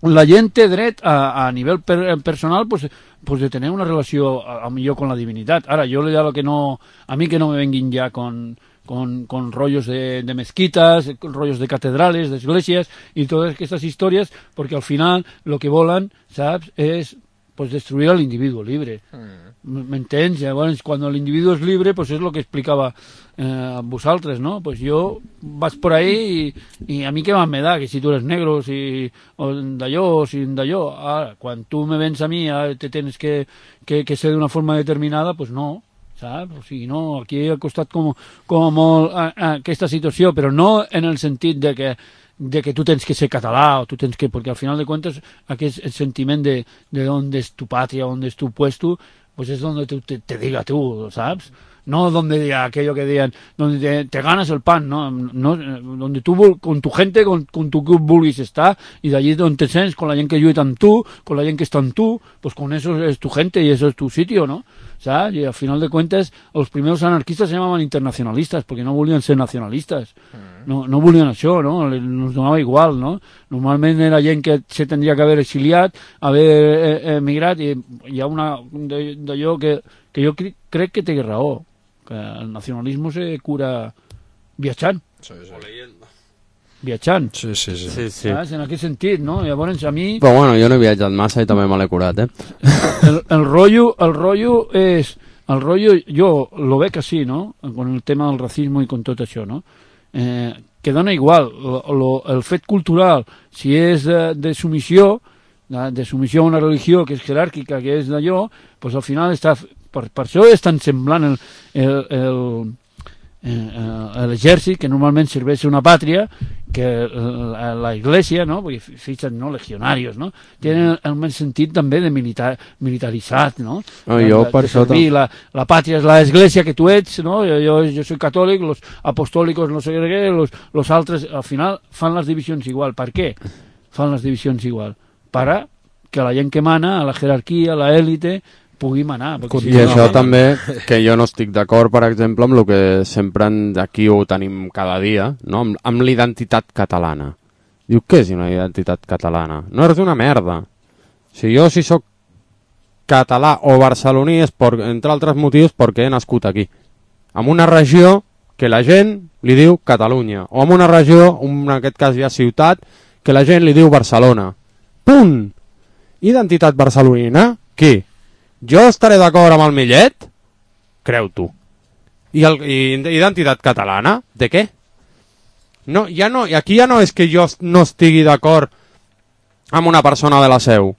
[SPEAKER 4] La gent té dret a, a nivell per, personal pues, pues de tener una relació a, a millor con la divinitat. Ara, jo ya lo que no, a mí que no me venguin ya con, con, con rollos de, de mezquitas, rollos de catedrales, de iglesias y todas estas historias, porque al final lo que volen, saps, es pues destruir al individuo libre. ¿M'entens? Llavors, quan l'individu és libre, pues és el que explicava eh, a vosaltres, no? Pues jo vas por ahí i, i a mi què me da, que si tu eres negro, si o d'allò, o si d'allò. Ara, quan tu me vens a mi, te tens que, que, que ser d'una forma determinada, pues no, saps? O sigui, no, aquí ha costat com, com molt a, a aquesta situació, però no en el sentit de que de que tu tens que ser català o tu tens que... Perquè al final de cuentas aquest sentiment de, de on és tu pàtria, on és tu puesto, pues es donde te, te, te diga tú, ¿sabes? No donde diga aquello que digan, donde te, te ganas el pan, ¿no? no donde tú, con tu gente, con, con tu que vulguis estar, y de allí donde te sents, con la gent que lluita amb tu, con la gent que està amb tu, pues con eso es tu gente y eso es tu sitio, ¿no? ¿Sabes? Y al final de cuentas, los primeros anarquistas se llamaban internacionalistas, porque no volien ser nacionalistas. No, no volien això, no? Nos donava igual, no? Normalment era gent que se tendria que haver exiliat, haver emigrat, i hi ha una d'allò que, que jo cre crec que té raó, que el nacionalisme se cura viatjant.
[SPEAKER 3] Sí, sí.
[SPEAKER 4] Viatjant.
[SPEAKER 3] Sí, sí, sí.
[SPEAKER 2] Sí, sí.
[SPEAKER 4] Saps? En aquest sentit, no? Llavors, a mi...
[SPEAKER 2] Però bueno, jo no he viatjat massa i també me l'he curat, eh?
[SPEAKER 4] El, el rollo, el rollo és... El rollo, jo lo veig així, no? Con el tema del racisme i con tot això, no? Eh, que dona igual lo, lo, el fet cultural, si és de, de submissió, de, de submissió a una religió que és jeràrquica, que és d'allò, pues al final està... Per, per això és tan semblant el, el, el, el, l'exèrcit, que normalment serveix una pàtria, que la, la Iglesia, ¿no? Porque fixen, ¿no? Legionarios, ¿no? Tenen el més sentit també de militar, militaritzat, no?
[SPEAKER 2] Oh, jo
[SPEAKER 4] de,
[SPEAKER 2] per
[SPEAKER 4] de
[SPEAKER 2] això...
[SPEAKER 4] servir, la, la pàtria és l'Església que tu ets, no? Jo, jo, jo soy catòlic, los apostòlicos no sé què, los, los altres, al final, fan les divisions igual. Per què fan les divisions igual? Per que la gent que mana, a la jerarquia, a l'élite, pugui manar.
[SPEAKER 2] I si això no, també, que jo no estic d'acord, per exemple, amb el que sempre aquí ho tenim cada dia, no? amb, amb l'identitat catalana. Diu, què és una identitat catalana? No és una merda. Si jo si sóc català o barceloní és, per, entre altres motius, perquè he nascut aquí. En una regió que la gent li diu Catalunya, o en una regió, en aquest cas ja ciutat, que la gent li diu Barcelona. Punt! Identitat barcelonina? Qui? Jo estaré d'acord amb el Millet? Creu tu. I, el, i identitat catalana? De què? No, ja no, i aquí ja no és que jo no estigui d'acord amb una persona de la Seu.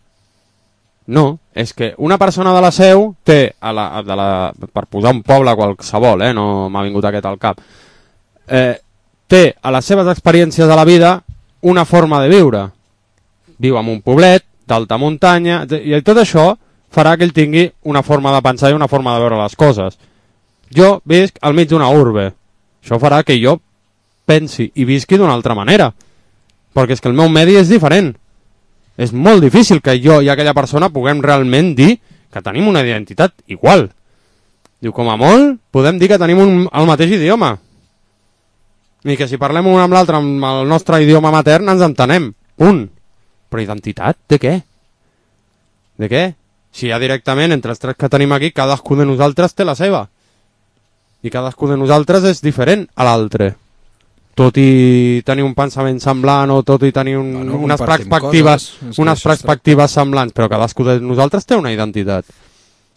[SPEAKER 2] No, és que una persona de la Seu té, a la, de la, per posar un poble qualsevol, eh, no m'ha vingut aquest al cap, eh, té a les seves experiències de la vida una forma de viure. Viu en un poblet, d'alta muntanya, i tot això farà que ell tingui una forma de pensar i una forma de veure les coses. Jo visc al mig d'una urbe. Això farà que jo pensi i visqui d'una altra manera. Perquè és que el meu medi és diferent. És molt difícil que jo i aquella persona puguem realment dir que tenim una identitat igual. Diu, com a molt, podem dir que tenim un, el mateix idioma. I que si parlem un amb l'altre amb el nostre idioma matern ens entenem. Punt. Però identitat? De què? De què? Si ja directament, entre els tres que tenim aquí, cadascú de nosaltres té la seva. I cadascú de nosaltres és diferent a l'altre. Tot i tenir un pensament semblant o tot i tenir un, bueno, unes perspectives, coses, unes perspectives semblants, però cadascú de nosaltres té una identitat.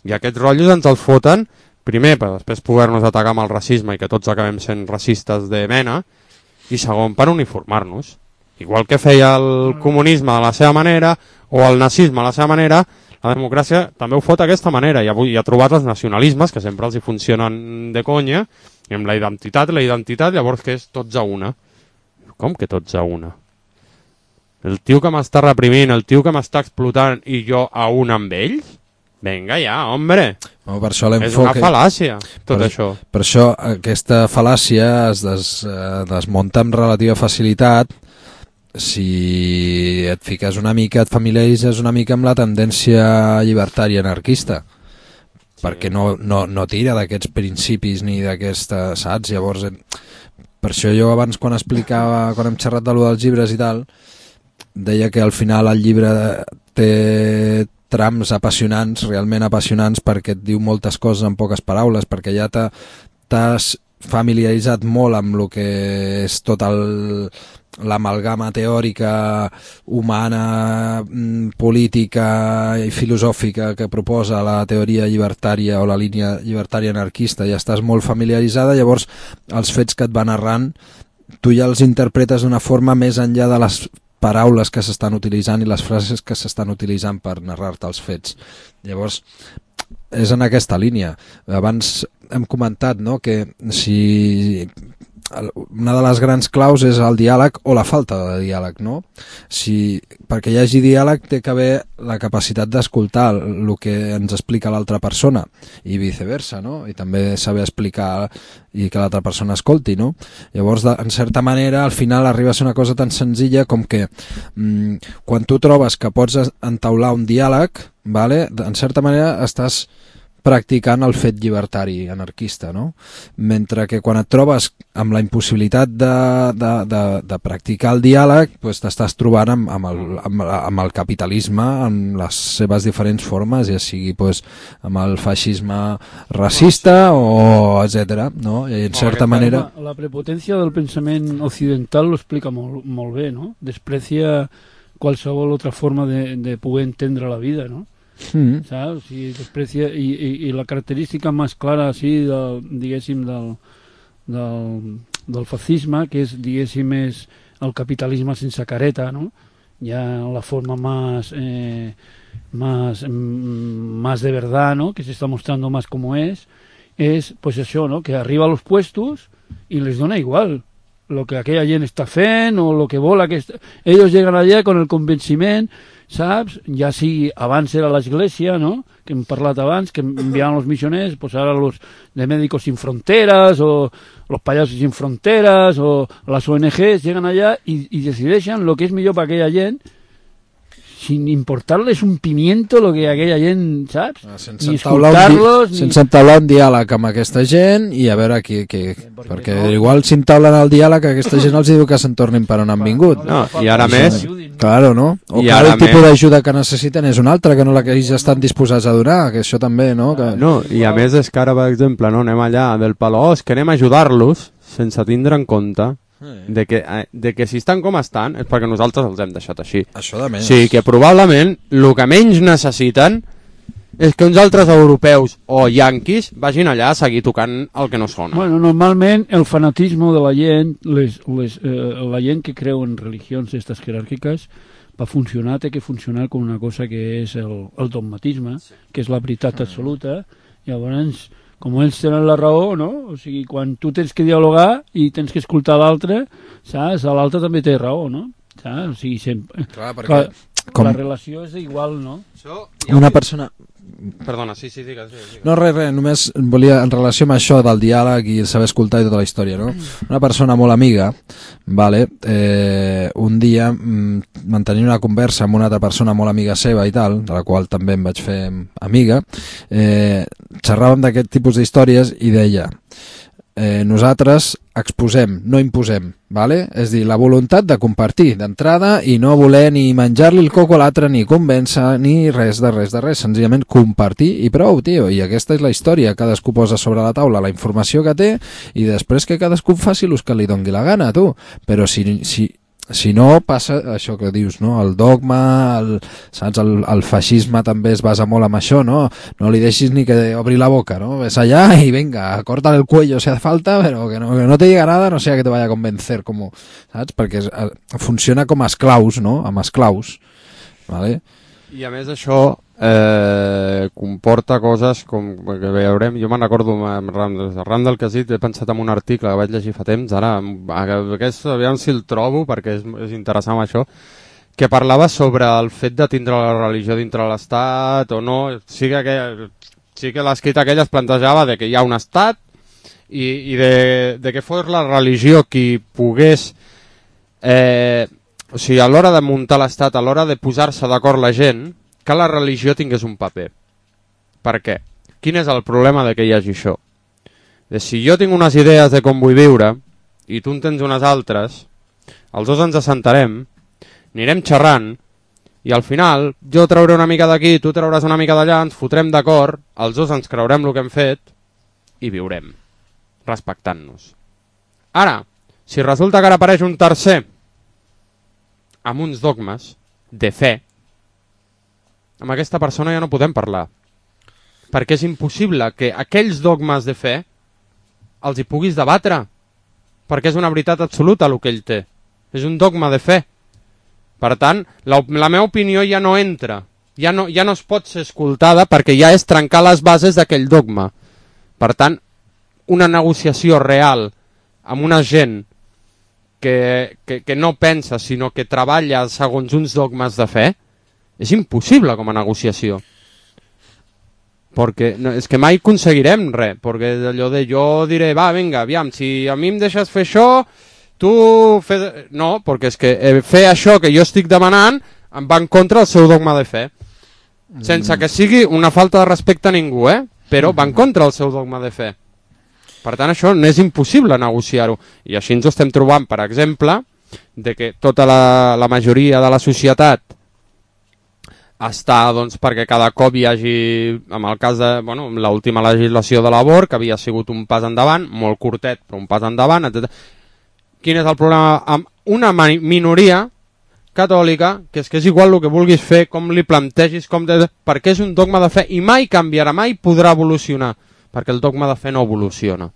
[SPEAKER 2] I aquests rotllos ens els foten, primer, per després poder-nos atacar amb el racisme i que tots acabem sent racistes de mena, i segon, per uniformar-nos. Igual que feia el comunisme de la seva manera o el nazisme a la seva manera, la democràcia també ho fot d'aquesta manera i avui ha trobat els nacionalismes que sempre els hi funcionen de conya i amb la identitat, la identitat llavors que és tots a una. Com que tots a una? El tio que m'està reprimint, el tio que m'està explotant i jo a un amb ells? Vinga ja, hombre.
[SPEAKER 3] No, per això
[SPEAKER 2] és una fal·làcia tot
[SPEAKER 3] per,
[SPEAKER 2] això.
[SPEAKER 3] Per això aquesta fal·làcia es des, eh, desmunta amb relativa facilitat si et fiques una mica, et familiaritzes una mica amb la tendència llibertària anarquista, sí. Perquè no, no, no tira d'aquests principis ni d'aquesta, saps? Llavors, per això jo abans quan explicava, quan hem xerrat de lo dels llibres i tal, deia que al final el llibre té trams apassionants, realment apassionants, perquè et diu moltes coses en poques paraules, perquè ja t'has familiaritzat molt amb el que és tot el l'amalgama teòrica, humana, política i filosòfica que proposa la teoria llibertària o la línia llibertària anarquista, ja estàs molt familiaritzada, llavors els fets que et van narrant tu ja els interpretes d'una forma més enllà de les paraules que s'estan utilitzant i les frases que s'estan utilitzant per narrar-te els fets. Llavors, és en aquesta línia. Abans hem comentat, no?, que si una de les grans claus és el diàleg o la falta de diàleg, no? Si, perquè hi hagi diàleg té que haver la capacitat d'escoltar el que ens explica l'altra persona i viceversa, no? I també saber explicar i que l'altra persona escolti, no? Llavors, de, en certa manera, al final arriba a ser una cosa tan senzilla com que mmm, quan tu trobes que pots entaular un diàleg, vale, en certa manera estàs practicant el fet llibertari anarquista, no? Mentre que quan et trobes amb la impossibilitat de, de, de, de practicar el diàleg, pues t'estàs trobant amb, amb, el, amb, amb el capitalisme en les seves diferents formes, ja sigui pues, amb el feixisme racista o etcètera, no? I en certa manera...
[SPEAKER 4] La, la prepotència del pensament occidental lo explica molt, molt bé, no? Desprecia qualsevol altra forma de, de poder entendre la vida, no? Mm. ¿Sabes? Si desprecia, y, y, y la característica más clara así del, diguéssim del, del, del fascisme, que és diguéssim és el capitalisme sense careta, ¿no? Ya la forma más eh, más, mm, más de verdad, ¿no?, que se está mostrando más como es, es pues eso, ¿no?, que arriba a los puestos y les dona igual lo que aquella gent està fent o lo que vol aquesta... Ellos llegan allà con el convenciment, saps? Ja sigui abans era l'església, no?, que hem parlat abans, que enviaven els missioners, pues ara los de Médicos Sin Fronteras o los Payasos Sin Fronteras o les O N Ges llegan allà i, i decideixen lo que és millor per aquella gent sin importarles un pimiento lo que aquella gent, saps?
[SPEAKER 3] Ah, sense
[SPEAKER 4] ni
[SPEAKER 3] escoltar-los, ni... sense entablar un diàleg amb aquesta gent i a veure qui... qui... Perquè, perquè no. Igual si entablen el diàleg aquesta gent els diu que se'n tornin per on han vingut.
[SPEAKER 2] No, i ara més...
[SPEAKER 3] Claro, no? O que el tipus d'ajuda que necessiten és una altra, que no la que ells estan disposats a donar, que això també, no? Que...
[SPEAKER 2] No, i a més és que ara, per exemple, no, anem allà del palo, oh, és que anem a ajudar-los sense tindre en compte de que, de que si estan com estan és perquè nosaltres els hem deixat així.
[SPEAKER 3] Això de més.
[SPEAKER 2] Sí, que probablement el que menys necessiten és que uns altres europeus o yanquis vagin allà a seguir tocant el que no sona.
[SPEAKER 4] Bueno, normalment el fanatisme de la gent, les, les, eh, la gent que creu en religions estas jeràrquiques, per funcionar té que funcionar com una cosa que és el, el dogmatisme, que és la veritat absoluta. Llavors, com ells tenen la raó, no? O sigui, quan tu tens que dialogar i tens que escoltar l'altre, saps? L'altre també té raó, no? Saps? O sigui, sempre...
[SPEAKER 3] Clar, perquè...
[SPEAKER 4] Clar, com... La relació és igual, no?
[SPEAKER 3] So, una persona...
[SPEAKER 2] Perdona, sí, sí, digues. digues.
[SPEAKER 3] No, res, res, només volia, en relació amb això del diàleg i saber escoltar i tota la història, no? Una persona molt amiga, vale, eh, un dia mm, mantenint una conversa amb una altra persona molt amiga seva i tal, de la qual també em vaig fer amiga, eh, xerràvem d'aquest tipus d'històries i deia... Eh, nosaltres exposem, no imposem, vale? És dir, la voluntat de compartir d'entrada i no voler ni menjar-li el coco a l'altre, ni convèncer, ni res de res de res, senzillament compartir i prou, tio, i aquesta és la història, cadascú posa sobre la taula la informació que té i després que cadascú faci l'ús que li dongui la gana, tu, però si... si Si no, passa això que dius, no? El dogma, el, saps? El, el feixisme també es basa molt en això, no? No li deixis ni que obri la boca, no? Ves allá y venga, córtale el cuello si hace falta, pero que no, que no te diga nada, no sea que te vaya a convencer, como, saps? Perquè es, funciona com a esclaus, no? Amb esclaus, ¿vale?
[SPEAKER 2] I a més això eh, comporta coses com que veurem, jo me'n recordo amb Randall Casit, he pensat en un article que vaig llegir fa temps, ara aquest, aviam si el trobo perquè és, és interessant això, que parlava sobre el fet de tindre la religió dintre l'estat o no, sí que, sí que l'escrit aquell es plantejava de que hi ha un estat i, i de, de que fos la religió qui pogués eh, o sigui, a l'hora de muntar l'estat, a l'hora de posar-se d'acord la gent, que la religió tingués un paper. Per què? Quin és el problema de que hi hagi això? De si jo tinc unes idees de com vull viure i tu en tens unes altres, els dos ens assentarem, anirem xerrant i al final jo trauré una mica d'aquí, tu trauràs una mica d'allà, ens fotrem d'acord, els dos ens creurem el que hem fet i viurem, respectant-nos. Ara, si resulta que ara apareix un tercer amb uns dogmes de fe, amb aquesta persona ja no podem parlar. Perquè és impossible que aquells dogmes de fe els hi puguis debatre. Perquè és una veritat absoluta el que ell té. És un dogma de fe. Per tant, la, la meva opinió ja no entra. Ja no, ja no es pot ser escoltada perquè ja és trencar les bases d'aquell dogma. Per tant, una negociació real amb una gent Que, que, que no pensa, sinó que treballa segons uns dogmes de fe, és impossible com a negociació. Perquè no, és que mai aconseguirem res, perquè allò de jo diré, va, vinga, aviam, si a mi em deixes fer això, tu fes... No, perquè és que fer això que jo estic demanant em va en contra del seu dogma de fe. Sense que sigui una falta de respecte a ningú, eh? Però va en contra del seu dogma de fe. Per tant, això no és impossible negociar-ho. I així ens ho estem trobant, per exemple, de que tota la, la majoria de la societat està, doncs, perquè cada cop hi hagi, en el cas de, bueno, l'última legislació de l'abort, que havia sigut un pas endavant, molt curtet, però un pas endavant, etcètera. Quin és el problema amb una minoria catòlica, que és que és igual el que vulguis fer, com li plantegis, com de... perquè és un dogma de fe i mai canviarà, mai podrà evolucionar, perquè el dogma de fe no evoluciona.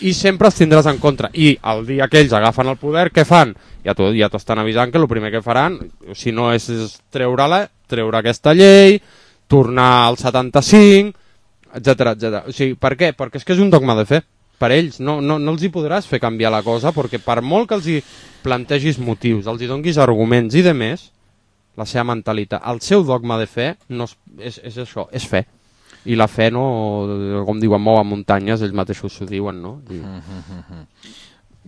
[SPEAKER 2] I sempre els tindràs en contra. I el dia que ells agafen el poder, què fan? Ja t'ho ja t'estan avisant que el primer que faran, si no és treure-la, treure aquesta llei, tornar al setanta-cinc, etcètera, etcètera. O sigui, per què? Perquè és que és un dogma de fe. per ells, no, no, no els hi podràs fer canviar la cosa, perquè per molt que els hi plantegis motius, els hi donguis arguments i de més, la seva mentalitat, el seu dogma de fe no és, és, és això, és fe. I la fe, no, com diuen, mou a muntanyes, ells mateixos s'ho diuen, no? I...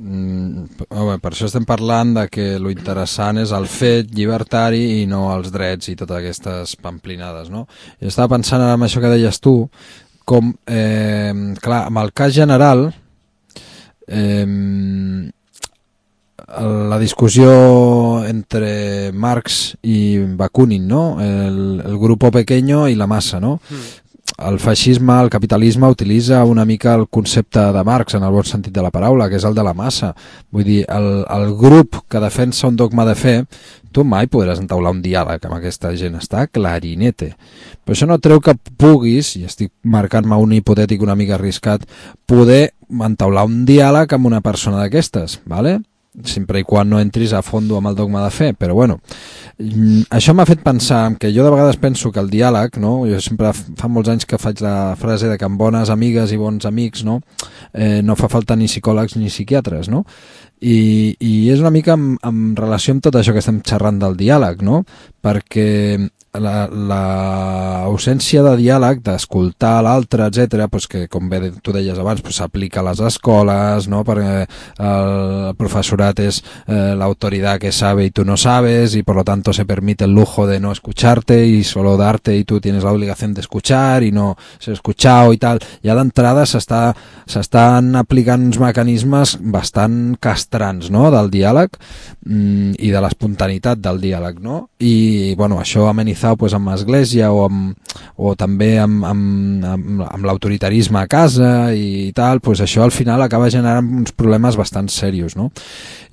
[SPEAKER 3] Mm, home, per això estem parlant de que lo interessant és el fet llibertari i no els drets i totes aquestes pamplinades, no? Jo estava pensant en això que deies tu, com, eh, clar, amb el cas general, eh, la discussió entre Marx i Bakunin, no? El, el grupo pequeño i la massa, no? Mm. El feixisme, el capitalisme utilitza una mica el concepte de Marx en el bon sentit de la paraula, que és el de la massa. Vull dir, el, el grup que defensa un dogma de fe, tu mai podràs entaular un diàleg amb aquesta gent, està clarinete. Però això no treu que puguis, i estic marcant-me un hipotètic una mica arriscat, poder entaular un diàleg amb una persona d'aquestes, ¿vale? Sempre i quan no entris a fondo amb el dogma de fe, però bueno, això m'ha fet pensar que jo de vegades penso que el diàleg, no? Jo sempre fa molts anys que faig la frase de que amb bones amigues i bons amics, no, eh, no fa falta ni psicòlegs ni psiquiatres, no? I, i és una mica en, en relació amb tot això que estem xerrant del diàleg, no? Perquè la, la ausència de diàleg, d'escoltar l'altre, etcètera, pues que com bé tu deies abans, pues s'aplica a les escoles, no? Perquè el profesorat és eh, l'autoritat que sabe y tú no sabes y por lo tanto se permite el lujo de no escucharte y solo darte y tú tienes la obligación de escuchar y no ser escuchado y tal. Ja d'entrada s'està, s'estan aplicant uns mecanismes bastant castrants, no? Del diàleg mm, i de l'espontaneïtat del diàleg, no? I bueno, això amenitzat pues, amb l'església o, amb, o també amb, amb, amb, amb l'autoritarisme a casa i tal, pues això al final acaba generant uns problemes bastant serios, no?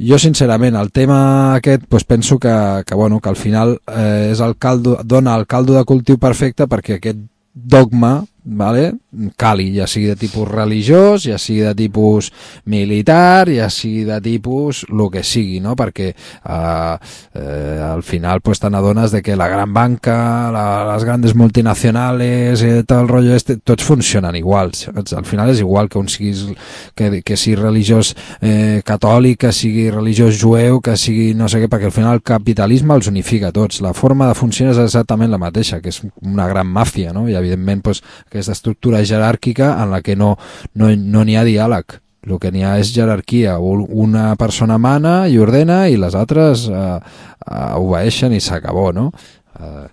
[SPEAKER 3] Jo sincerament el tema aquest pues, penso que, que, bueno, que al final eh, és el caldo, dona el caldo de cultiu perfecte perquè aquest dogma, vale, cali, ja sigui de tipus religiós, ja sigui de tipus militar, ja sigui de tipus el que sigui, no? Perquè eh, eh, al final pues, te n'adones de que la gran banca, la, les grandes multinacionales, eh, tot el rotllo este, tots funcionen igual. Al final és igual que un siguis, que, que sigui religiós eh, catòlic, que sigui religiós jueu, que sigui no sé què, perquè al final el capitalisme els unifica tots. La forma de funcionar és exactament la mateixa, que és una gran màfia, no? I evidentment pues, aquesta estructura jeràrquica en la que no no no n'hi ha diàleg. El que n'hi ha és jerarquia. Una persona mana i ordena i les altres eh, eh, obeeixen i s'acabó, no? Eh,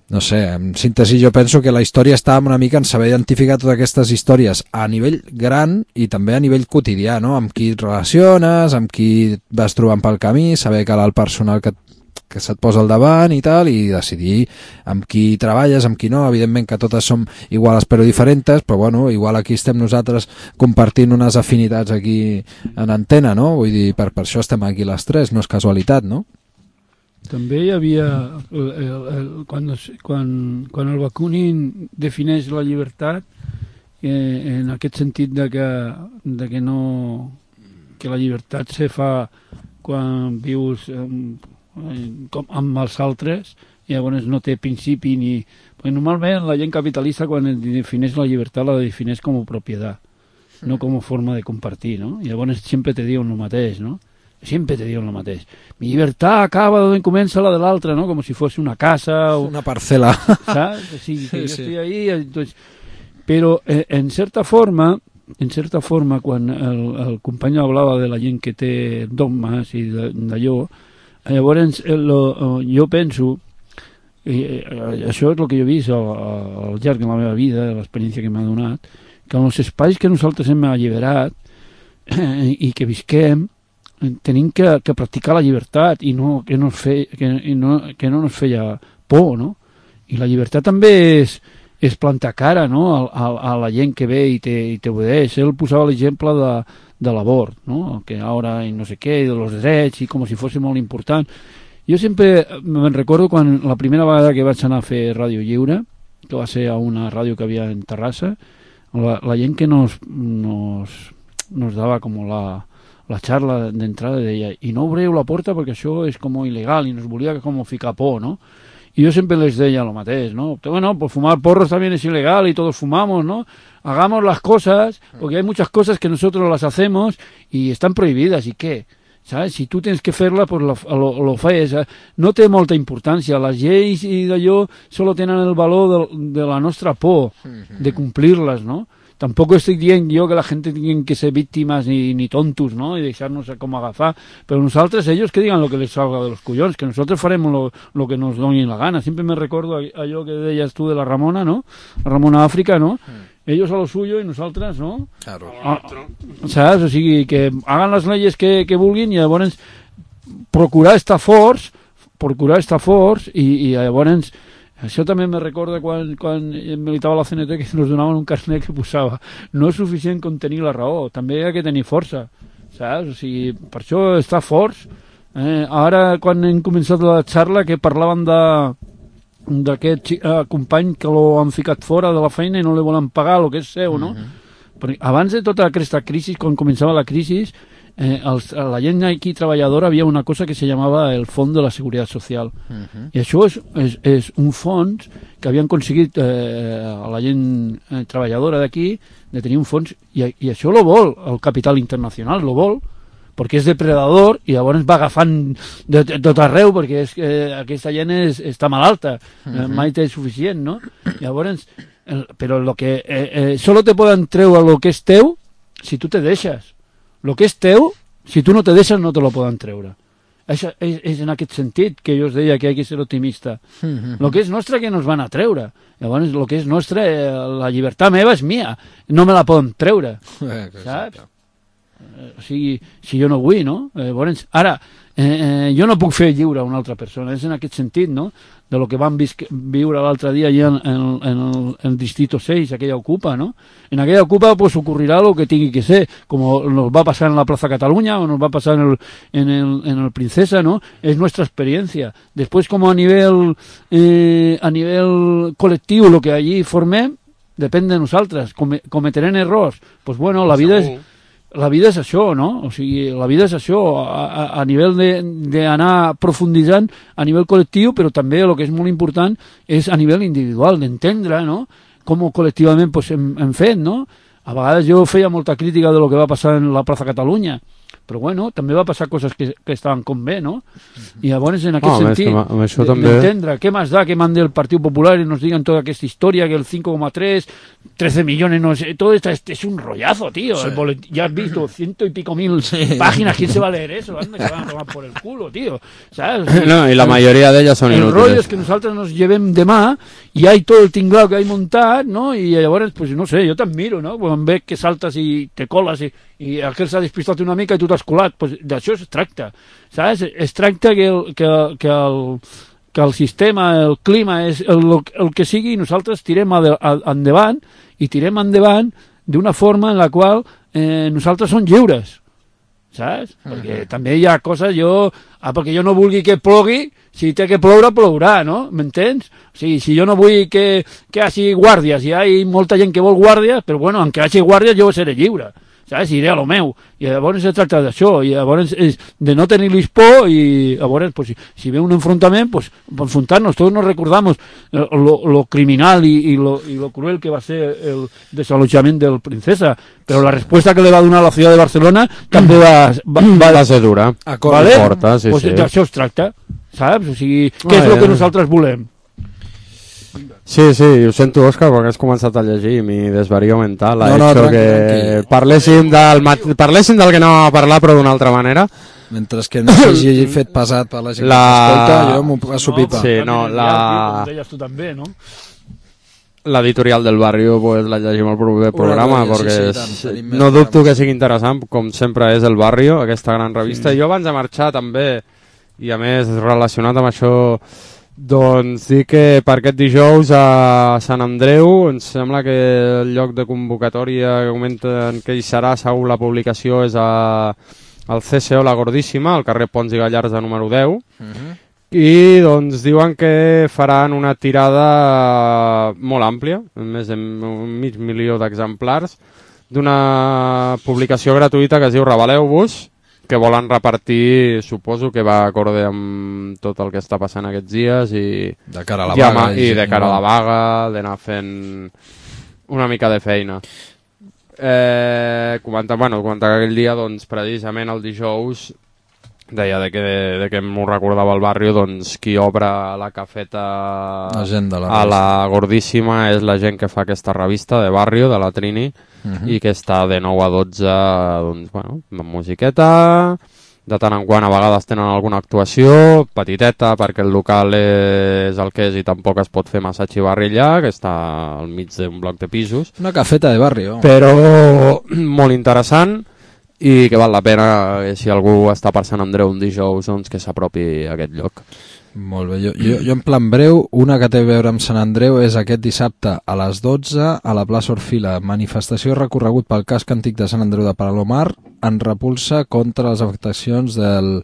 [SPEAKER 3] no sé, en síntesi jo penso que la història està una mica en saber identificar totes aquestes històries a nivell gran i també a nivell quotidià, no? Amb qui et relaciones, amb qui vas trobant pel camí, saber que el personal que que se't posa al davant i tal, i decidir amb qui treballes, amb qui no. Evidentment que totes som iguals però diferents, però bueno, igual aquí estem nosaltres compartint unes afinitats aquí en antena, no? Vull dir, per, per això estem aquí les tres, no és casualitat, no?
[SPEAKER 4] També hi havia, el, el, el, quan, quan, quan el Bakunin defineix la llibertat, eh, en aquest sentit de que, de que no, que la llibertat se fa quan vius eh, com amb els altres, i llavors no té principi ni... Perquè normalment la gent capitalista quan defineix la llibertat la defineix com a propietat, no com a forma de compartir, no? I llavors sempre te diuen el mateix, no? Sempre te diuen el mateix. Mi llibertat acaba d'on comença la de l'altre, no? Com si fos una casa o...
[SPEAKER 3] Una parcel·la.
[SPEAKER 4] Saps? O sigui, que sí, jo sí. Estic ahí... Entonces... Però eh, en certa forma, en certa forma, quan el, el company hablava de la gent que té dogmes i d'allò, llavors lo, jo penso, eh, això és el que jo he vist al, al llarg de la meva vida, l'experiència que m'ha donat, que en els espais que nosaltres hem alliberat eh, i que visquem, tenim que, que practicar la llibertat i no que no, fe, que, i no, que no ens feia por, no? I la llibertat també és, és plantar cara, no? a, a, a la gent que ve i t'obedeix. Ell posava l'exemple de de l'abort, no? Que ara i no sé què, de los drets, i com si fos molt important. Jo sempre me'n recordo quan la primera vegada que vaig anar a fer Ràdio Lliure, que va ser a una ràdio que havia en Terrassa, la, la gent que nos, nos, nos dava com la, la xarra d'entrada deia, i no obreu la porta perquè això és com il·legal, i nos volia com ficar por, no? y yo siempre les decía lo mateix, ¿no? Bueno, pues fumar porros también es ilegal y todos fumamos, ¿no? Hagamos las cosas, porque hay muchas cosas que nosotros las hacemos y están prohibidas, ¿y qué? ¿Sabes? Si tu tens que fer-la, pues lo, lo, lo fes. No té molta importància. Les lleis i d'allò solo tenen el valor de, de la nostra por, de complir-les, ¿no? Tampoco estoy dient jo que la gente tiene que ser víctimas ni, ni tontos, ¿no? Y deixar-nos com agafar. Pero nosotros, ellos que digan lo que les salga de los collons, que nosotros faremos lo, lo que nos doni la gana. Siempre me recuerdo allò que deies tu de la Ramona, ¿no? La Ramona África, ¿no? Ellos a lo suyo y nosotras, ¿no?
[SPEAKER 3] Claro.
[SPEAKER 4] Ah, ¿sabes? O sigui, que hagan las leyes que, que vulguin i llavors procurar estar forts, procurar estar forts i, i llavors això també me recorda quan, quan militava a la C N T que ens donaven un carnet que posava no és suficient com tenir la raó, també hi ha que tenir força, saps? O sigui, per això estar forts. Eh, ara quan hem començat la xarra que parlaven de d'aquest eh, company que l'han ficat fora de la feina i no li volen pagar el que és seu, no? Uh-huh. Perquè abans de tota aquesta crisi, quan començava la crisi, eh, els, la gent aquí treballadora havia una cosa que se llamava el Fons de la Seguretat Social. Uh-huh. I això és, és, és un fons que havien aconseguit eh, a la gent eh, treballadora d'aquí de tenir un fons, i, i això lo vol el capital internacional, lo vol, perquè és depredador i llavors va agafant de, de tot arreu perquè és, eh, aquesta gent és, està malalta, eh, uh-huh. mai té suficient, no? Llavors, el, però lo que eh, eh, solo te poden treure lo que és teu si tu te deixes. Lo que és teu, si tu no te deixes no te lo poden treure. És, és, és en aquest sentit que jo us deia que hi ha que ser optimista. Uh-huh. Lo que és nostre que nos van a treure. Llavors, lo que és nostre, eh, la llibertat meva és mia, no me la poden treure, eh, saps? O sigui, si jo no vull, no? Eh, llavors, ara, eh, eh, jo no puc fer lliure a una altra persona, és en aquest sentit, no? De lo que vam viure l'altre dia allà en, en, en, el, en el distrito seis, aquella ocupa, ¿no? En aquella ocupa pues ocurrirá lo que tiene que ser, como nos va a pasar en la Plaza Cataluña o nos va a pasar en el, en el, en el Princesa, ¿no? Es nuestra experiencia. Después, como a nivel, eh, a nivel colectivo, lo que allí formem, depèn de nosaltres. Com, cometerem errors. Pues bueno, la vida és... La vida és això, no? O sigui, la vida és això, a, a, a nivell d'anar profunditzant a nivell col·lectiu, però també el que és molt important és a nivell individual, d'entendre, no?, com col·lectivament pues, hem, hem fet, no? A vegades jo feia molta crítica de lo que va passar en la Plaza Catalunya, però bueno, també va passar coses que, que estaven com bé, no? I llavors, en aquest
[SPEAKER 2] oh,
[SPEAKER 4] sentit, d'entendre què més da que mande el Partit Popular i nos digan tota aquesta història, que el cinco coma tres, trece millones, no sé, todo esto es, es un rollazo, tío. Sí. El boletín, ya has visto ciento y pico mil sí. páginas, ¿quién se va a leer eso? Anda, se van a tomar por el culo, tío. ¿Sabes?
[SPEAKER 2] No, y la mayoría de ellas son
[SPEAKER 4] el
[SPEAKER 2] inútiles.
[SPEAKER 4] El rollo es que nosotros nos llevem demà y hay todo el tinglado que hay montat, ¿no? Y llavors, pues no sé, jo t'admiro, no? Quan veig que saltes i te coles i, i aquell s'ha despistat una mica i tu t'has colat, pues d'això es tracta, saps? Es tracta que el, que, que el, que el sistema, el clima, és el, el que sigui, i nosaltres tirem ade, endavant i tirem endavant d'una forma en la qual eh, nosaltres som lliures, saps? Uh-huh. Perquè també hi ha coses, jo, ah, perquè jo no vulgui que plogui, si té que ploure, plourà, no? M'entens? O sigui, si jo no vull que, que hi hagi guàrdies, hi ha molta gent que vol guàrdies, però bueno, en que hi hagi guàrdies jo seré lliure, saps? Iré a lo meu. I llavors es tracta d'això, i llavors és de no tenir-los por, i llavors, pues, si, si ve un enfrontament, pues, enfrontar-nos. Tots nos recordamos lo, lo criminal i, i, lo, i lo cruel que va ser el desalojament del Princesa, però la resposta que li va donar la ciutat de Barcelona també va... Va, va,
[SPEAKER 2] va ser dura.
[SPEAKER 4] ¿Vale?
[SPEAKER 2] Porta, sí,
[SPEAKER 4] pues
[SPEAKER 2] sí.
[SPEAKER 4] D'això es tracta, saps? O sigui, què
[SPEAKER 2] ah,
[SPEAKER 4] és el
[SPEAKER 2] ja.
[SPEAKER 4] que nosaltres volem?
[SPEAKER 2] Sí, sí, ho sento, Òscar, perquè has començat a llegir mi desvario mental. Ha
[SPEAKER 3] no, no,
[SPEAKER 2] hecho
[SPEAKER 3] tranqui,
[SPEAKER 2] que
[SPEAKER 3] tranqui.
[SPEAKER 2] parléssim del, mat... parléssim del que anàvem a parlar, però d'una altra manera.
[SPEAKER 3] Mentre que no s'hagi fet pesat per la gent
[SPEAKER 2] la...
[SPEAKER 3] que escolta, jo m'ho passo pipa.
[SPEAKER 2] Sí, no, la...
[SPEAKER 4] Com deies tu també, no?
[SPEAKER 2] L'editorial del Barrio pues, la llegim al proper programa,
[SPEAKER 3] Una
[SPEAKER 2] perquè
[SPEAKER 3] sí, sí, tant,
[SPEAKER 2] és... no dubto que sigui interessant, com sempre és el Barrio, aquesta gran revista. Sí. Jo abans de marxar també, i a més relacionat amb això, doncs dir que per aquest dijous a Sant Andreu ens sembla que el lloc de convocatòria que comenten que hi serà segur la publicació és a, al C C O La Gordíssima, al carrer Pons i Gallards de número deu. Uh-huh. I doncs diuen que faran una tirada molt àmplia, més de mig milió d'exemplars, d'una publicació gratuïta que es diu Reveleu-vos, que volen repartir, suposo que va acorde amb tot el que està passant aquests dies i
[SPEAKER 3] de cara a la
[SPEAKER 2] ja,
[SPEAKER 3] vaga
[SPEAKER 2] i, i de cara a la vaga d'anar fent una mica de feina. Eh, comentar, bueno, comentar que aquell dia, doncs, precisament el dijous, deia de que, de que m'ho recordava el barri, doncs qui obre la cafeta
[SPEAKER 3] la gent de la
[SPEAKER 2] a la Gordíssima és la gent que fa aquesta revista de barri, de la Trini, uh-huh. i que està de nou a dotze, doncs, bueno, amb musiqueta, de tant en quant a vegades tenen alguna actuació, petiteta, perquè el local és el que és i tampoc es pot fer massa xivarrilla, que està al mig d'un bloc de pisos.
[SPEAKER 3] Una cafeta de barri, oh.
[SPEAKER 2] Però molt interessant, i que val la pena, eh, si algú està per Sant Andreu un dijous, doncs que s'apropi a aquest lloc.
[SPEAKER 3] Molt bé, jo, jo, jo en plan breu, una que té a veure amb Sant Andreu és aquest dissabte a les dotze a la plaça Orfila, manifestació recorregut pel casc antic de Sant Andreu de Palomar en repulsa contra les afectacions del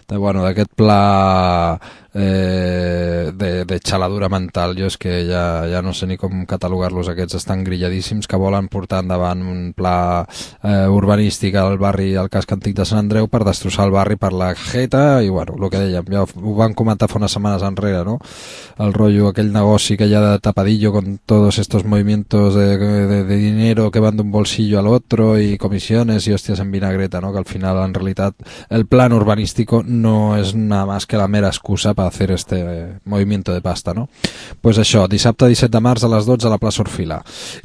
[SPEAKER 3] de, bueno, d'aquest pla eh, de, de xaladura mental. Jo és que ja, ja no sé ni com catalogar-los, aquests estan grilladíssims, que volen portar endavant un pla eh, urbanístic al barri, al casc antic de Sant Andreu, per destrossar el barri per la jeta, i bueno, el que dèiem, ja ho van comentar fa unes setmanes enrere, no? El rotllo, aquell negoci que hi ha de tapadillo con todos estos movimientos de, de, de dinero que van d'un bolsillo al otro y comisiones y hostias en vinagreta, ¿no? Que al final, en realidad, el plan urbanístico no es nada más que la mera excusa para hacer este eh, movimiento de pasta, no? Pues això, dissabte disset de març a les dotze a la plaça Orfila.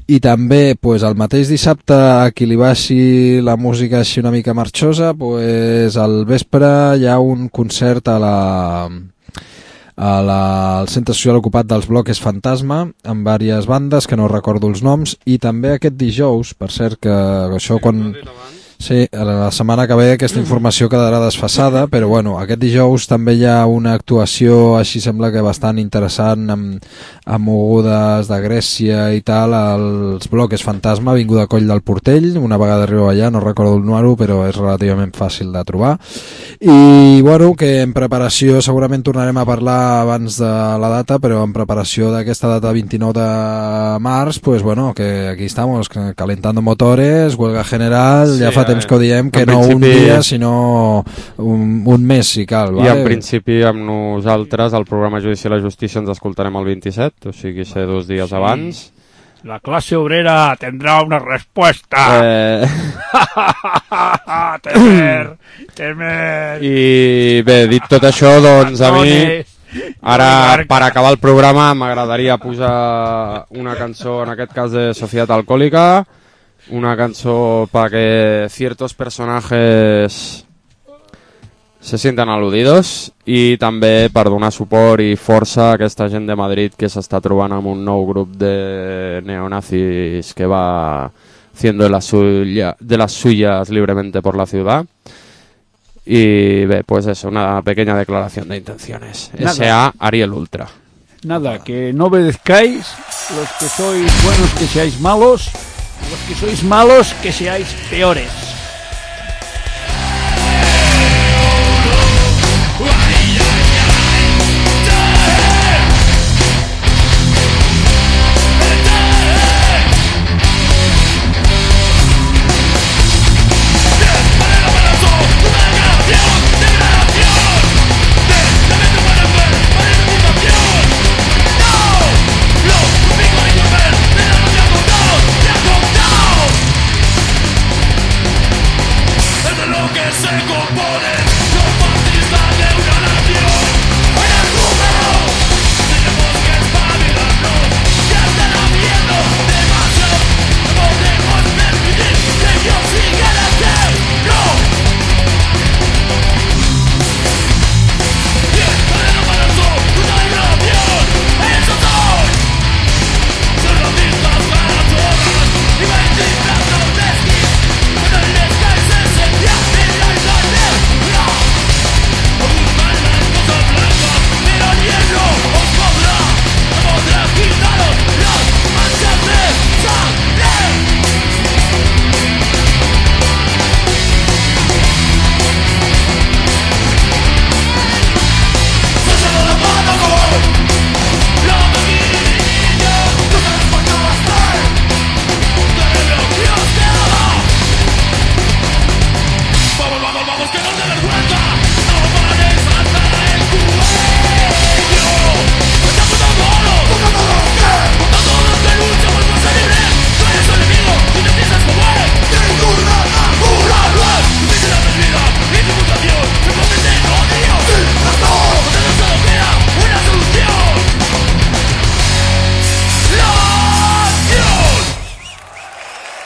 [SPEAKER 3] I també, pues, el mateix dissabte, a qui li baixi la música així una mica marxosa, pues, al vespre hi ha un concert a la... A la, al centre social ocupat dels Bloques Fantasma, amb diverses bandes que no recordo els noms, i també aquest dijous, per cert, que això quan... Sí, la setmana que ve aquesta informació quedarà desfasada, però bueno, aquest dijous també hi ha una actuació així sembla que bastant interessant amb, amb mogudes de Grècia i tal, als Bloques Fantasma, Avinguda Coll del Portell. Una vegada arribo allà, no recordo el número, però és relativament fàcil de trobar. I bueno, que en preparació segurament tornarem a parlar abans de la data, però en preparació d'aquesta data vint-i-nou de març, pues bueno, que aquí estamos calentando motores, huelga general, sí, ja fa temps que ho diem, que no un dia sinó un, un mes si cal, vale?
[SPEAKER 2] I en principi amb nosaltres el programa Judici i la Justícia ens escoltarem el vint-i-set, o sigui ser dos dies sí. abans.
[SPEAKER 4] La clase obrera tendrá una respuesta.
[SPEAKER 2] Eh...
[SPEAKER 4] temer, temer.
[SPEAKER 2] I bé, dit tot això, doncs a mi ara per acabar el programa m'agradaria posar una cançó, en aquest cas de Societat Alcohòlica, una cançó para que ciertos personajes se sientan aludidos i també per donar suport i força a aquesta gent de Madrid que s'està trobant amb un nou grup de neonazis que va haciendo de las, suya, de las suyas libremente por la ciudad. Y bé, pues eso, una pequeña declaración de intenciones. Nada. S A Ariel Ultra.
[SPEAKER 4] Nada, que no obedezcáis, los que sois buenos que seáis malos, los que sois malos que seáis peores.